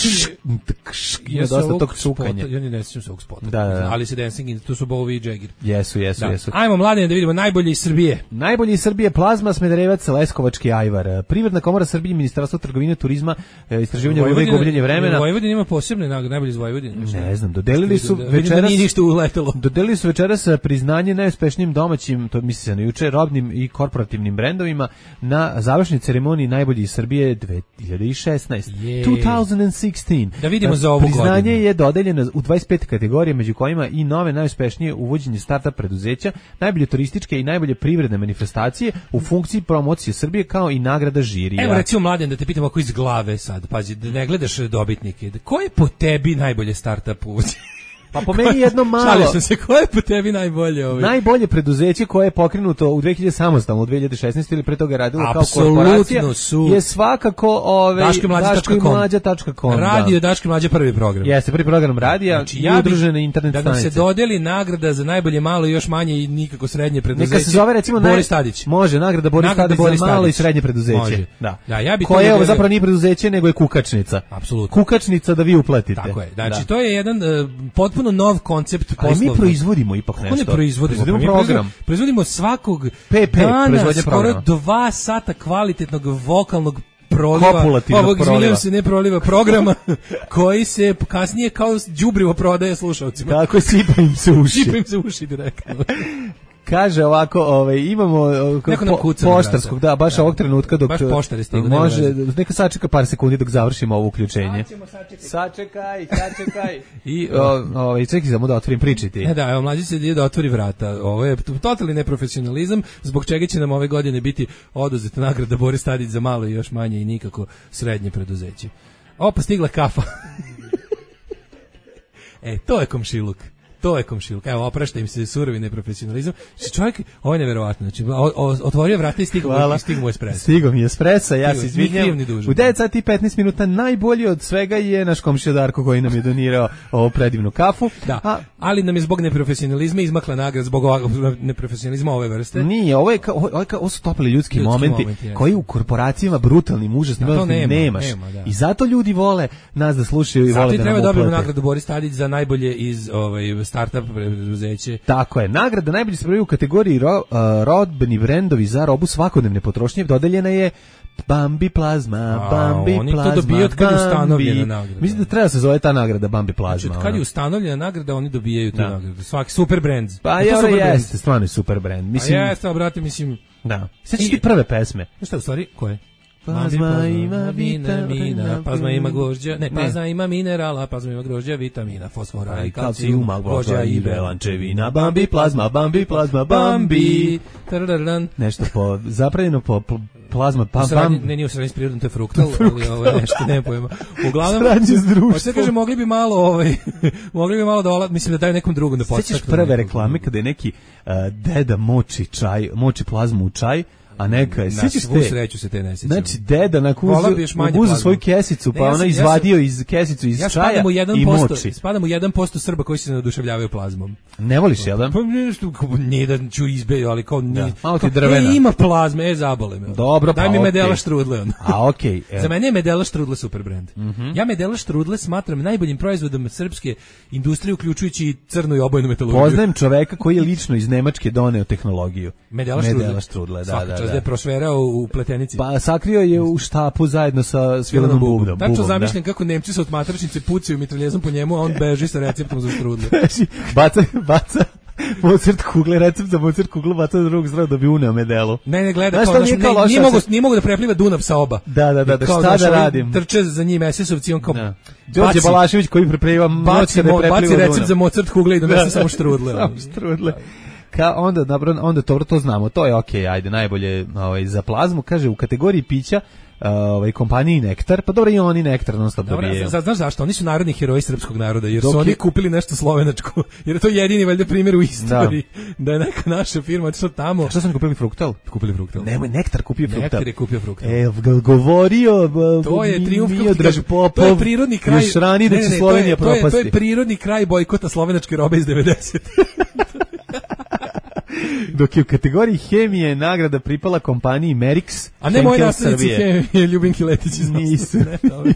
ima dosta tog cukanja. Ja ne sjećam se ovog spota. Da, da, da. Ali se Dancing in, tu su Bowie i Jagger. Jesu, jesu, da. jesu. Ajmo mladine da vidimo najbolje iz Srbije. Najbolje iz Srbije, Plazma, Smederevac, Leskovački ajvar, Privredna komora Srbije, Ministarstvo trgovine, turizma, istraživanja vode i gubljenje vremena. Vojvodina ima posebne nagrade, najbolje iz Vojvodine. Ne znam, dodelili su da, večeras nije ništa uletelo. Dodelili su večeras priznanje najuspješnijim domaćim, to misli se na juče, robnim i korporativnim brendovima na završnoj ceremoniji najbolji iz Srbije dve hiljade šesnaeste. Je. dve hiljade šesnaeste. Da vidimo za ovu godinu. Priznanje je dodeljeno u dvadeset pet kategorija, među kojima i nove najuspešnije uvođenje startup preduzeća, najbolje turističke i najbolje privredne manifestacije u funkciji promocije Srbije, kao i nagrada žirija. Evo recimo mladen da te pitam ako iz glave sad, pazi, da ne gledaš dobitnike, ko je po tebi najbolje startup uvođenje? Pa po meni jedno malo. Šalio sam se, ko je po tebi najbolje ovaj? Najbolje preduzeće koje je pokrenuto u dve hiljade samostalno u dve hiljade šesnaeste ili pre toga radilo Absolutno kao korporacija su. Je svakako ovaj daško i mlađa tačka com. Radio Daško i mlađa prvi program. Jeste, prvi program radija, znači, i ja udružene internet da stanice. Da nam se dodeli nagrada za najbolje malo i još manje i nikako srednje preduzeće. Neka se zove recimo Boris Tadić. Može, nagrada Boris Tadić za malo i srednje preduzeće. Može. Da. Da, ja bih koje ovo zapravo nije preduzeće nego je kukačnica. Apsolutno. Kukačnica da vi uplatite. Tako je. Znači to je jedan potpuno nov koncept. Ali mi proizvodimo ipak nešto. Kako ne proizvodimo? Proizvodimo program. Proizvodimo svakog P P, dana skoro dva sata kvalitetnog vokalnog proliva, ovog, izvinjam se, ne proliva programa, koji se kasnije kao đubrivo prodaje slušalcima. Tako je, sipa im se uši. Sipa im se uši direktno. Kaže ovako, ovaj imamo po, poštarskog, da, baš da. Ovog trenutka dok baš poštare stigu, može, neka sačeka par sekundi dok završimo ovo uključenje. Sačekaj, sačekaj. I ovaj čekaj samo da otvorim pričati. E da, evo mlađi se ide da otvori vrata. Ovo je totalni neprofesionalizam, zbog čega će nam ove godine biti oduzeta nagrada Boris Tadić za malo i još manje i nikako srednje preduzeće. Opa, stigla kafa. E, to je komšiluk. To je komšiluk. Evo, oprašta im se surovi neprofesionalizam. Čovjek, ovo je neverovatno. Znači, otvorio vrata i stigao mu espresso. Stigao mi espresso, ja se izvinjam. U devet sati i petnaest minuta najbolji od svega je naš komšija Darko koji nam je donirao ovu predivnu kafu. Da, a, ali nam je zbog neprofesionalizma izmakla nagrada zbog neprofesionalizma ove vrste. Nije, ovo, je ka, ovo, je ka, ovo su topli ljudski, ljudski momenti moment, koji u korporacijama brutalnim, užasnim, da, nema, nemaš. Nema, da. I zato ljudi vole nas da slušaju i zato vole da nam uplate. Zato treba dobiti nagradu Boris Tadić za najbolje iz ovaj, startup preduzeće. Tako je. Nagrada najbolji se u kategoriji ro, uh, rodbeni brendovi za robu svakodnevne potrošnje dodeljena je Bambi Plazma, Bambi A, oni Plazma. Oni to dobiju od kad je ustanovljena nagrada. Mislim da treba se zove ta nagrada Bambi Plazma. Znači, kad je ustanovljena nagrada, oni dobijaju tu da. nagradu. Svaki super brand. Pa je, ovo jeste, stvarno je super brand. Mislim, A jeste, obrati, mislim... Da. Sjećaš ti prve pesme? Šta u stvari, koje? Plazma ima vitamina, plazma ima grožđa, ne, plazma ima minerala, plazma ima grožđa, vitamina, fosfora i kalcijuma, grožđa i belančevina, Bambi Plazma, Bambi Plazma, Bambi. Nešto po, zapravljeno po plazma, pam, pam. Ne, nije u srednji s prirodom, to je fruktal, ali ovo je nešto, ne pojma. Uglavnom, sradnje s društvom. Hoće da kaže, mogli bi malo, ovaj, mogli bi malo da, ola, mislim da daju nekom drugom da podstaknu. Sjećaš prve reklame kada je neki uh, deda moči čaj, moči plazmu u čaj, A neka, sećaš svu te? Sreću se te ne sjećam. Znači, deda na kuzu, uzu svoju kesicu, pa ne, ja ona sam, izvadio ja sam, iz kesicu iz ja čaja i moči. Spadam u jedan posto Srba koji se ne oduševljavaju plazmom. Ne voliš, jel da? Pa nešto, nije da ću izbe, ali kao... Da, nije, malo ti kao, drvena. E, ima plazme, e, zabole me. Dobro, Daj pa mi okej. Medela Štrudle. On. A okej. Okay, Za mene je Medela Štrudle super brend. Mm-hmm. Ja Medela Štrudle smatram najboljim proizvodom srpske industrije, uključujući i crnu i obojnu metalurgiju. Poznajem čoveka koji je lično iz Nemačke doneo tehnologiju. Medela Štrudle. Medela Štrudle, da, Svaka da, čast da. je prošverao u Pletenici. Pa sakrio je u štapu zajedno sa Svilanom Bubnom. Tačno zamišljam kako Nemci sa od matračnice pucaju mitraljezom po njemu, a on beži sa receptom za štrudle. Beži, baca, baca Mozart kugle, recept za Mozart kuglu, baca na drugog stranu da bi uneo medelu. Ne, ne, gleda, znaš, kao, nije, kao ne, nije, mogu, nije mogu da prepliva Dunav sa oba. Da, da, da, da kao, šta znaš, da radim? Trče za njim esesovci, on kao... Da. Đorđe Balašević koji prepliva noć kada je prepliva baci recept Dunav. za Mozart kugle i donese samo štrudle. Samo štrudle. Ka onda dobro, onda to to znamo, to je okej, okay, ajde, najbolje ovaj za plazmu, kaže u kategoriji pića ovaj kompaniji Nektar, pa dobro i oni Nektar non stop dobijaju. Dobro, znaš zašto? Oni su narodni heroji srpskog naroda, jer Dok su oni je... kupili nešto slovenačko, jer je to jedini valjda primjer u istoriji da, da je neka naša firma otišla tamo. A što su oni kupili Fruktal? Kupili Fruktal. Nemoj, Nektar kupio Fruktal. Nektar je kupio Fruktal. E, govorio, to je trijumf, Popov, to je prirodni kraj. Još rani da će Slovenija to je, propasti. To je, to je prirodni kraj bojkota slovenačke robe iz devedesetih. Dok je u kategoriji hemije nagrada pripala kompaniji Merix, a ne moji nastavnici hemije, Ljubinki Letić iz nisu,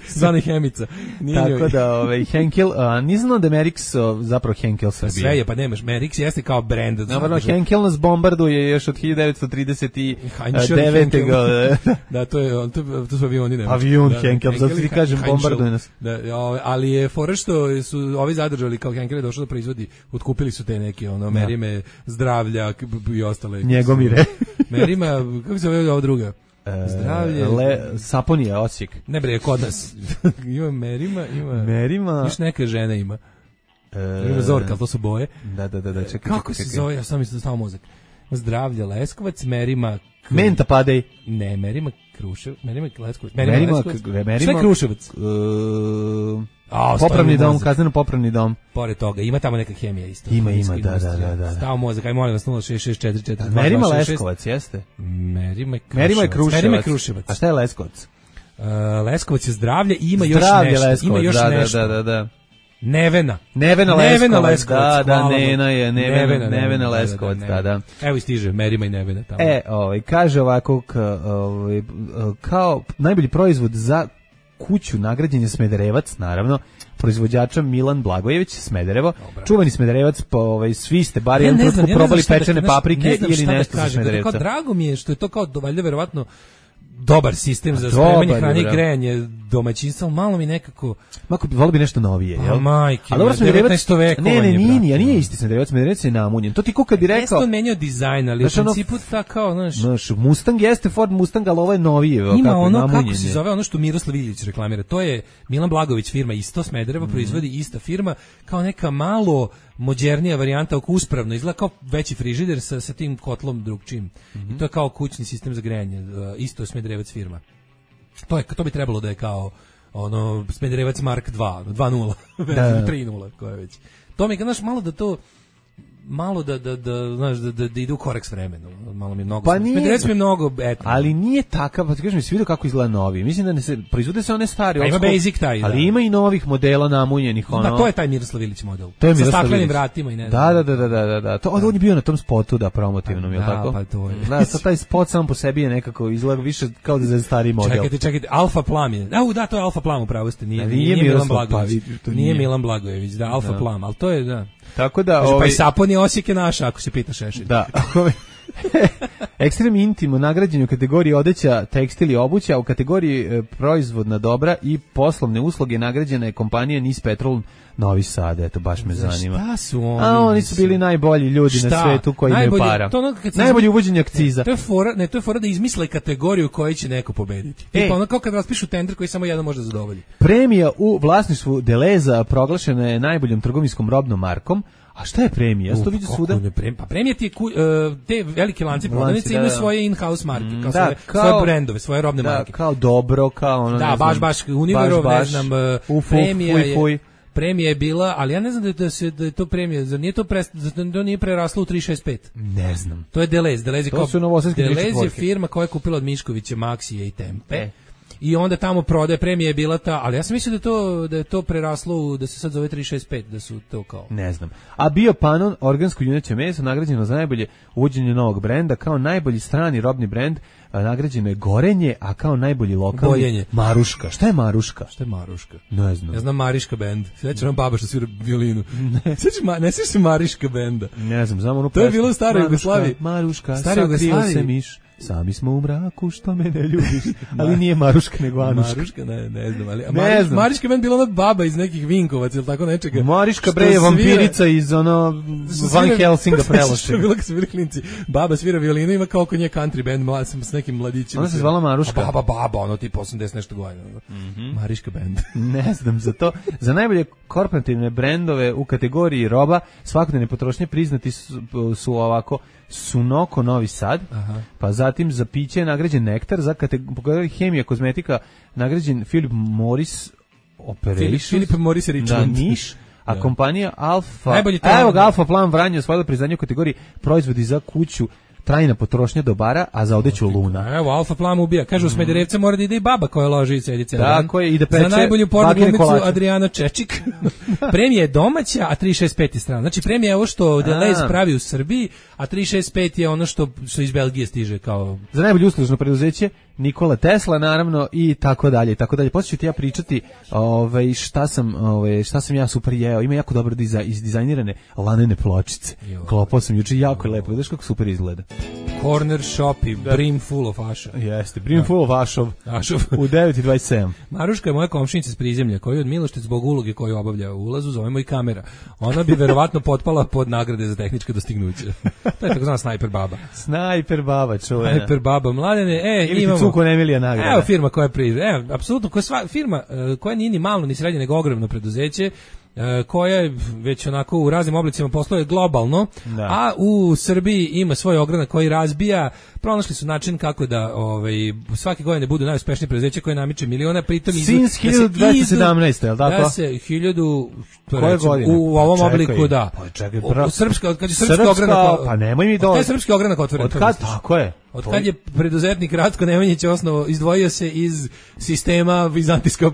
zvani Hemica. Nije tako njoj. Da, ovaj, Henkel, a nisam da Merix o, zapravo Henkel Srbije. Sve je, pa nemaš, Merix jeste kao brand. Naravno, Henkel nas bombarduje još od hiljadu devetsto trideset devete. Da, to je, to, to su avioni nemački. Avion da, Henkel, zato ti kažem bombarduje nas. Da, ali je fora što su ovi zadržali, kao Henkel je došao da proizvodi, otkupili su te neke, ono, merime zdravlja i ostale. Njegomire. Merima, kako se zove ova druga? Zdravlje. Le, Saponija, Osijek. Ne bre, kod nas. Ima Merima, ima... Merima... Još neke žene ima. E, ima Zorka, ali to su boje. Da, da, da, da čekaj. Kako se zove? Ja sam mislim da stao mozak. Zdravlje Leskovac, Merima... K... Menta padej. Ne, Merima Kruševac. Merima Leskovac. Merima, Merima Leskovac. Merima, Šta je Kruševac? Uh, A, popravni dom, kazneno popravni dom. Pored toga, ima tamo neka hemija isto. Ima, ima, da, da, da, da. Stao mozak, aj molim vas, nula šest šest četiri četiri. Merima Leskovac, jeste? Merima Kruševac. Merima je Kruševac. Merima je Kruševac. A šta je Leskovac? Uh, Leskovac je zdravlje i ima još zdravlje nešto. Leskovac, ima još da, nešto. Da, da, da. Nevena. Nevena Leskovac. Nevena Leskovac. Da, da, Nena je, Nevena, Nevena, Nevena Leskovac, da, da. Evo istiže, Merima i Nevena tamo. E, ovaj, kaže ovako, ovaj, kao najbolji proizvod za kuću nagrađen je Smederevac, naravno, proizvođača Milan Blagojević, Smederevo. Dobra. Čuvani Smederevac, pa ovaj, svi ste bar jedan ja trutku probali pečene da, paprike ne ili nešto za Smederevca. Kao, drago mi je što je to kao valjda verovatno dobar sistem za spremanje hrane i grejanje domaćinstva, malo mi nekako... Mako, volio bi nešto novije, jel? A majke, ali dobro devetnaesto vekovanje. Ne, ne, nije, nije, nije isti Smederevac, Smederevac je namunjen. To ti ko kad bi rekao... Jeste on menjao dizajn, ali znaš, u principu ono, ta kao, znaš... Znaš, Mustang jeste Ford Mustang, ali ovo je novije. Ima kako, ono, namunjen, kako se zove, ono što Miroslav Iljić reklamira, to je Milan Blagović firma isto, Smederevo mm. proizvodi ista firma, kao neka malo modernija varijanta, oko uspravno, izgleda kao veći frižider sa, sa tim kotlom drugčim. Mm-hmm. I to je kao kućni sistem za grejanje, isto Smederevac firma. To je, to bi trebalo da je kao ono Smederevac Mark dva, dva nula, tri nula, koja je već. To mi je, znaš, malo da to malo da da da znaš da da, da ide u korak s vremenom. Malo mi je mnogo. Pa Smederevac mi je mnogo etno. Ali nije takav, pa ti kažem, mi se vidi kako izgleda novi. Mislim da ne se proizvode se one stari, pa ima basic taj, ali da. Ima i novih modela namunjenih, ono. Da, to je taj Miroslav Ilić model. To je sa staklenim vratima i ne znam. Da, da, da, da, da, da. To on je bio na tom spotu da promotivnom, je l' tako? Pa to je. Da, sa taj spot sam po sebi je nekako izgleda više kao da je stari model. Čekajte, čekajte, Alfa Plam je. Da, da, to je Alfa Plam, upravo ste. Nije, nije, nije Milan Blagojević. Pa, nije Milan Blagojević, da, Alfa da. Plam, al to je da. Tako da, ovaj, ovaj, pa i Sapon je Osijek je naš, ako se pita Šešelj. Da. Ekstrem Intimo nagrađen u kategoriji odeća, tekstil i obuća, u kategoriji e, proizvodna dobra i poslovne usluge nagrađena je kompanija Nis Petrol Novi Sad, eto baš me za zanima. Šta su oni? A oni su bili najbolji ljudi šta? Na svetu koji imaju para. To ono najbolje uvođenje akciza. Ne, to je fora, ne, to je fora da izmisle kategoriju koju će neko pobediti. E, Tipa ono kao kad raspišu tender koji samo jedan može zadovoljiti. Premija u vlasništvu Deleza proglašena je najboljom trgovinskom robnom markom. A šta je premija? Ja to vidim svuda. Pa premija ti je ku, uh, te velike lanci prodavnice imaju svoje in-house marke, kao, da, svoje, kao svoje brendove, svoje robne da, marke. Kao Dobro, kao ono, da, ne baš, znam, baš, Univerov, baš, ne znam, uh, uf, premija fuj, fuj. je... premija je bila, ali ja ne znam da, da, se, da je to premija, zar nije to, pre, da to nije preraslo u tri šest pet? Ne znam. To je Deleuze. Deleuze, to su novosadske Deleuze je firma koja je kupila od Miškovića, Maksije i Tempe. E. I onda tamo prodaje, premija je bila ta, ali ja sam mislio da to da je to preraslo, da se sad zove tri šest pet, da su to kao. Ne znam. A bio Panon, organsko juneće meso, nagrađeno za najbolje uvođenje novog brenda, kao najbolji strani robni brend, nagrađeno je Gorenje, a kao najbolji lokalni Boljenje. Maruška. Šta je Maruška? Šta je Maruška? Ne znam. Ja znam Mariška bend. Sveća nam baba što svira violinu. Ne, ma, ne sjećaš se Mariška benda? Ne znam, znam onu to je bilo u staroj Jugoslaviji. Maruška, sakrio se miš. Sami smo u mraku, što me ne ljubiš. Ali nije Maruška, nego Anuška. Maruška, ne, ne znam. Ali, ne Mariš, znam. Mariška bend bila ona baba iz nekih Vinkovaca ili tako nečega. Mariška bre je vampirica iz ono Van Helsinga preloše. Što je bilo kad su bili klinci. Baba svira violinu, ima kao kod nje country band, mlad sam s nekim mladićima. Ona se zvala Maruška. Baba, baba, ono tipa osamdeset nešto godina. Mm -hmm. Mariška bend. Ne znam za to. Za najbolje korporativne brendove u kategoriji roba svakodnevne potrošnje priznati su, su ovako Sunoko Novi Sad, aha. Pa zatim za piće je nagrađen Nektar, za kategoriju hemija, kozmetika nagrađen Philip Morris Operation, Philip Morris Richmond, da, Niš, a da. Kompanija Alfa, evo ga, Alfa Plan Vranje osvojila priznanje u kategoriji proizvodi za kuću, trajna potrošnja dobara, a za odeću Luna. Evo, Alfa Plan ubija. Kažu, u Smederevca mora da ide i baba koja loži i sedi ceo dan. Tako je, i da peče. Za najbolju pornu glumicu Adriana Čečik. Premija je domaća, a tri šest pet je strana. Znači, premija je ovo što Deleuze pravi u Srbiji, a tri šest pet je ono što, što iz Belgije stiže kao... Za najbolje uslužno preduzeće Nikola Tesla, naravno, i tako dalje, i tako dalje. Poslije ću ti ja pričati ovaj, šta, sam, ovaj, šta sam ja super jeo. Ima jako dobro diza, izdizajnirane lanene pločice. Klopao sam juče, jako je lepo. Vidiš kako super izgleda. Corner shop i brim full of aša. Jeste, brim full of ašov. Ašov. U devet i dvadeset sedam. Maruška je moja komšinica s prizemlja, koju od Milošte zbog uloge koju obavlja u ulazu zovemo i kamera. Ona bi verovatno potpala pod nagrade za tehnička dostignuća. To je tako zvana snajper baba. Snajper baba, čuvena. Snajper baba, mladene, e, ili imamo... Cuko Emilija nagrada. Evo firma koja priže, evo, apsolutno, koja sva, firma uh, koja nije ni malo, ni srednje, nego ogromno preduzeće, koja je već onako u raznim oblicima posluje globalno, da. A u Srbiji ima svoj ogranak koji razbija. Pronašli su način kako da ovaj, svake godine budu najuspešnije preduzeće koje namiče miliona, pritom Since hiljadu dvesta sedamnaeste, je li tako? Da se hiljadu koje godine? U ovom pa obliku, da. Pa čekaj, pra... Srpska, kad je srpski srpska, ogranak, pa nemoj mi do... Taj srpski ogranak otvoren. Od kad, tako je. Od kad je preduzetnik Ratko Nemanjić osnovo izdvojio se iz sistema vizantijskog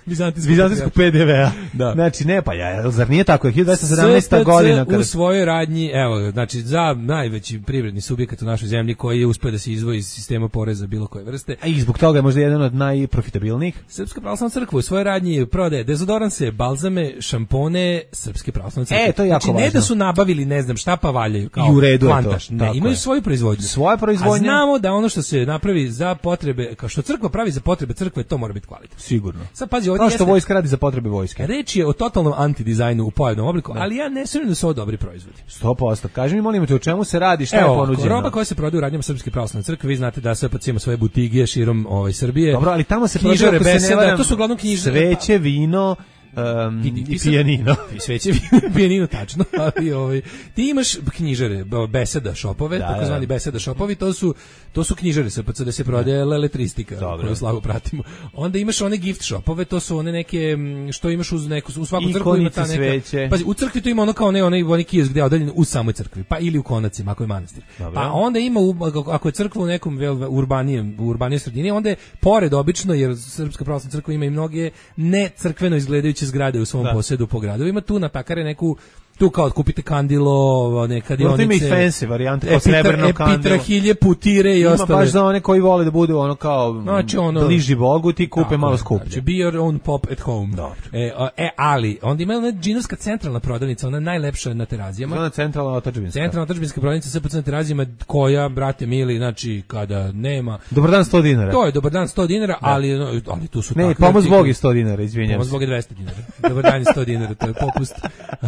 vizantijskog P D V-a. Da. Znači ne, pa ja, zar nije tako? hiljadu dvesta sedamnaesta godina kada u svojoj radnji, evo, znači za najveći privredni subjekat u našoj zemlji koji je uspeo da se izdvoji iz sistema poreza bilo koje vrste. A i zbog toga je možda jedan od najprofitabilnijih. Srpska pravoslavna crkva u svojoj radnji prodaje dezodoranse, balzame, šampone Srpske pravoslavne crkve. E, to je jako znači, važno. Ne da su nabavili, ne znam šta, pa valjaju kao i u redu kvantaš. Je to. Ne, imaju je. svoju proizvodnju. Svoja proizvodnja. A znamo da ono što se napravi za potrebe, kao što crkva pravi za potrebe crkve, to mora biti kvalitetno. Sigurno. Sad pazi, ovdje kao što jeste, vojska radi za potrebe vojske. Reč je o totalnom antidizajnu u pojavnom obliku, da. Ali ja ne sumnjam da su ovo dobri proizvodi. sto posto. Kaži mi, molim te, o čemu se radi, šta Evo, je ponuđeno? Roba koja se prodaje u radnjama Srpske pravoslavne crkve, vi znate da sve pod ima svoje butige širom ovaj Srbije. Dobro, ali tamo se knjižare, prodaje, beseda, varam, to su uglavnom knjižare. Sveće, vino, Um, i, i pijanino. I sveće pijanino, tačno. Ali, ovaj, ti imaš knjižare, beseda šopove, da, takozvani da. beseda šopovi, to su, to su knjižare sa da se prodaje leletristika, koju slago pratimo. Onda imaš one gift shopove, to su one neke, što imaš uz neku, u svaku crkvu ima ta neka... Sveće. Pazi, u crkvi to ima ono kao ne, onaj, onaj kiosk gde je odaljen u samoj crkvi, pa ili u konacima, ako je manastir. Dobro. Pa onda ima, ako je crkva u nekom urbanijem, u urbanijoj sredini, onda je pored obično, jer Srpska pravoslavna crkva ima i mnoge ne crkveno izgledajuće zgrade u svom da. posedu po gradovima, tu natakare neku tu kao kupite kandilo, neka dionice. Ima i fancy varijante, kao srebrno kandilo. Epitrahilje, putire i ima ostale. Ima baš za one koji vole da budu ono kao znači ono, bliži Bogu, ti kupe malo skuplje. Znači, be your own pop at home. Dobro. E, e, ali, onda ima ona džinovska centralna prodavnica, ona najlepša na Terazijama. Ona centralna otadžbinska. Centralna otadžbinska prodavnica sve po na Terazijama, koja, brate mili, znači, kada nema... Dobar dan sto dinara. To je dobar dan sto dinara, ali, ali tu su... Ne, pomoz Bog je sto dinara, izvinjam se. Pomoz Bog je dvesta dinara. Dobar dan je sto dinara, to je popust.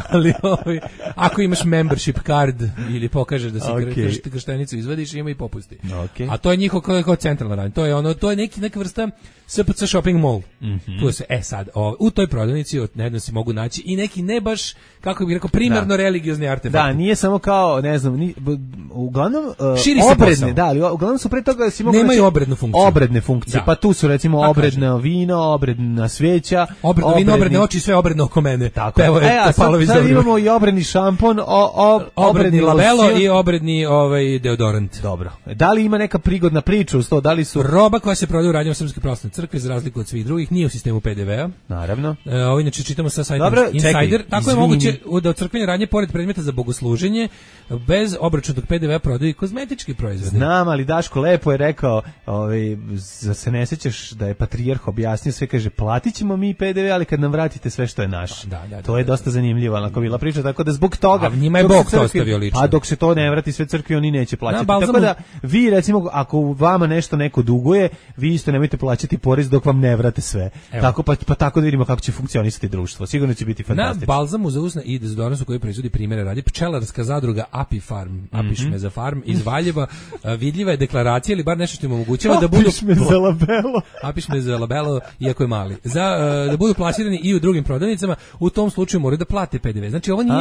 Ali, Ovaj, ako imaš membership card ili pokažeš da si Okay. krš, krštenicu izvadiš, ima i popusti. Okay. A to je njihov kao, kao centralna radnja. To je ono, to je neki neka vrsta S P C shopping mall. Mm-hmm. Tu se e sad o, u toj prodavnici od nedavno se mogu naći i neki ne baš kako bih rekao primarno da. religiozni artefakti. Da, nije samo kao, ne znam, ni, uglavnom uh, Širi se obredne, posao. da, ali uglavnom su pre toga si mogu nemaju obrednu funkciju. Obredne funkcije, da. pa tu su recimo pa obredno vino, obredna sveća, obredno obredni... vino, obredne oči, sve obredno oko mene. Tako. Evo je, e, a sad, sad imamo i obredni šampon, o, o, obredni, obredni labelo losion. i obredni ovaj deodorant. Dobro. Da li ima neka prigodna priča uz to? Da li su roba koja se prodaje u radnjama Srpske pravoslavne crkve za razliku od svih drugih nije u sistemu P D V-a. Naravno. E, ovo inače čitamo sa sajta Dobro, Insider. čekaj, Tako izvini. je moguće da od crkvene radnje pored predmeta za bogosluženje bez obračunatog P D V-a prodaju i kozmetički proizvodi. Znam, ali Daško lepo je rekao, ovaj, za se ne sećaš da je patrijarh objasnio sve, kaže, platit ćemo mi P D V, ali kad nam vratite sve što je naše. Da, da, da, to je da, dosta zanimljivo, onako bila priča, tako da zbog toga... A njima je dok Bog se to crkvi- ostavio lično. Pa dok se to ne vrati sve crkvi, oni neće plaćati. Na, Tako da, vi recimo, ako vama nešto neko duguje, vi isto nemojte plaćati porez dok vam ne vrate sve. Evo. Tako, pa, pa tako da vidimo kako će funkcionisati društvo. Sigurno će biti Na fantastično. balzamu za usne i dezodoransu koji proizvodi primjere radi pčelarska zadruga Api Farm, Apišmeza Farm iz Valjeva. A, vidljiva je deklaracija ili bar nešto što im omogućava da budu Apišmeza labelo. Apišmeza labelo, iako je mali. Za uh, da budu plasirani i u drugim prodavnicama, u tom slučaju moraju da plate P D V. Znači ovo nije,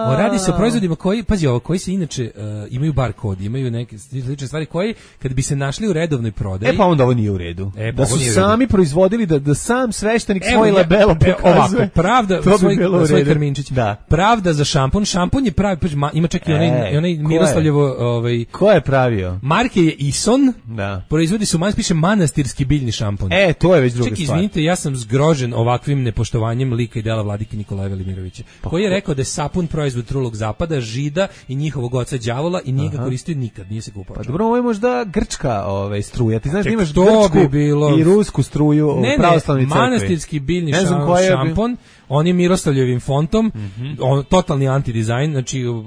o, radi se o proizvodima koji, pazi ovo, koji se inače uh, imaju bar kod, imaju neke slične stvari koji kad bi se našli u redovnoj prodaji. E pa onda ovo nije u redu. E, pa da ovo su nije u redu. sami proizvodili da da sam sveštenik Evo, svoj ja- labelo e, pokazuje. ovako, pravda, To bi svoj, bilo u svoj redu. karminčić. Da. Pravda za šampon, šampon je pravi, pazi, ma- ima čak i onaj, E, i onaj ko je? Miroslavljevo, ovaj, Ko je pravio? marke je Ison, Da. proizvodi su, man piše manastirski biljni šampon. E, to je već druga Ček, stvar. izvinite, ja sam zgrožen ovakvim nepoštovanjem lika i dela vladike Nikolaja Velimirovića, koji je rekao da je sapun proizvod trulog zapada, žida i njihovog oca đavola i nije ga koristio nikad, nije se kupao. Pa dobro, ovo je možda grčka ovaj, struja. Ti znaš da Ček, imaš to grčku bi bilo- i rusku struju u Ne, pravoslavnoj ne, crkvi. manastirski biljni Ne znam šam- koja je- šampon, on je Miroslavljevim fontom, Mhm. on, totalni antidizajn, znači uh,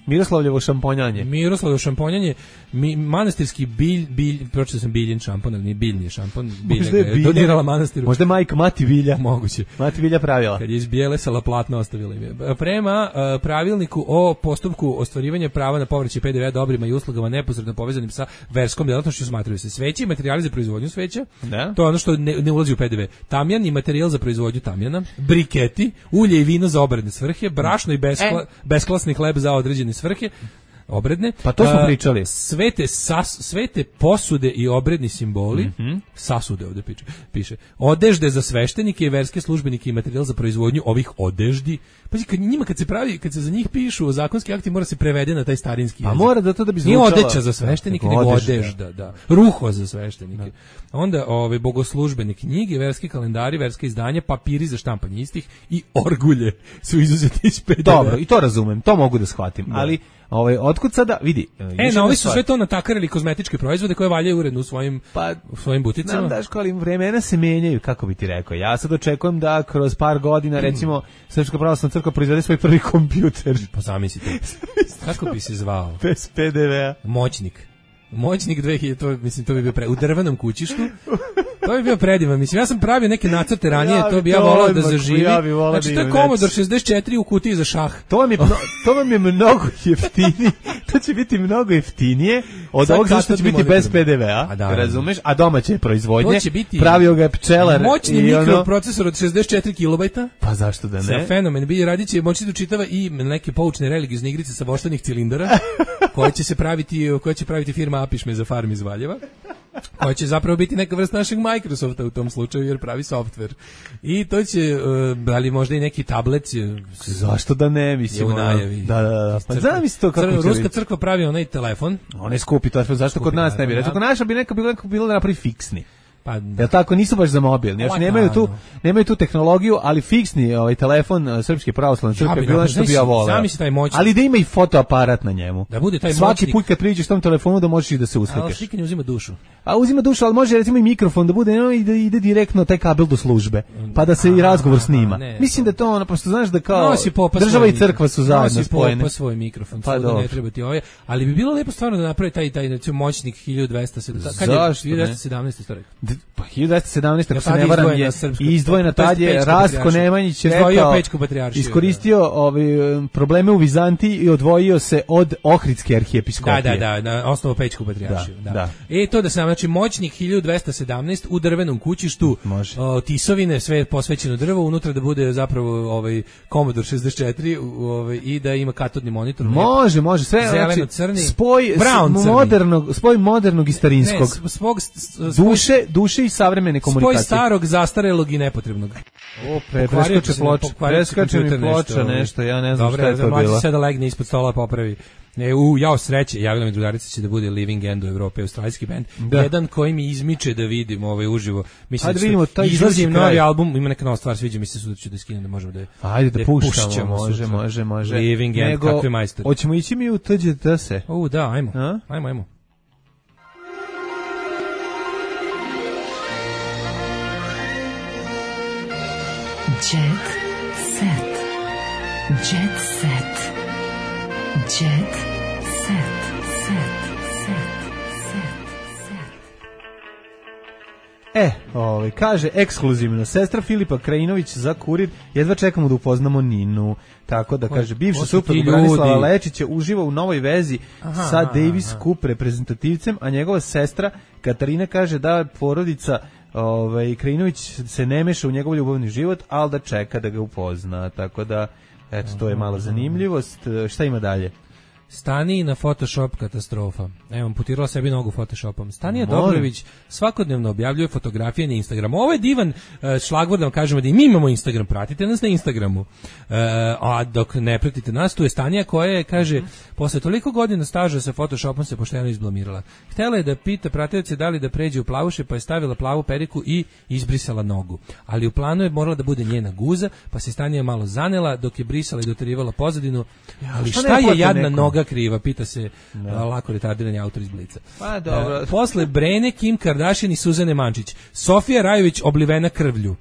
Miroslavljevo šamponjanje. Miroslavljevo šamponjanje, mi, manastirski bilj, bilj, pročitao sam biljen šampon, ali nije biljni šampon, bilje Možda ga je je bilje. donirala manastiru. Možda je majka Mati Vilja. Moguće. Mati Vilja pravila. Kad je iz bijelesala platno ostavila im je. Prema uh, pravilniku o postupku ostvarivanja prava na povraćaj P D V dobrima i uslugama neposredno povezanim sa verskom djelatnošću smatraju se sveće i materijali za proizvodnju sveća. Da. To je ono što ne, ne ulazi u P D V. Tamjan i materijal za proizvodnju tamjana, briketi, ulje i vino za obredne svrhe, brašno i beskla, E. besklasni hleb za određene svrhe. Obredne. Pa to smo A, pričali. Svete, sas, svete posude i obredni simboli, Mhm. sasude ovde piše, piše, odežde za sveštenike i verske službenike i materijal za proizvodnju ovih odeždi. Pazi, kad njima kad se pravi, kad se za njih pišu zakonski akti, mora se prevede na taj starinski Pa jezik. mora da to da bi Nije zvučalo. odeća za sveštenike, Nego nego odežda. odežda, da. Ruho za sveštenike. Onda ove bogoslužbene knjige, verski kalendari, verska izdanja, papiri za štampanje istih i orgulje su izuzeti iz P D V. Dobro, i to razumem, to mogu da shvatim, ali ovaj otkud sada vidi. E, na ovi su sve to natakarili kozmetičke proizvode koje valjaju uredno u svojim, Pa, u svojim buticama. Znam, Daško, ali vremena se menjaju, kako bi ti rekao. Ja sad očekujem da kroz par godina, recimo, Srpska pravoslavna crkva proizvede svoj prvi kompjuter. Pa zamislite. Kako bi se zvao? Bez P D V-a. Moćnik. Moćnik dve hiljade, to, mislim, to bi bio pre, u drvenom kućištu. To bi bio predivan. Mislim, ja sam pravio neke nacrte ranije, Ja to bi bi ja to volao da odmah, zaživi. ja bi volao Znači, da to je imam Commodore već. šezdeset četiri u kutiji za šah. To vam je, mno- to vam je mnogo jeftinije. To će biti mnogo jeftinije od Sad ovog zašto će kasetni biti bez monitor. P D V-a. A da, razumeš? A domaće proizvodnje. To će biti pravio ga je pčelar. moćni i ono- mikroprocesor od šezdeset četiri kilobajta. Pa zašto da Sa ne? fenomen bi radit će, moći da čitava i neke poučne religiozne igrice sa voštanih cilindara, koje će se praviti, koje će praviti firma Apišme za farm iz Valjeva, koja će zapravo biti neka vrsta našeg Microsofta u tom slučaju, jer pravi softver. I to će, uh, da li možda i neki tablet je, Zašto da ne, mislim. je u ono- najavi. Da, da, da. Pa Crkva- zamisli to kako crkva- će Ruska biti. crkva pravi onaj telefon. On je skupi telefon, zašto kod Skupi, nas ne bi? naravno, Recimo, kod da. naša bi neka bilo, neka bilo da napravi fiksni. Pa, Jel tako, nisu baš za mobilni, još Lako, nemaju tu, naravno. nemaju tu tehnologiju, ali fiksni ovaj telefon uh, Srpske pravoslavne crkve bi je bilo napravio, nešto bi ja zamisli- voleo. zamisli taj moćnik. Ali da ima i fotoaparat na njemu. Da bude taj Svaki moćnik. put kad priđeš tom telefonu da možeš i da se ali uslikaš. slikanje uzima dušu. A uzima dušu, ali može recimo i mikrofon da bude, no, i da ide direktno taj kabel do službe, pa da se i razgovor snima. ne, Mislim da je to ono, pošto znaš da kao Nosi popa država svoj i crkva su mikrofon. zajedno Nosi spojene. popa svoj mikrofon, Pa pa dobro. ne treba ti ovaj, ali bi bilo lepo stvarno da napravi taj taj recimo moćnik hiljadu dvesta sedamnaest. Kad je Zašto ne? hiljadu dvesta sedamnaest isto rekao. D- pa hiljadu dvesta sedamnaeste ako se ne varam je izdvojena, tad je Rastko Nemanjić rekao, iskoristio ovaj, probleme u Vizantiji i odvojio se od Ohridske arhijepiskopije. Da, da, da, na osnovu Pećku patrijaršiju. Da, da. Da. E, to da sam, znači, moćnik hiljadu dvesta sedamnaeste u drvenom kućištu, o, tisovine, sve posvećeno drvo, unutra da bude zapravo ovaj, Commodore šezdeset četiri ovaj, i da ima katodni monitor. Može, može, sve, zeleno-crni, znači, spoj modernog, spoj modernog i starinskog. Ne, spog, duše, duše i savremene komunikacije. Spoj starog, zastarelog i nepotrebnog. O, pre, preskače ploča, preskače mi ploča nešto, ja ne znam. Dobre, šta je to bilo. Dobre, sada legne ispod stola popravi. Ne, u, jao sreće, javila mi drugarica će da bude Living End u Evrope, australijski bend. Da. Jedan koji mi izmiče da vidim ovaj uživo. Mislim da vidimo taj izlazi novi album, ima neka nova stvar, sviđa mi se, sutra ću da skinem da možemo da je. Ajde da, da puštamo, može, može, može. Living End, kakvi majstori. Hoćemo ići mi u T G D S. U, da, ajmo. A? Ajmo, ajmo. Jet set. Jet set. Jet set. Set. Set. Set. Set. E, ovaj, kaže ekskluzivno, sestra Filipa Krajinović za Kurir, jedva čekamo da upoznamo Ninu. Tako da, kaže, bivša suprug Branislava Lečića uživa u novoj vezi aha, sa Davis aha. Cup reprezentativcem, a njegova sestra Katarina kaže da porodica ovaj, Krajinović se ne meša u njegov ljubavni život, ali da čeka da ga upozna. Tako da, eto, to je malo zanimljivost. Šta ima dalje? Stani na Photoshop katastrofa. Evo, amputirala sebi nogu Photoshopom. Stanija Dobrović svakodnevno objavljuje fotografije na Instagramu. Ovo je divan uh, šlagvord da vam kažemo da i mi imamo Instagram, pratite nas na Instagramu. Uh, a dok ne pratite nas, tu je Stanija koja je, kaže, posle toliko godina staža sa Photoshopom se pošteno izblamirala. Htela je da pita pratioce da li da pređe u plavuše, pa je stavila plavu periku i izbrisala nogu. Ali u planu je morala da bude njena guza, pa se Stanija malo zanela dok je brisala i doterivala pozadinu. Ali šta, šta je jadna nekom? Noga kriva, pita se no. lako retardirani autor iz Blica. Pa dobro. E, posle Brene, Kim Kardashian i Suzane Mančić, Sofija Rajović oblivena krvlju.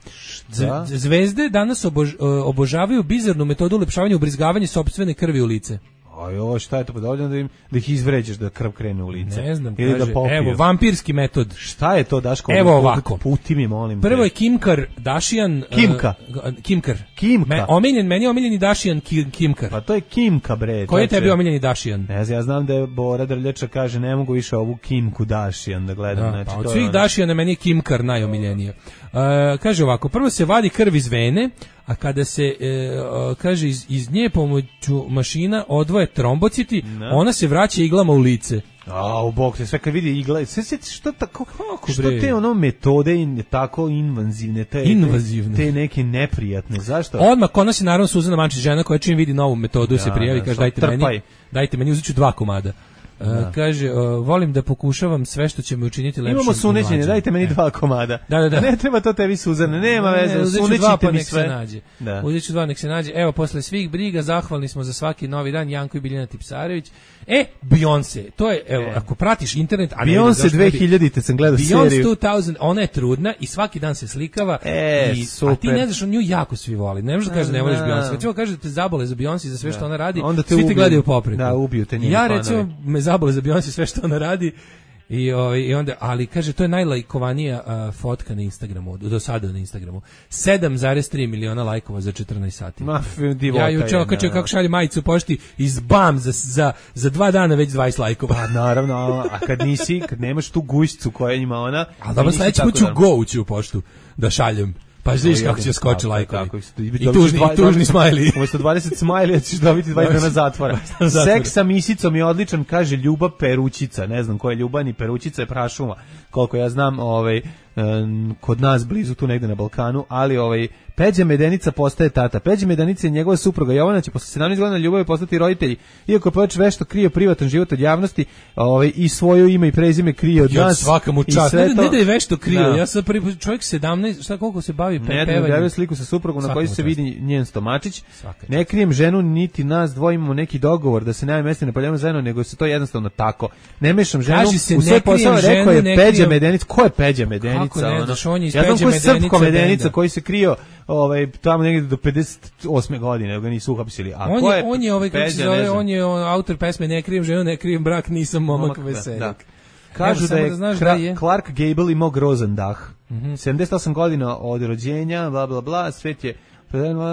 Z, zvezde danas obož, obožavaju bizarnu metodu ulepšavanja ubrizgavanja sopstvene krvi u lice. Aj, ovo šta je to podobno da im da ih izvređaš da krv krene u lice. Ne znam, ili kaže, da evo vampirski metod. Šta je to, Daško? Evo ovako. Puti mi, molim. Prvo je Kim Kardashian. Kimka. Uh, Kimkar. Kimka. Me, omiljen, meni je omiljeni Dašijan Kim, Kimkar. Pa to je Kimka, bre. Koji je tebi omiljeni Dašijan? Ne znam, ja znam da je Bora Drljača kaže ne mogu više ovu Kimku Dašijan da gledam. Da, znači, pa od svih Dašijana meni je Kimkar najomiljenije. Uh, kaže ovako, prvo se vadi krv iz vene, a kada se, e, kaže, iz, iz nje pomoću mašina odvoje trombociti, ne. Ona se vraća iglama u lice. A, u bok se sve kad vidi igla, sve se što tako, kako što bre? Te ono metode in, tako invazivne, te, invazivne, te, te neke neprijatne, zašto? Odmah kod nas je naravno Suzana Mančić, žena koja čim vidi novu metodu ja, se prijavi, da, kaže dajte trpaj. meni, dajte meni, uzet ću dva komada. Uh, kaže, uh, volim da pokušavam sve što će me učiniti lepšim. Imamo sunećenje, dajte meni dva komada. Da, da, da. Ne treba to tebi Suzane, nema ne, veze, sunećite mi sve. Nađe. Da. Uzet ću dva, nek se nađe. Evo, posle svih briga, zahvalni smo za svaki novi dan, Janko i Biljana Tipsarević. E, Beyoncé, to je, evo, e. ako pratiš internet... A Beyoncé dve hiljadite sam gledao seriju. Beyoncé dve hiljade, ona je trudna i svaki dan se slikava. E, i, super. A ti ne znaš, on nju jako svi voli. Ne možeš da kažeš da ne voliš Beyoncé. Kad ćemo kaže da te zabole za Beyoncé i za sve što ona radi, onda te svi ubiju. te gledaju popreko. Da, ubiju te njeni ja recimo me zabole za Beyoncé sve što ona radi. I, o, i onda, ali kaže, to je najlajkovanija uh, fotka na Instagramu, do sada na Instagramu. sedam zarez tri miliona lajkova za četrnaest sati. Ma, divota ja juče okačio kako šalje majicu pošti iz bam za, za, za dva dana već dvadeset lajkova. Pa naravno, a kad nisi, kad nemaš tu gušću koja ima ona... Ali dobro, sledeći put ću go ući u poštu da šaljem. Pa vidiš kako će skoči lajkovi. I tužni, i tužni smajli. Umesto dvadeset smajlija ćeš dobiti dvadeset dana zatvora. Seks sa misicom je odličan, kaže Ljuba Perućica. Ne znam ko je Ljuba, ni Perućica je prašuma. Koliko ja znam, ovaj, kod nas blizu, tu negde na Balkanu, ali ovaj, Peđa Medenica postaje tata. Peđa Medenica i njegova supruga Jovana će posle sedamnaest godina ljubavi postati roditelji. Iako Peđa vešto krije privatan život od javnosti, ovaj, i svoje ime i prezime krije od nas. Svaka mu čast. Ne, ne da je vešto krije. Da. Ja sam prvi čovjek sedamnaest, šta koliko se bavi pe, pevanjem. Ne, ne, objavio sliku sa suprugom na kojoj se vidi njen stomačić. Svaka ne krijem ženu, niti nas dvoje imamo neki dogovor da se nema mesta ne poljavimo zajedno, nego se to jednostavno tako. Ne mešam ženu. Se, u sve posao rekao je Peđa Medenica. Ko je Peđa Medenica? Kako ne, znaš, on je iz ja znam Peđa ko je Srpko Medenica koji se krio ovaj tamo negdje do pedeset osme godine, ga nisu uhapsili. A on ko je, je on je ovaj kako se zove, on je on, autor pesme Ne krijem ženu, ne krijem brak, nisam momak veseljak. Kažu da je, da znaš Kra- da je Clark Gable imao grozan dah. Mm-hmm. sedamdeset osam godina od rođenja, bla bla bla, svet je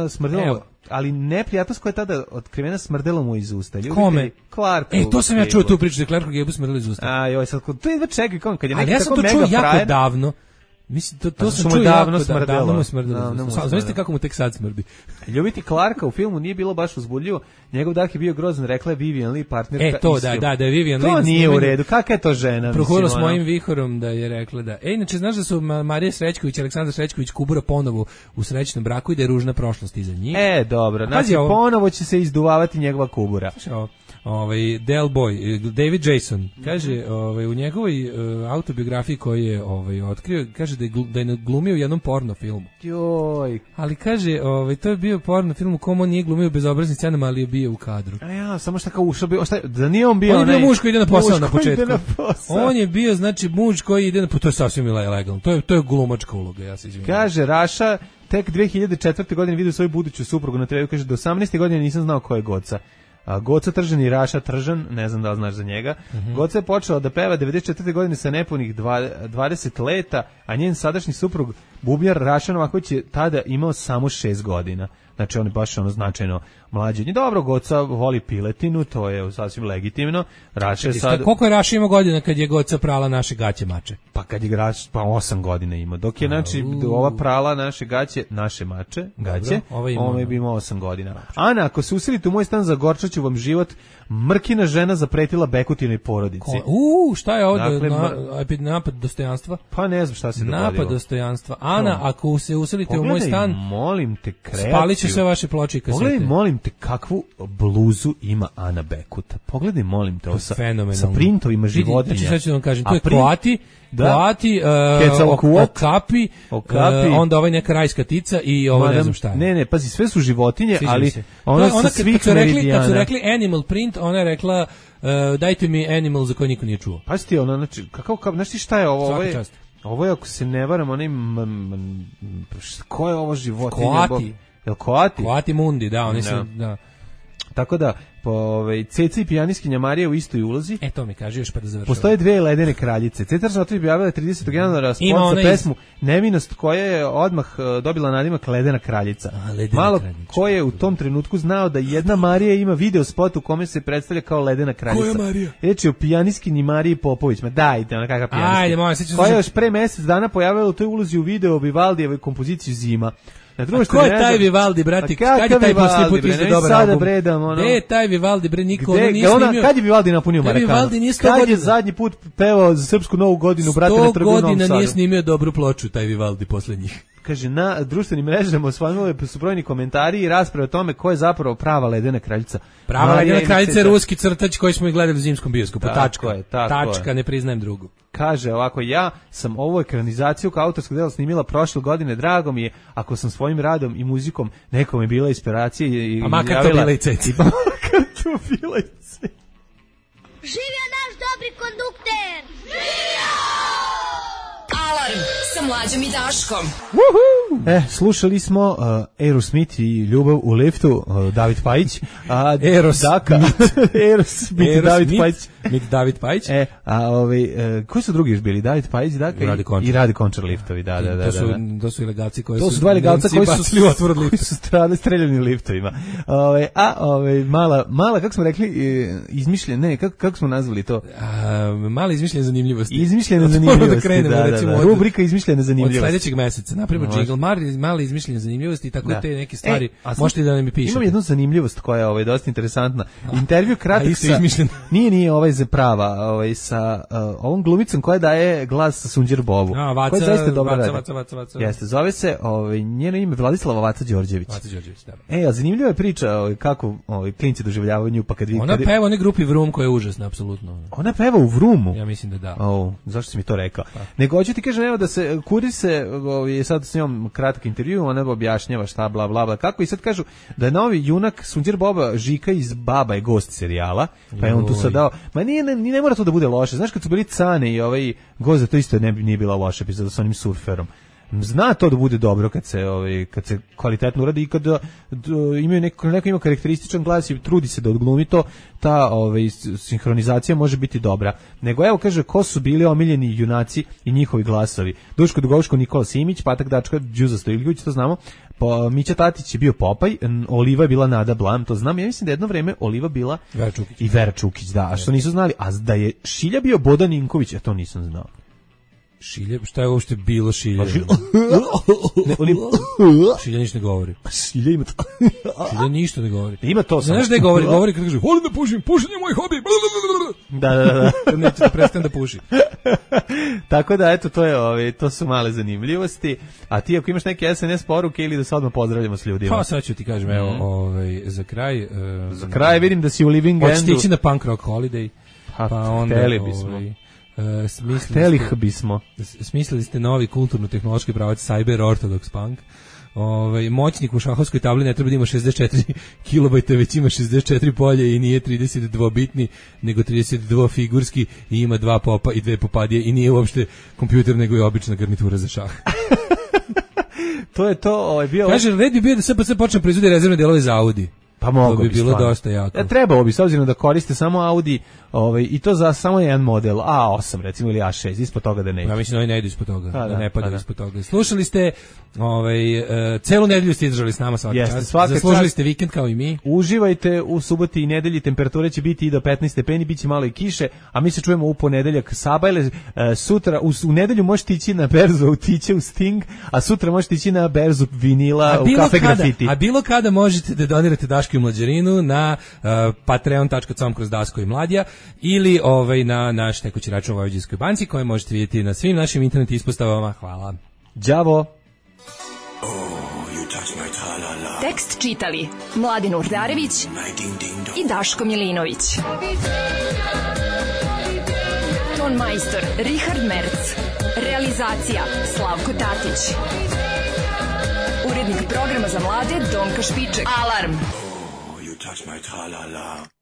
smrdelo, ali neprijatnost koja je tada otkrivena smrdelo mu iz usta. Ljubitelji Kome? Clark. E, to sam ja čuo tu priču da Clark Gable smrdelo iz usta. A, joj, sad, to je čekaj, kom, kad je neki ali ja tako sam to mega čuo jako frajer, davno. Mislim, to, to pa sam čuo davno smrdelo. Davno mu smrdelo. Znaš kako mu tek sad smrdi? Ljubiti Clarka u filmu nije bilo baš uzbudljivo. Njegov dah je bio grozan, rekla je Vivian Lee, partnerka. E, to, da, da, da je Vivian Lee. To nije u redu, kakva je to žena? Prohurilo s mojim vihorom da je rekla da. E, inače, znaš da su Marija Srećković i Aleksandar Srećković Kubura ponovo u srećnom braku i da je ružna prošlost iza njih. E, dobro, znači ponovo će se izduvavati njegova Kubura. Ovaj Del Boy, David Jason kaže, ovaj u njegovoj uh, autobiografiji koju je ovaj otkrio, kaže da je, da je glumio u jednom porno filmu. Joj. Ali kaže, ovaj to je bio porno film u kom on nije glumio bezobraznim scenama, ali je bio u kadru. A ja, samo što kao ušao bio, da nije on bio on onaj. On je bio muž koji ide na posao na početku. Na posao. On je bio znači muž koji ide na posao, to je sasvim ilegalno. To je to je glumačka uloga, ja se izvinjavam. Kaže Raša tek dve hiljade četvrte. godine vidio svoju buduću suprugu na treju, kaže do osamnaeste. godine nisam znao ko je Goca. A Goca Tržan i Raša Tržan, ne znam da li znaš za njega. Mm-hmm. Goca je počela da peva devedeset četvrte. godine sa nepunih dvadeset leta, a njen sadašnji suprug Bubljar Raša Novaković je tada imao samo šest godina. Znači on je baš ono značajno mlađi. I dobro, Goca voli piletinu, to je sasvim legitimno. Raša je sad... Koliko je Raša imao godina kad je Goca prala naše gaće mače? Pa kad je Raša, pa osam godina ima. Dok je, znači, ova prala naše gaće, naše mače, gaće, ova bi imao osam godina. Ana, ako se uselite u moj stan, zagorčaću vam život. Mrkina žena zapretila Bekutinoj porodici. Uuu, šta je ovo? Dakle, na, napad dostojanstva? Pa ne znam šta se dogodilo. Napad dostojanstva. Ana, to. Ako se uselite Pogledaj, u moj stan, molim te, kreaciju. Spalit će sve vaše ploče i kasete. Pogledaj, molim te, kakvu bluzu ima Ana Bekuta. Pogledaj, molim te, sa, sa printovima životinja. Znači, sad ću vam kažem, to je print, Kroati, da. Kroati, uh, okapi, okapi. Uh, onda ovaj neka rajska tica i ovo Madam, ne znam šta je. Ne, ne, pazi, sve su životinje, Sviđa ali ona sa svih meridijana. Kad su rekli animal print, ona je rekla uh, dajte mi animal za koji niko nije čuo. Pazi ti, ona, znači, kakav, kakav, znaš ti šta je ovo? Ovo je, čast. Ovo je, ako se ne varam, onaj, ko je ovo životinje? Koati. Jel Koati? Koati Mundi, da, oni su, da. Tako da, po ovaj Ceca i pijaniskinja Marija u istoj ulozi. E to mi kaže još pa da završimo. Postoje dve ledene kraljice. Ceca Žotović objavila tridesetog januara spot za pesmu Nevinost koja je odmah dobila nadimak Ledena kraljica. A, ledena Malo kraljica. ko je u tom trenutku znao da jedna Marija ima video spot u kome se predstavlja kao Ledena kraljica. Koja Marija? Reč je o pijaniskinji Mariji Popović. Ma dajte, ona kakva pijaniskinja. Ajde, moja, sećam se. Koja je još pre mjesec dana pojavila u toj ulozi u videu Vivaldijevoj kompoziciji Zima. A ko je taj Vivaldi, brati? Kad je taj poslije put izde dobar album? Gde je taj Vivaldi, bre, niko ono nije snimio? Kad je Vivaldi napunio Marekanu? Kad je zadnji put pevao za srpsku novu godinu, brate, na trgu u Novom Sadu? sto godina nije snimio dobru ploču, taj Vivaldi posle njih. Kaže, na društvenim mrežama osvanuli su brojni komentari i rasprave o tome ko je zapravo prava Ledena kraljica. Prava Ledena kraljica je ruski crtač koji smo i gledali u zimskom bioskopu. Tačka je, tako Tačka, je. Ne priznajem drugu. Kaže ovako, ja sam ovu ekranizaciju kao autorskog dela snimila prošle godine, drago mi je ako sam svojim radom i muzikom nekom je bila inspiracija i a makar to bila i ceci. Makar to bila i ceci. Živio naš dobri kondukter! Živio! Alarm sa Mlađom i Daškom. Woohoo! E, slušali smo uh, Aerosmith i Ljubav u liftu, uh, David Pajić. A Eros Daka. Aerosmith, David Pajić. Mit David Pajić. E, a ovaj, uh, koji su drugi još bili? David Pajić, Daka Radi i, i Radi Končar liftovi, da, da, da. To su, da, da. To su ilegalci koji to su... su dva ilegalca koji su, koji su strane streljani liftovima. Ove, a, ove, mala, mala, kako smo rekli, izmišljen, ne, kako, kako smo nazvali to? A, mala izmišljena zanimljivosti. Izmišljena zanimljivosti, da, krenemo, da, da, da. Od, rubrika izmišljene zanimljivosti. Od sljedećeg meseca, napravimo džingl, mala izmišljene zanimljivosti i tako da. Te neke stvari, e, možete da nam mi pišete. Imam jednu zanimljivost koja je ovaj, dosta interesantna. Intervju kratak sa... Nije, nije ovaj za prava, ovaj, sa uh, ovom glumicom koja daje glas sa Sunđer Bobu. A, Vaca, koja zaista dobro Vaca, radi. Vaca, Vaca, Vaca. Jeste, zove se, ovaj, njeno ime Vladislava Vaca Đorđević. Vaca Đorđević, da. E, a zanimljiva je priča ovaj, kako ovaj, klinci doživljavaju nju, pa kad vi... Ona kad... peva onaj grupi Vrum koja je užasna, apsolutno. Ona peva u Vrumu? Ja mislim da da. O, zašto si mi to rekao? Pa. Nego hoću ti kažem, evo da se, Kurir se, ovaj, sad s njom kratak intervju, ona objašnjava šta, bla, bla, bla, kako, i sad kažu da je novi junak Sunđer Boba Žika iz Baba je gost serijala, pa je on tu sad dao, ma nije, ne, ne mora to da bude loše, znaš kad su bili Cane i ovaj Goza, to isto ne, nije bila loša epizoda sa onim surferom. zna to da bude dobro kad se ovaj kad se kvalitetno uradi i kad d, imaju neko neko ima karakterističan glas i trudi se da odglumi to, ta ovaj sinhronizacija može biti dobra. Nego evo kaže ko su bili omiljeni junaci i njihovi glasovi. Duško Dugovško, Nikola Simić, Patak Dačka, Đuza Stojiljović, to znamo. Pa Mića Tatić je bio Popaj, Oliva je bila Nada Blam, to znam. Ja mislim da jedno vreme Oliva bila Vera Čukić. I Vera Čukić, da, a što nisu znali, a da je Šilja bio Bodan Ninković, ja to nisam znao. Šilje, šta je uopšte bilo Šilje? Šilje, ne, oni, Šilje ništa ne govori. Šilje ima to. Šilje ništa ne govori. Ima to. Znaš da je govori? Govori kad kaže, volim da pušim, pušenje je moj hobi. Da, da, da. Kad neće da prestane da puši. Tako da, eto, to je, ove, to su male zanimljivosti. A ti ako imaš neke es en es poruke ili da se odmah pozdravljamo s ljudima? Pa sad ću ti kažem, evo, ovaj, za kraj. Um, za kraj vidim da si u Living Endu. Hoćete ići na Punk Rock Holiday. Pa, pa onda, hteli bismo. Ovaj, Uh, Hteli bismo. Smislili ste novi kulturno-tehnološki pravac Cyber Orthodox Punk. Ovaj moćnik u šahovskoj tabli ne treba da ima šezdeset četiri kilobajta, već ima šezdeset četiri polje i nije trideset dva bitni, nego trideset dva figurski i ima dva popa i dve popadije i nije uopšte kompjuter, nego je obična garnitura za šah. To je to, ovaj bio. Kaže, red bi bio da S P C počne proizvodi rezervne delove za Audi. Pa mogo to bi, bi bilo stvarno. Dosta jako. Ja, trebalo bi, s obzirom da koriste samo Audi, ovaj, i to za samo jedan model, A osam recimo ili A šest, ispod toga da ne ide. Ja mislim da oni ne idu ispod toga, da, da ne padaju da. ispod toga. Slušali ste, ovaj, uh, celu nedelju ste izdržali s nama svaki Jeste, čas. svaka Zaslužili čast. ste vikend kao i mi. Uživajte u suboti i nedelji, temperature će biti i do petnaest stepeni, bit će malo i kiše, a mi se čujemo u ponedeljak Sabajle. Uh, sutra, u, u nedelju možete ići na berzu Autiće u Sting, a sutra možete ići na berzu vinila u Kafe kada, Grafiti. A bilo kada možete da donirate Daško i Mlađarinu na uh, patreon dot com kroz Daško i Mladija ili ovaj, na naš tekući račun u Vojvođanskoj banci koje možete vidjeti na svim našim internet ispostavama. Hvala. Đavo. Oh, tekst čitali Mladin Urdarević i Daško Milinović. Ton majstor Richard Merc. Realizacija Slavko Tatić. Urednik programa za mlade Donka Špiček. Alarm! Oh, you touch my tra-la-la.